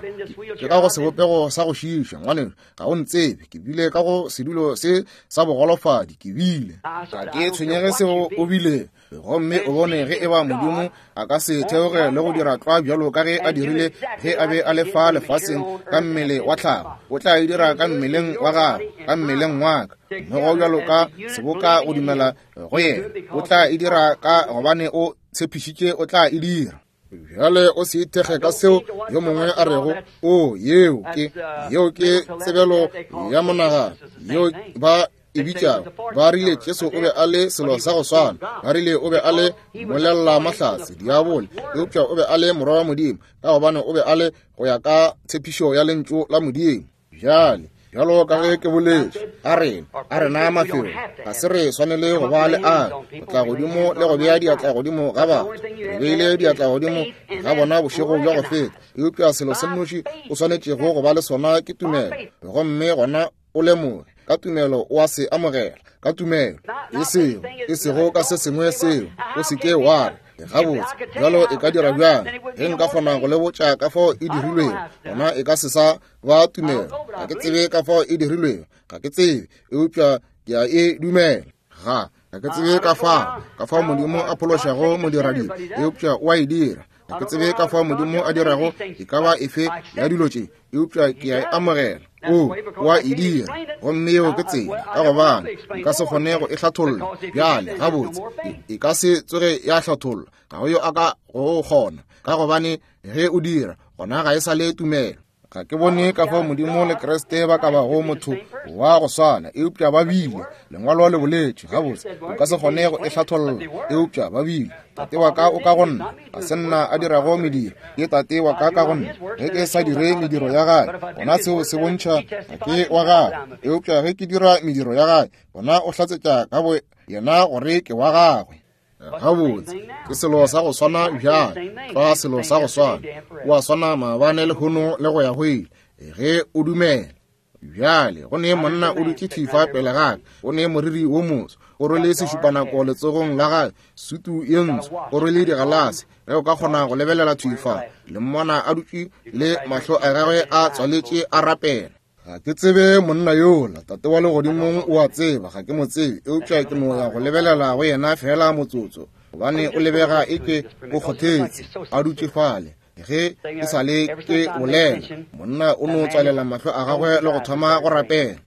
ke ka go sebopego sa go šiiša, ngwanešu, ga o ntsebe, ke bile ka go sedulo se sa bogolofadi, ke bile. Ga ke tshwenyege seo o bile. Gomme o bone ge eba Modimo a ka se theoge le go dira tlwa bjalo ka ge a dirile ge a be a le fa lefaseng ka mmele wa tlhago, o tla e dira ka mmeleng wa gago, ka mmeleng wa ka. Mmogo bjalo ka seboka go dumela go yena, o tla e dira ka gobane o tshepišitše o tla e dira. Bjale o se ithekge ka seo yo mongwe a rego, o, yeo ke, yeo ke tsebelo ya monagano, yeo ba e bitšago. Ba rile Jesu o be a le selo sa go swana. Ba rile o be a le molela mahlatse, diabole, eupša o be a le morwa wa Modimo, ka gobane o be a le go ya ka tshepišo ya Lentšu la Modimo. Bjale, bjalo ka ge ke boletše, a rena, a rena mafelo, ga se re swanele go ba le a go tla godimo le go bea diatla godimo ga batho. Re beile diatla godimo ga bona bošego bja go feta, eupša selo se nnoši o swanetšego go ba le sona ke tumelo, gomme gona o lemoge ka tumelo o a se amogela, ka tumelo, e sego, e sego ka se sengwe seo. O se ke wa re, gabotse, bjalo e ka dira bjang? Ge nka kgona go le botša ka fao e dirilwego, gona e ka se sa ba tumelo. Ga ke tsebe ka fao e dirilwego, ga ke tsebe, eupša ke a e dumela. Ga, ga ke tsebe ka fao, ka fao Modimo a phološago modiradibe, eupša o a e dira. Ga ke tsebe ka fao Modimo a dirago e ka ba efe ya dilo tše, eupša ke a e amogela. O, o a e dira, gomme yeo ke tsela, ka gobane nka se kgone go e hlatholla bjale. Gabotse, e ka se tsoge ya hlathollwa, ga go yo a ka go kgona, ka gobane ge o dira, gona ga e sa le tumelo. Ga ke bone ka fao Modimo le Kriste ba ka bago motho wa go swana, eupša ba bile. Lengwalo le boletše, gabotse, o ka se kgone go e hlatholla, eupša ba bile. Tate wa ka o ka go nna, ga se nna a dirago mediro, ke Tate wa ka ka go nna. Ge ke sa dire mediro ya gae, gona seo se bontšha ga ke wa gagwe, eupša ge ke dira mediro ya gae, gona o hlatsetša ka bo yena gore ke wa gagwe. Gabotse, ke selo sa go swana bjale, tlwa selo sa go swana. O a swana maabane, lehono, le go ya go ile, ge o dumela. Bjale, go ne monna o dutše thwi fa pele ga ka, o ne moriri wo moso, o rwele sešupanako letsogong la gagwe, sutu ye ntsho, o rwele digalase. Ge o ka kgona go lebelela thwi fa, le mmona a dutše le mahlo a gagwe a tswaletše a rapela. Ga ke tsebe monna yola, Tate wa Legodimong o a tseba, ga ke mo tsebe, eupša ke no ya go lebelela go yena feela motsotso. gobane o lebega eke o kgothetse a dutše fale. Ge ke sa le ke bolela, monna o no tswalela mahlo a gagwe le go thoma go rapela.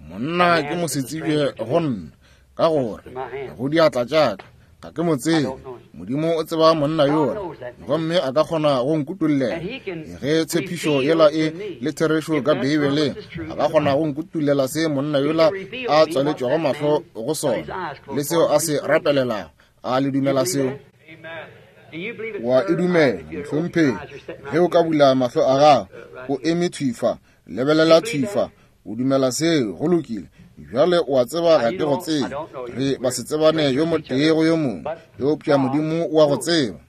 Monna ke mosetsebje go nna, ka gore go diatla tša ka ga ke mo tsebe. Modimo o tseba monna yola, gomme a ka kgona go nkutollela. Ge tshepišo yela e le therešo ka Beibeleng, a ka kgona go nkutollela se monna yola a tswaletšego mahlo go sona le seo a se rapelelago. A le dumela seo? Wa e dumela, mohlomphegi? Ge o ka bula mahlo a gago, o eme thwi fa, lebelela thwi fa, o dumela seo? Go lokile. Bjale o a tseba ga ke go tsebe, re ba se tsebane yo motee go yo mongwe, eupša Modimo o a go tseba.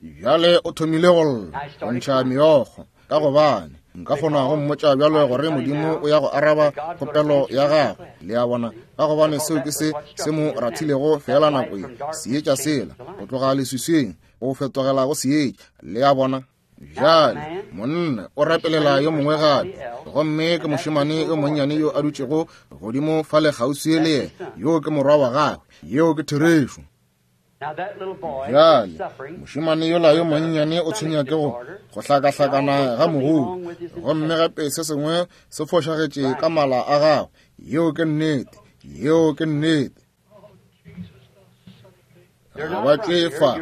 Bjale o thomile go lla, go ntšha meokgo, ka gobane nka kgona go mmotša bjalo gore Modimo o ya go araba kgopelo ya gagwe. Le a bona? Ka gobane seo ke se se mo rathilego feela nako ye, seetša sela, go tloga leswiswing go fetogela go seetša. Le a bona? Bjale monna o rapelela yo mongwe gape, gomme ke mošemane yo monnyane yo a dutšego godimo fale kgauswi le yena. Yoo ke morwa wa gagwe. Yeo ke therešo. Bjale mošemane yola yo monnyane o tshwenya ke go go hlakahlakana ga mogodu, gomme gape se sengwe se fošagetše ka mala a gagwe. Yeo ke nnete. Yeo ke nnete. Ga ba tšwe fa,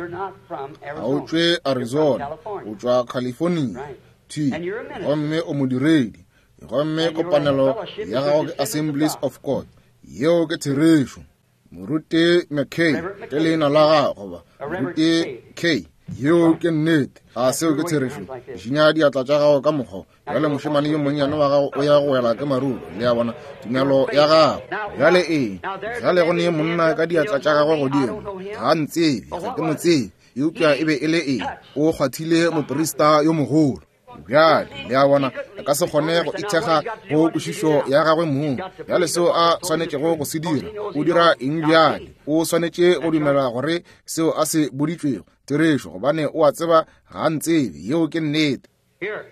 ga o tšwe Arizona, o tšwa California. T, gomme o modiredi, gomme kopanelo ya gago ke Assemblies of God. Yeo ke therešo. Moruti McKay ke leina la gago, goba Moruti K. Yeo ke nnete. A seo ke therešo? Šinya diatla tša gago ka mokgwa. Bjale mošemane yo monnyane wa gago o ya go wela ke maruru. Le a bona, tumelo ya gago. Bjale eng? Bjale go ne monna ka diatla tša gagwe godimo. Ga a ntsebe, ga ke mo tsebe. Eupša e be e le eng? O kgwathile moprista yo mogolo. Bjale, le a bona, a ka se kgone go ithekga go kwešišo ya gagwe mong. Bjale seo a swanetšego go se dira, o dira eng bjale? O swanetše go dumela gore seo a se boditšwego therešo, gobane o a tseba ga a ntsebe. Yeo ke nnete. Here,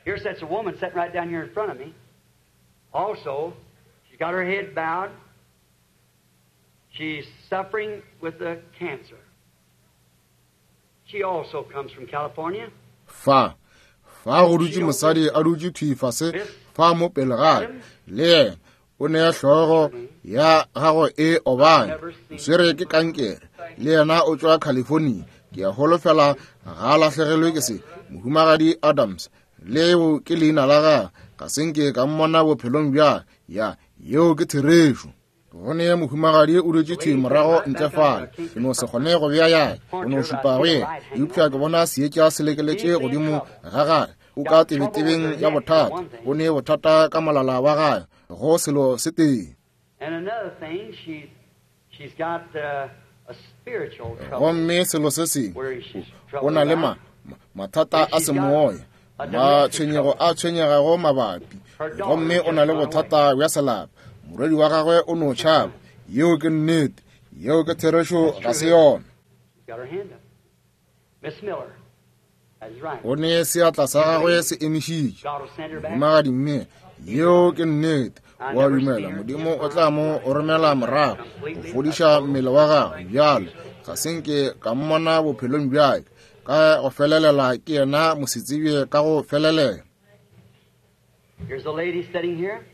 here sits a woman sitting right down here in front of me. Also, she's got her head bowed. She's suffering with a cancer. She also comes from California. Fa, fa go dutše mosadi a dutše thwi fase fa mo pele ga ka, le yena o ne hlogo ya gagwe e obane, o swere ke kankere, le yena o tšwa California. Ke a holofela ga a lahlegelwe ke se. Mohumagadi Adams, leo ke leina la gagwe, ga se nke ka mmona bophelong bja ya. Yeo ke therešo. Go ne mohumagadi o dutše thwi morago ntle fale, ke no se kgone go bea yaka, o no šupa go yena, eupša ke bona seetša se lekeletše godimo ga gagwe. O ka tebetebeng ya bothata, o ne bothata ka molala wa gagwe, go selo se tee. Gomme selo se sengwe, o na le ma, mathata a semoya, matshwenyego a tshwenyegago mabapi, gomme o na le bothata bja selapa. Morwedi wa gagwe o no tšhaba. Yeo ke nnete. Yeo ke therešo, ga se yona? O ne seatla sa gagwe se emišitše. Mohumagadi mme, yeo ke nnete. O a dumela Modimo o tla mo romela morago go fodiša mmele wa gagwe. Bjale ga se nke ka mmona bophelong bjake ka go felelela, ke yena mosetsebje ka go felelela. Here's a lady sitting here.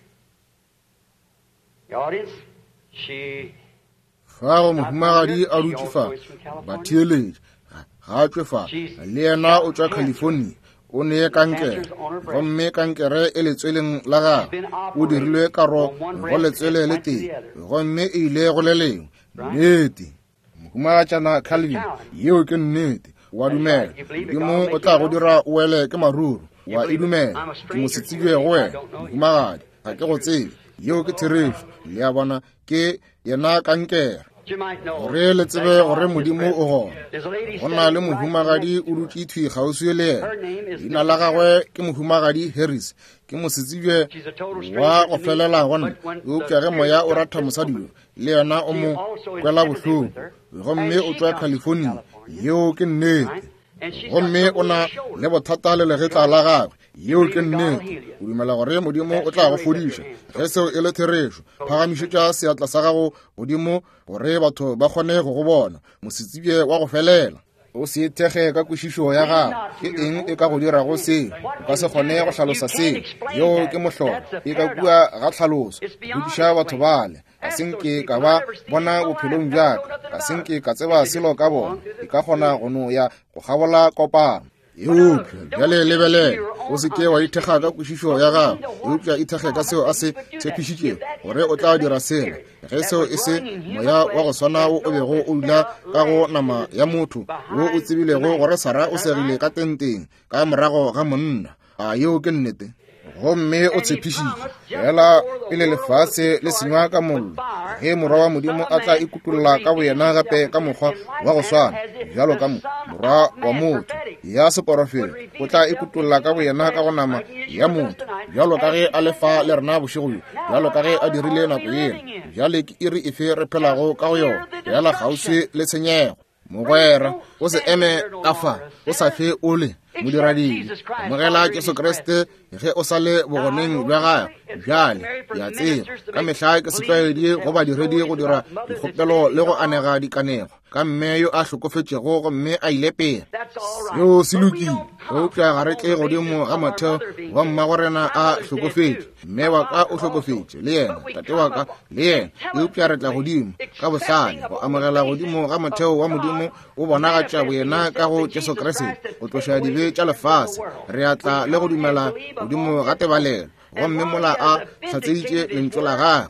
The audience, she Fa go mohumagadi a dutše fa, batheeletši, ga a tšwe fa, le yena o tšwa California, o ne kankere, gomme kankere e letsweleng la gagwe, o dirilwe karo go letswele le tee, gomme e ile go le lengwe. Nnete. Mohumagatšana Calvin, yeo ke nnete. O a dumela Modimo o tla go dira o wele ke maruru? O a e dumela? Ke mosetsebje go wena, mohumagadi, ga ke go tsebe. Yeo ke therešo. Le a bona, ke yena kankere. Gore le tsebe gore Modimo o gona. Go na le mohumagadi o dutše thwi kgauswi le yena. Leina la gagwe ke Mohumagadi Harris. Ke mosetsebje wa go felela go nna. Eupša ge Moya o ratha mosadi yo, le yena o mo kwela bohloko. Gomme o tšwa California. Yeo ke nnete. Gomme o na le bothata le legetla la gagwe. Yeo ke nnete. O dumela gore Modimo o tla go fodiša. Ge seo e le therešo, phagamišetša seatla sa gago godimo gore batho ba kgone go go bona. Mosetsebje wa go felela. O se ithekge ka kwešišo ya gago. Ke eng e ka go dirago seo? O ka se kgone go hlalosa seo. Yeo ke mohlolo. E ka kua ga tlhaloso. Botšiša batho bale. Ga se nke ka ba bona bophelong bja ka. Ga se nke ka tseba selo ka bona. E ka kgona go no ya go kgabola kopano. Eupša bjale lebelela, o se ke wa ithekga ka kwešišo ya gago, eupša ithekge ka seo a se tshepišitšego gore o tla dira sela. Ge seo e se moya wa go swana wo o bego o dula ka go nama ya motho, wo o tsebilego gore Sara o segile ka tenteng ka morago ga monna, a yeo ke nnete? Gomme o tshepišitše, fela pele lefase le senywa ka mollo, ge Morwa wa Modimo a tla ikutolla ka boyena gape ka mokgwa wa go swana bjalo ka Morwa wa motho ya seporofeta, o tla ikutolla ka boyena ka go nama ya motho, bjalo ka ge a le fa le rena bošego bjo, bjalo ka ge a dirile nako yela. Bjale ke iri efe re phelago ka go yona? Fela kgauswi le tshenyego. Mogwera, o se eme ka fa, o sa fe o le modiradibe. Amogela Jesu Kriste ge o sa le bogoneng bja gagwe. Bjale, ke a tseba ka mehla ke setlwaedi go badiredi go dira dikgopelo le go anega dikanego ka mme yo a hlokofetšego gomme a ile pele. Seo se lokile, eupša ga re tle godimo ga motheo wa mmagorena a hlokofetše. Mme wa ka o hlokofetše le yena, tate wa ka le yena, eupša re tla godimo ka bohlale go amogela godimo ga motheo wa Modimo o bonagatša boyena ka go Jesu Kriste go tloša dibe tša lefase. Re a tla le go dumela godimo ga tebalelo, gomme mola a hlatseditše lentšu la gagwe.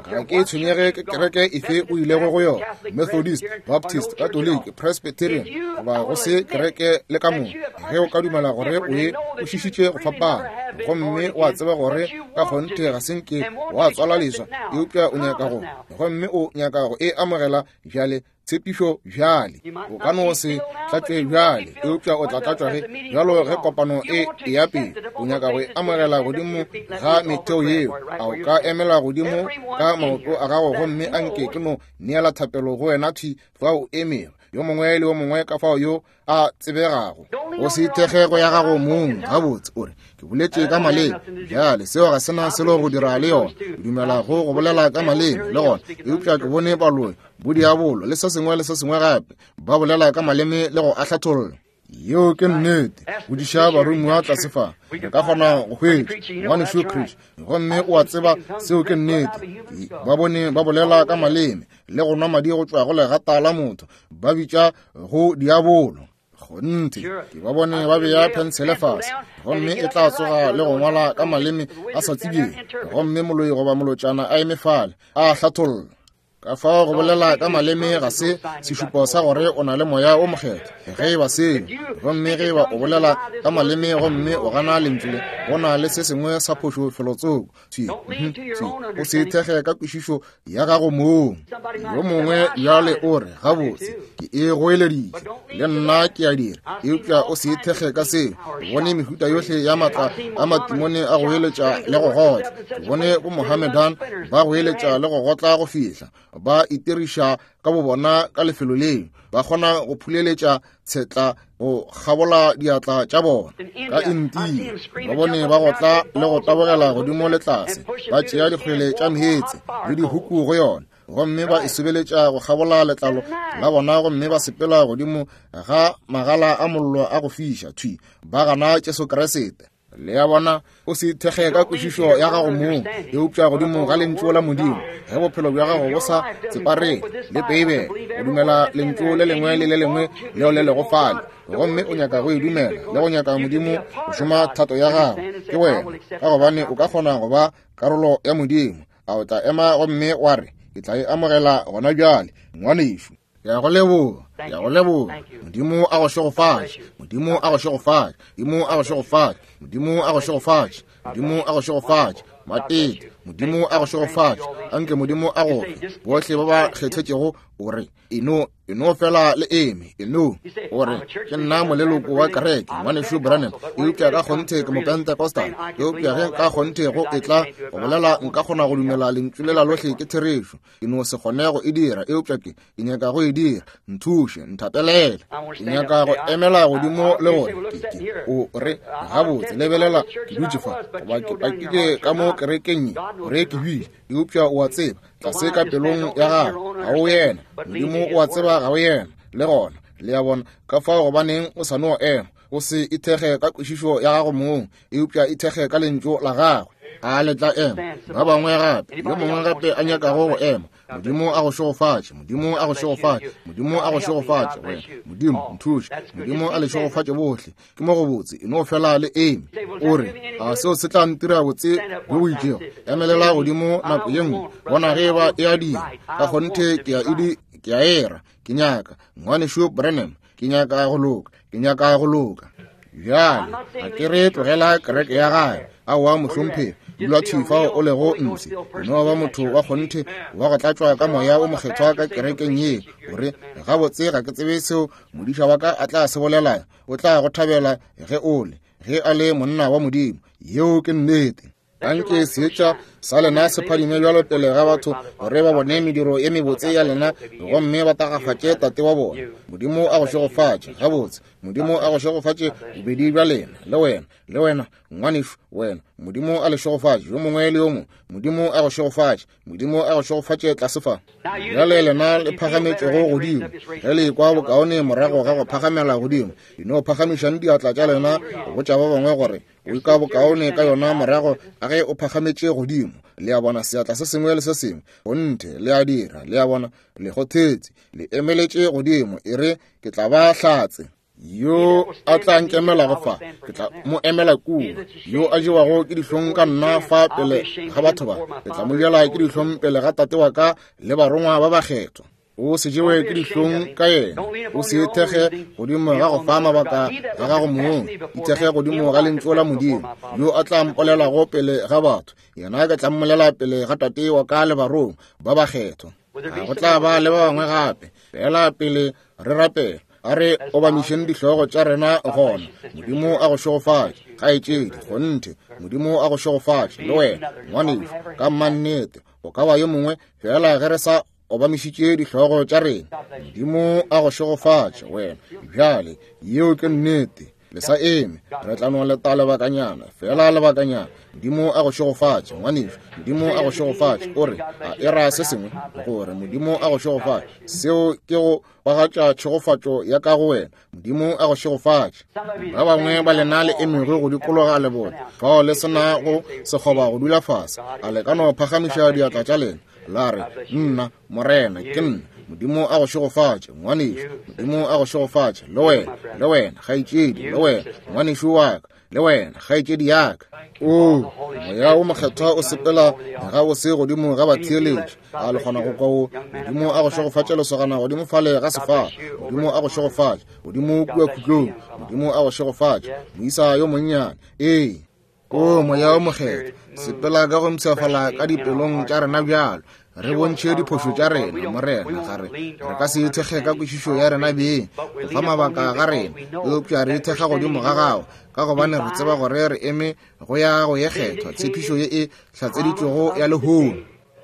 Ga ke tshwenyege ke kereke efe o ilego go yona, Methodist, Baptist, Catholic, Presbyterian, goba go se kereke le ka moka. Ge o ka dumela gore o e kwešišitše go fapana, gomme wa tseba gore ka kgonthe ga se nke wa tswalwa leswa, eupša o nyaka go, gomme o nyaka go e amogela bjale, tshepišo bjale. O ka no se tlatšwe bjale, eupša o tla tlatšwa ge bjalo ge kopano e eya pele. O nyaka go e amogela godimo ga metheo yeo. A o ka emela godimo ka maoto a gago gomme a nke ke no neela thapelo go wena thwi fa o emego, yo mongwe le yo mongwe ka fao yo a tsebegago. O se ithekge go ya gago mong. Gabotse, o re, ke boletše ka maleme. Bjale, seo ga se na selo go dira le yona. Ke dumela go go bolela ka maleme le gona, eupša ke bone baloi, bodiabolo le se sengwe le se sengwe gape ba bolela ka maleme le go a hlatholla. Yeo ke nnete. Bodiša baromiwa tlase fa, re ka kgona go hwetša Ngwanešu Chris, gomme o a tseba seo ke nnete. Ba bone ba bolela ka maleme le go nwa madi go tšwa go legata la motho, ba bitša go diabolo. Kgonthe, ke ba bone ba bea phensele fase, gomme e tla tsoga le go ngwala ka maleme a sa tsebjeng, gomme moloi goba molotšana a eme fale a hlatholla. Ka fao go bolela ka maleme ga se sešupo sa gore o na le moya o mokgethwa. Ge e ba seo, gomme ge e ba o bolela ka maleme gomme o gana lentšu le, go na le se sengwe sa phošo felotsoko. Thwi, thwi, o se ithekge ka kwešišo ya gago mong. Yo mongwe bjale o re, gabotse, ke e goeleditše, le nna ke a dira. Eupša o se ithekge ka seo. Ke bone mehuta yohle ya matla a matimone a goeletša le go gotla. Ke bone bo Mohammedan ba goeletša le go gotla go fihla ba itiriša ka bobona ka lefelo leo, ba kgona go phuleletša tshetla go kgabola diatla tša bona. Ka India ba bone ba gotla le go tabogela godimo le tlase, ba tšea dikgwele tša meetse le dihuku go yona, gomme ba e sobeletša go kgabola letlalo la bona, gomme ba sepela godimo ga magala a mollo a go fiša thwi, ba gana Jesu Kriste. Le a bona, o se ithekge ka kwešišo ya gago mong, eupša godimo ga Lentšu la Modimo. Ge bophelo bja gago bo sa tseparele le Beibele, o dumela Lentšu le lengwe le le lengwe leo le lego fale, gomme o nyaka go e dumela le go nyaka Modimo go šoma thato ya gago, ke wena, ka gobane o ka kgona go ba karolo ya Modimo. A o tla ema gomme wa re, ke tla e amogela gona bjale, ngwanešu? Ke a go leboga, ke a go leboga. Modimo a go šegofatše, Modimo a go šegofatše, Modimo a go šegofatše, Modimo a go šegofatše, Modimo a go šegofatše. Matete, Modimo a go šegofatše. Anke Modimo a go fe. Bohle ba ba kgethetšego, o re, e no, e no fela le eme, e no. O re, ke nna moleloko wa kereke, Ngwanešu Branham, eupša ka kgonthe ke Mopentecostal. Eupša ge ka kgonthe go etla go bolela, nka kgona go dumela lentšu lela lohle ke therešo. Ke no se kgone go e dira, eupša ke, ke nyaka go e dira. Nthuše, nthapelele. Ke nyaka go emela godimo le gore ke, ke, o re, gabotse, lebelela, ke dutše fa, goba ke pakile ka mo kerekeng ye, gore ke hwile, eupša o a tseba, tlase ka pelong ya gago, ga o yena. Modimo o a tseba ga o yena, le gona. Le a bona? Ka fao gobaneng o sa no ema? O se ithekge ka kwešišo ya gago mong, eupša ithekge ka lentšu la gagwe. A le tla ema? Ba bangwe gape, yo mongwe gape a nyakago go ema. Modimo a go šegofatše, Modimo a go šegofatše, Modimo a go šegofatše, wena. Modimo, nthuše. Modimo a le šegofatše bohle. Ke mo gobotse, e no fela le eme. O re, a seo se tla ntira botse bjo bo itšego? Emelela godimo nako ye nngwe, bona ge eba e a dira. Ka kgonthe ke a e ke a era. Ke nyaka, Ngwanešu Branham, ke nyaka go loka, ke nyaka go loka. Bjale, ga ke re tlogela kereke ya gae. Aowa, mohlomphegi, dula thwi fao o lego ntshe. O no ba motho wa kgonthe wa go tlatšwa ka Moya wo Mokgethwa ka kerekeng ye. O re, gabotse, ga ke tsebe seo modiša wa ka a tla se bolela. O tla go thabela ge o le, ge a le monna wa Modimo. Yeo ke nnete. Anke seetša sa lena se phadime bjalo pele ga batho gore ba bone mediro ye mebotse ya lena gomme ba tagafatše Tate wa bona. Modimo a go šegofatše. Gabotse, Modimo a go šegofatše bobedi bja lena, le wena, le wena, ngwanešu, wena. Modimo a le šegofatše, yo mongwe le yo mongwe. Modimo a go šegofatše. Modimo a go šegofatše tlase fa. Bjale lena le phagametšego godimo, ge le ekwa bokaone morago ga go phagamela godimo, di no phagamišang diatla tša lena go botša ba bangwe gore o ka bokaone ka yona morago a ge o phagametše godimo. Le a bona, seatla se sengwe le se sengwe, kgonthe, le a dira. Le a bona, le kgothetse, le emeletše godimo, e re, ke tla ba hlatse. Yo a tla nkemelago fa, ke tla mo emela kua. Yo a jewago ke dihlong ka nna fa pele ga batho ba, ke tla mo jela ke dihlong pele ga Tate wa ka le barongwa ba bakgethwa. O se jewe ke dihlong ka yena, o se ithekge godimo ga go fa mabaka ga gago mong, ithekge godimo ga lentšu la Modimo. Yo a tla mpolelago pele ga batho, yena ke tla mmolela pele ga Tate wa ka le barongwa ba bakgethwa. A go tla ba le ba bangwe gape. Fela pele re rapela, a re obamišeng dihlogo tša rena gona. Modimo a go šegofatše, kgaetšedi, kgonthe. Modimo a go šegofatše, le wena, ngwanešu, ka mannete. O ka ba yo mongwe, fela ge re sa obamišitše dihlogo tša rena. Modimo a go šegofatše, wena. Bjale, yeo ke nnete. Le sa eme, re tla no leta lebakanyana, fela lebakanyana. Modimo a go šegofatše, ngwanešu. Modimo a go šegofatše. O re, a e ra se sengwe, gore Modimo a go šegofatše. Seo ke go kwagatša tšhegofatšo ya ka go wena. Modimo a go šegofatše. Ba bangwe ba lena le emego go dikologa lebone, fao le se na go sekgoba go dula fase, a le ka no phagamiša diatla tša lena, la re, Nna, Morena, ke nna. Modimo a go šegofatše, ngwanešu. Modimo a go šegofatše, le wena, le wena, kgaetšedi, le wena, ngwanešu wa ka, le wena, kgaetšedi ya ka. O, Moya wo Mokgethwa o sepela gabose godimo ga batheeletši. A le kgona go kwa wo? Modimo a go šegofatše, lesogana godimo fale ga sefala. Modimo a go šegofatše, godimo kua khutlong. Modimo a go šegofatše, moisa yo monnyane. Ee. O Moya wo Mokgethwa, sepela ka go mpshafala ka dipelong tša rena bjalo. Re bontšhe diphošo tša rena, Morena. Ga re, re ka se ithekge ka kwešišo ya rena beng, go fa mabaka ga rena, eupša re ithekga godimo ga Gago, ka gobane re tseba gore re eme go ya go ye kgethwa, tshepišo ye e hlatseditšwego ya lehono.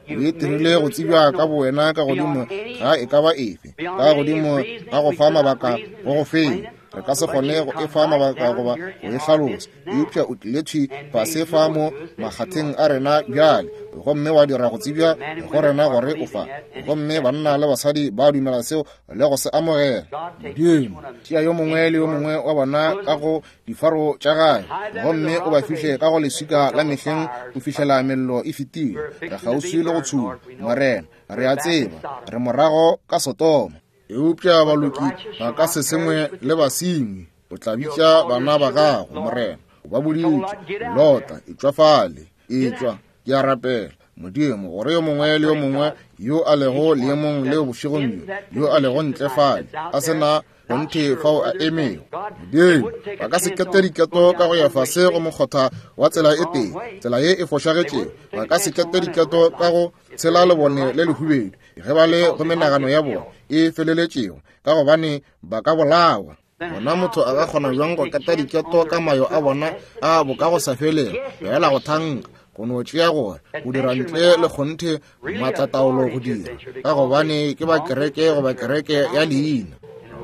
O e dirile go tsebja ka bowena ka godimo ga e ka ba efe, ka godimo ga go fa mabaka go go feng. Re ka se kgone go e fa mabaka goba go e hlalosa, eupša o tlile thwi fase fa mo makgatheng a rena bjale, gomme wa dira go tsebja go rena gore o fa. Gomme banna le basadi ba dumela seo le go se amogela. Modimo, tšea yo mongwe le yo mongwe wa bona ka go difaro tša gae, gomme o ba fihle ka go leswika la mehleng go fihlela mello e fetile. Re kgauswi le go tshuma, Morena. Re a tseba re morago ka Sodoma. Eupša baloki ba ka se sengwe le basenyi. O tla bitša bana ba gago, Morena. O ba boditše, Lota, etšwa fale. Etšwa, ke a rapela. Modimo, gore yo mongwe le yo mongwe yo a lego leemong leo bošegong bjo, yo a lego ntle fale, a se na kgonthe fao a emego. Modimo, ba ka se kete diketo ka go ya fase go mokgotha wa tsela e tee, tsela ye e fošagetšego. Ba ka se kete diketo ka go tshela lebone le lehubedu, ge ba le go menagano ya bona e feleletšego, ka gobane ba ka bolawa. Gona motho a ka kgona bjang go keta diketo ka mayo a bona a boka go sa felego, fela go thanka, go no tšea gore go dira ntle le kgonthe maatlataolo go dira, ka gobane ke ba kereke goba kereke ya leina.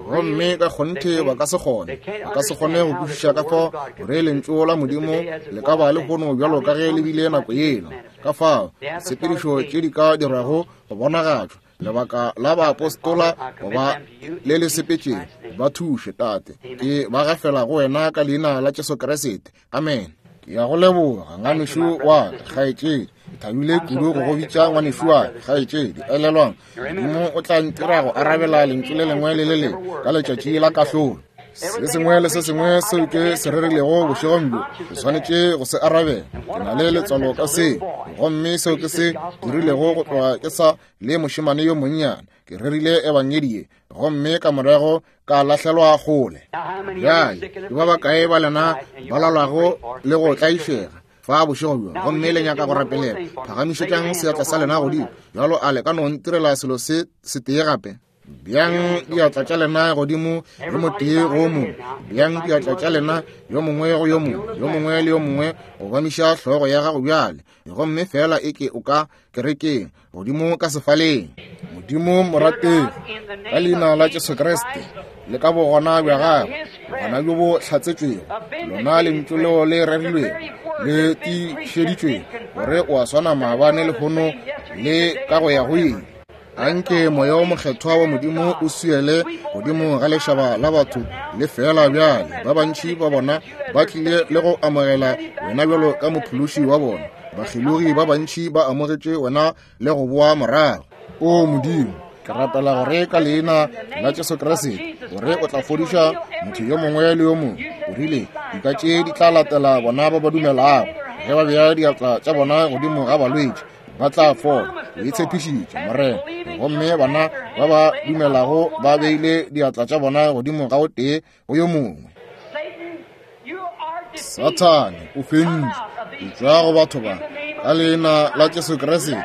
Gomme ka kgonthe ba ka se kgone, ba ka se kgone go kwešiša ka fao gore lentšu la Modimo le ka ba lehono bjalo ka ge le bile nako yela, ka fao ditshepedišo tše di ka dirwago go bonagatšwa lebaka la baapostola goba le le sepetšego. Ba thuše, Tate. Ke ba gafela go wena ka leina la Jesu Kriste. Amen. Ke ya go leboga, ngwanešu wa ka, kgaetšedi. Ke thabile kudu go go bitša ngwanešu wa ka, kgaetšedi. Elelwang, Modimo o tla ntira go arabela lentšu le lengwe le le lengwe ka letšatši la kahlolo. Se sengwe le se sengwe seo ke se rerilego bošegong bjo, ke swanetše go se arabela. Ke na le letswalo ka seo, gomme seo ke se dirilego go tloga ke sa le mošemane yo monnyane. Ke rerile ebangedi ye, gomme ka morago ka lahlelwa kgole. Bjale, ke ba bakae ba lena ba lalwago le go tlaišega fa bošego bjo, gomme le nyaka go rapelela? Phagamišetšang seatla sa lena godimo. Bjalo a le ka no ntirela selo se setee gape? Bjang diatla tša lena godimo, yo motee go mongwe. Bjang diatla tša lena yo mongwe go yo mongwe, yo mongwe le yo mongwe. Obamiša hlogo ya gago bjale, gomme fela e ke o ka kerekeng, godimo ka sefaleng. Modimo morategi, ka leina la Jesu Kriste le ka bogona bja gagwe, bogona bjo bo hlatsetšwego, lona lentšu leo le rerilwego le tiišeditšwego, gore o a swana maabane, lehono le ka go ya go ile. Anke Moya o Mokgethwa wa Modimo o swiele godimo ga lešaba la batho le fela bjale. Ba bantši ba bona ba tlile le go amogela wena bjalo ka mophološi wa bona. Bakgelogi ba bantši ba amogetše wena le go boa morago. O Modimo, ke rapela gore ka leina la Jesu Kriste gore o tla fodiša motho yo mongwe le yo mongwe. O rile dika tše di tla latela bona ba ba dumelago, ge ba bea diatla tša bona godimo ga balwetši ba tla fola. O e tshepišitše, Morena. Gomme bana ba ba dumelago ba beile diatla tša bona godimo ga o tee go yo mongwe. Sathane, o fentšwe. Etšwa go batho ba ka leina la Jesu Kriste.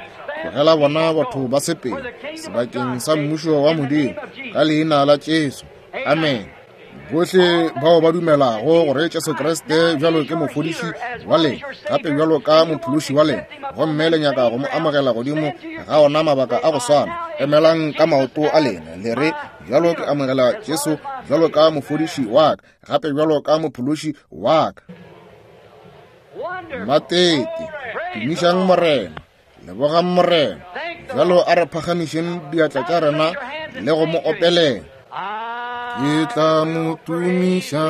Tlogela bona batho ba sepele sebakeng sa mmušo wa Modimo ka leina la Jesu. Amen. Bohle bao ba dumelago gore Jesu Kriste bjalo ke mofodiši wa lena, gape bjalo ka mophološi wa lena, gomme le nyaka go mo amogela godimo ga ona mabaka a go swana, emelang ka maoto a lena le re, bjalo ke amogela Jesu bjalo ka mofodiši wa ka, gape bjalo ka mophološi wa ka. Matete, tumišang Morena, lebogang Morena. Bjalo a re phagamišeng diatla tša rena le go mo opelela. Ke tla mo tumiša,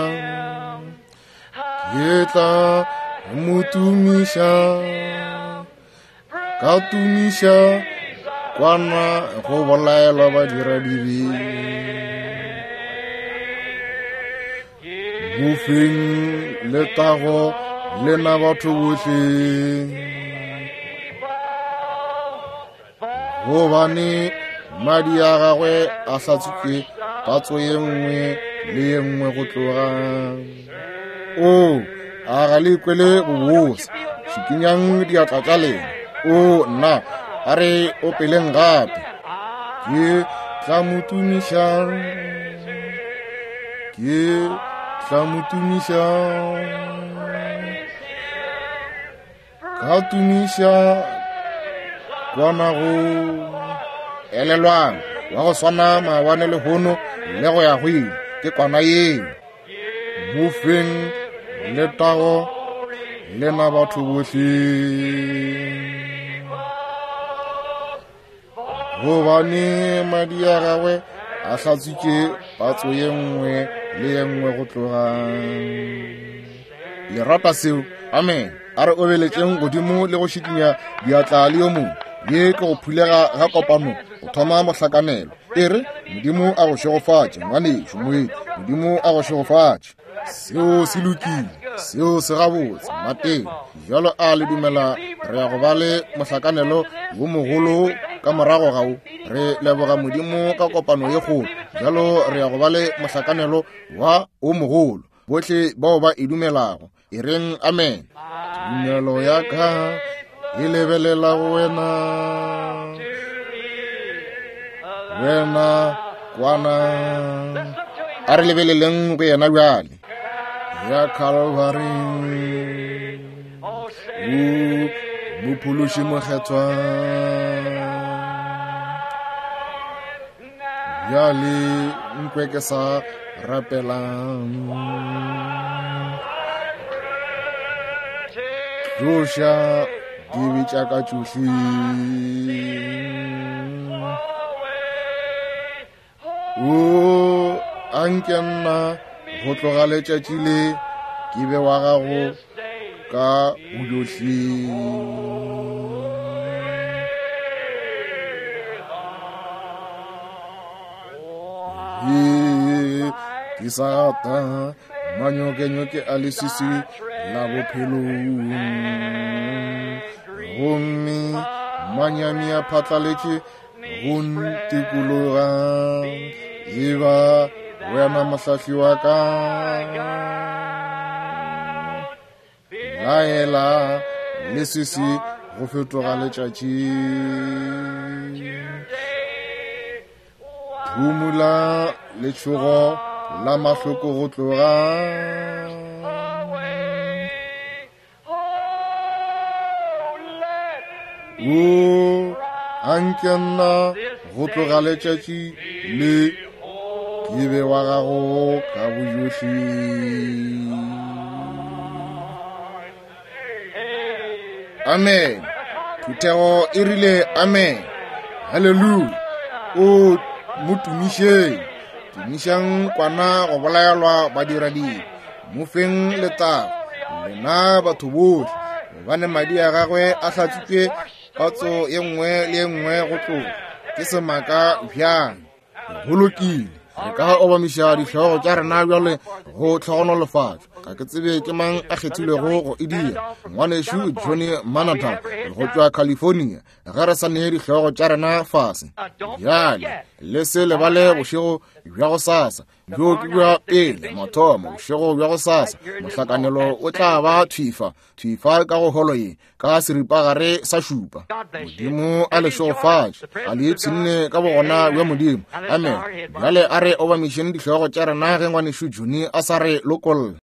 ke tla mo tumiša, ka tumiša kwana go bolaelwa badiradibe. Mofeng letago lena batho bohle, gobane madi a gagwe a hlatswitše patso ye nngwe le ye nngwe go tloga. O a ga le kwele bobose? Šikinyang diatla tša lena. O nna, a re opeleng gape. Ke tla mo tumiša, ke tla mo tumiša, ka tumiša kwana go elelwang wa go swana maabane lehono le go ya go ile. Ke kwana yeo. Mofeng letago lena batho bohle, gobane madi a gagwe a hlatswitše patso ye nngwe le ye nngwe go tloga. Le rata seo? Amen. A re obeletšeng godimo le go šikinya diatla le yo mongwe. Ye ke go phulega ga kopano, go thoma mohlakanelo. E re, Modimo a go šegofatše, ngwanešu moeti. Modimo a go šegofatše. Seo se lokile. Seo se gabotse, mateng. Bjalo a le dumela re ya go ba le mohlakanelo wo mogolo ka morago ga wo? Re leboga Modimo ka kopano ye kgolo. Bjalo re ya go ba le mohlakanelo wa o mogolo. Bohle bao ba e dumelago, e reng amen. Tumelo ya ka e lebelela go wena, wena kwana. A re lebeleleng go yena bjale. Ya Calvary, o Mophološi mokgethwa. Bjale nkwe ke sa rapelang. Tloša dibe tša ka tšohle. O a nke nna go tloga letšatši le ke be wa gago ka bojohle. Ke sa gata manyokenyoke a leswiswi la bophelong, gomme manyami a phatlaletše go ntikologa. Eba wena mohlahli wa ka, laela leswiswi go fetoga letšatši. Phumula letšhogo la mahloko go tloga. O a nke nna go tloga letšatši le ke be wa gago ka bojohle. Amen. Phuthego e rile amen. Haleluya. O mo tumišeng. Tumišang kwana go bolaelwa badiradibe. Mo feng letago, lena batho bohle, gobane madi a gagwe a hlatswitšwe patso ye nngwe le ye nngwe go tloga. Ke semaka bjang. Go lokile, re ka obamiša dihlogo tša rena bjale go tlhogonolofatšo. Ga ke tsebe ke mang a kgethilwego go e dira. Ngwanešu Johnny Manata go tšwa California, ge re sa nee dihlogo tša rena fase. Bjale, le se lebale bošego bja go sasa, bjo ke bja pele mathomo, bošego bja go sasa, mohlakanelo o tla ba thwifa, thwifa ka go holo ye, ka seripagare sa šupa. Modimo a le šegofatše, a le ipshinne ka bogona bja Modimo. Amen. Bjale a re obamišeng dihlogo tša rena ge ngwanešu Johnny a sa re lokolla.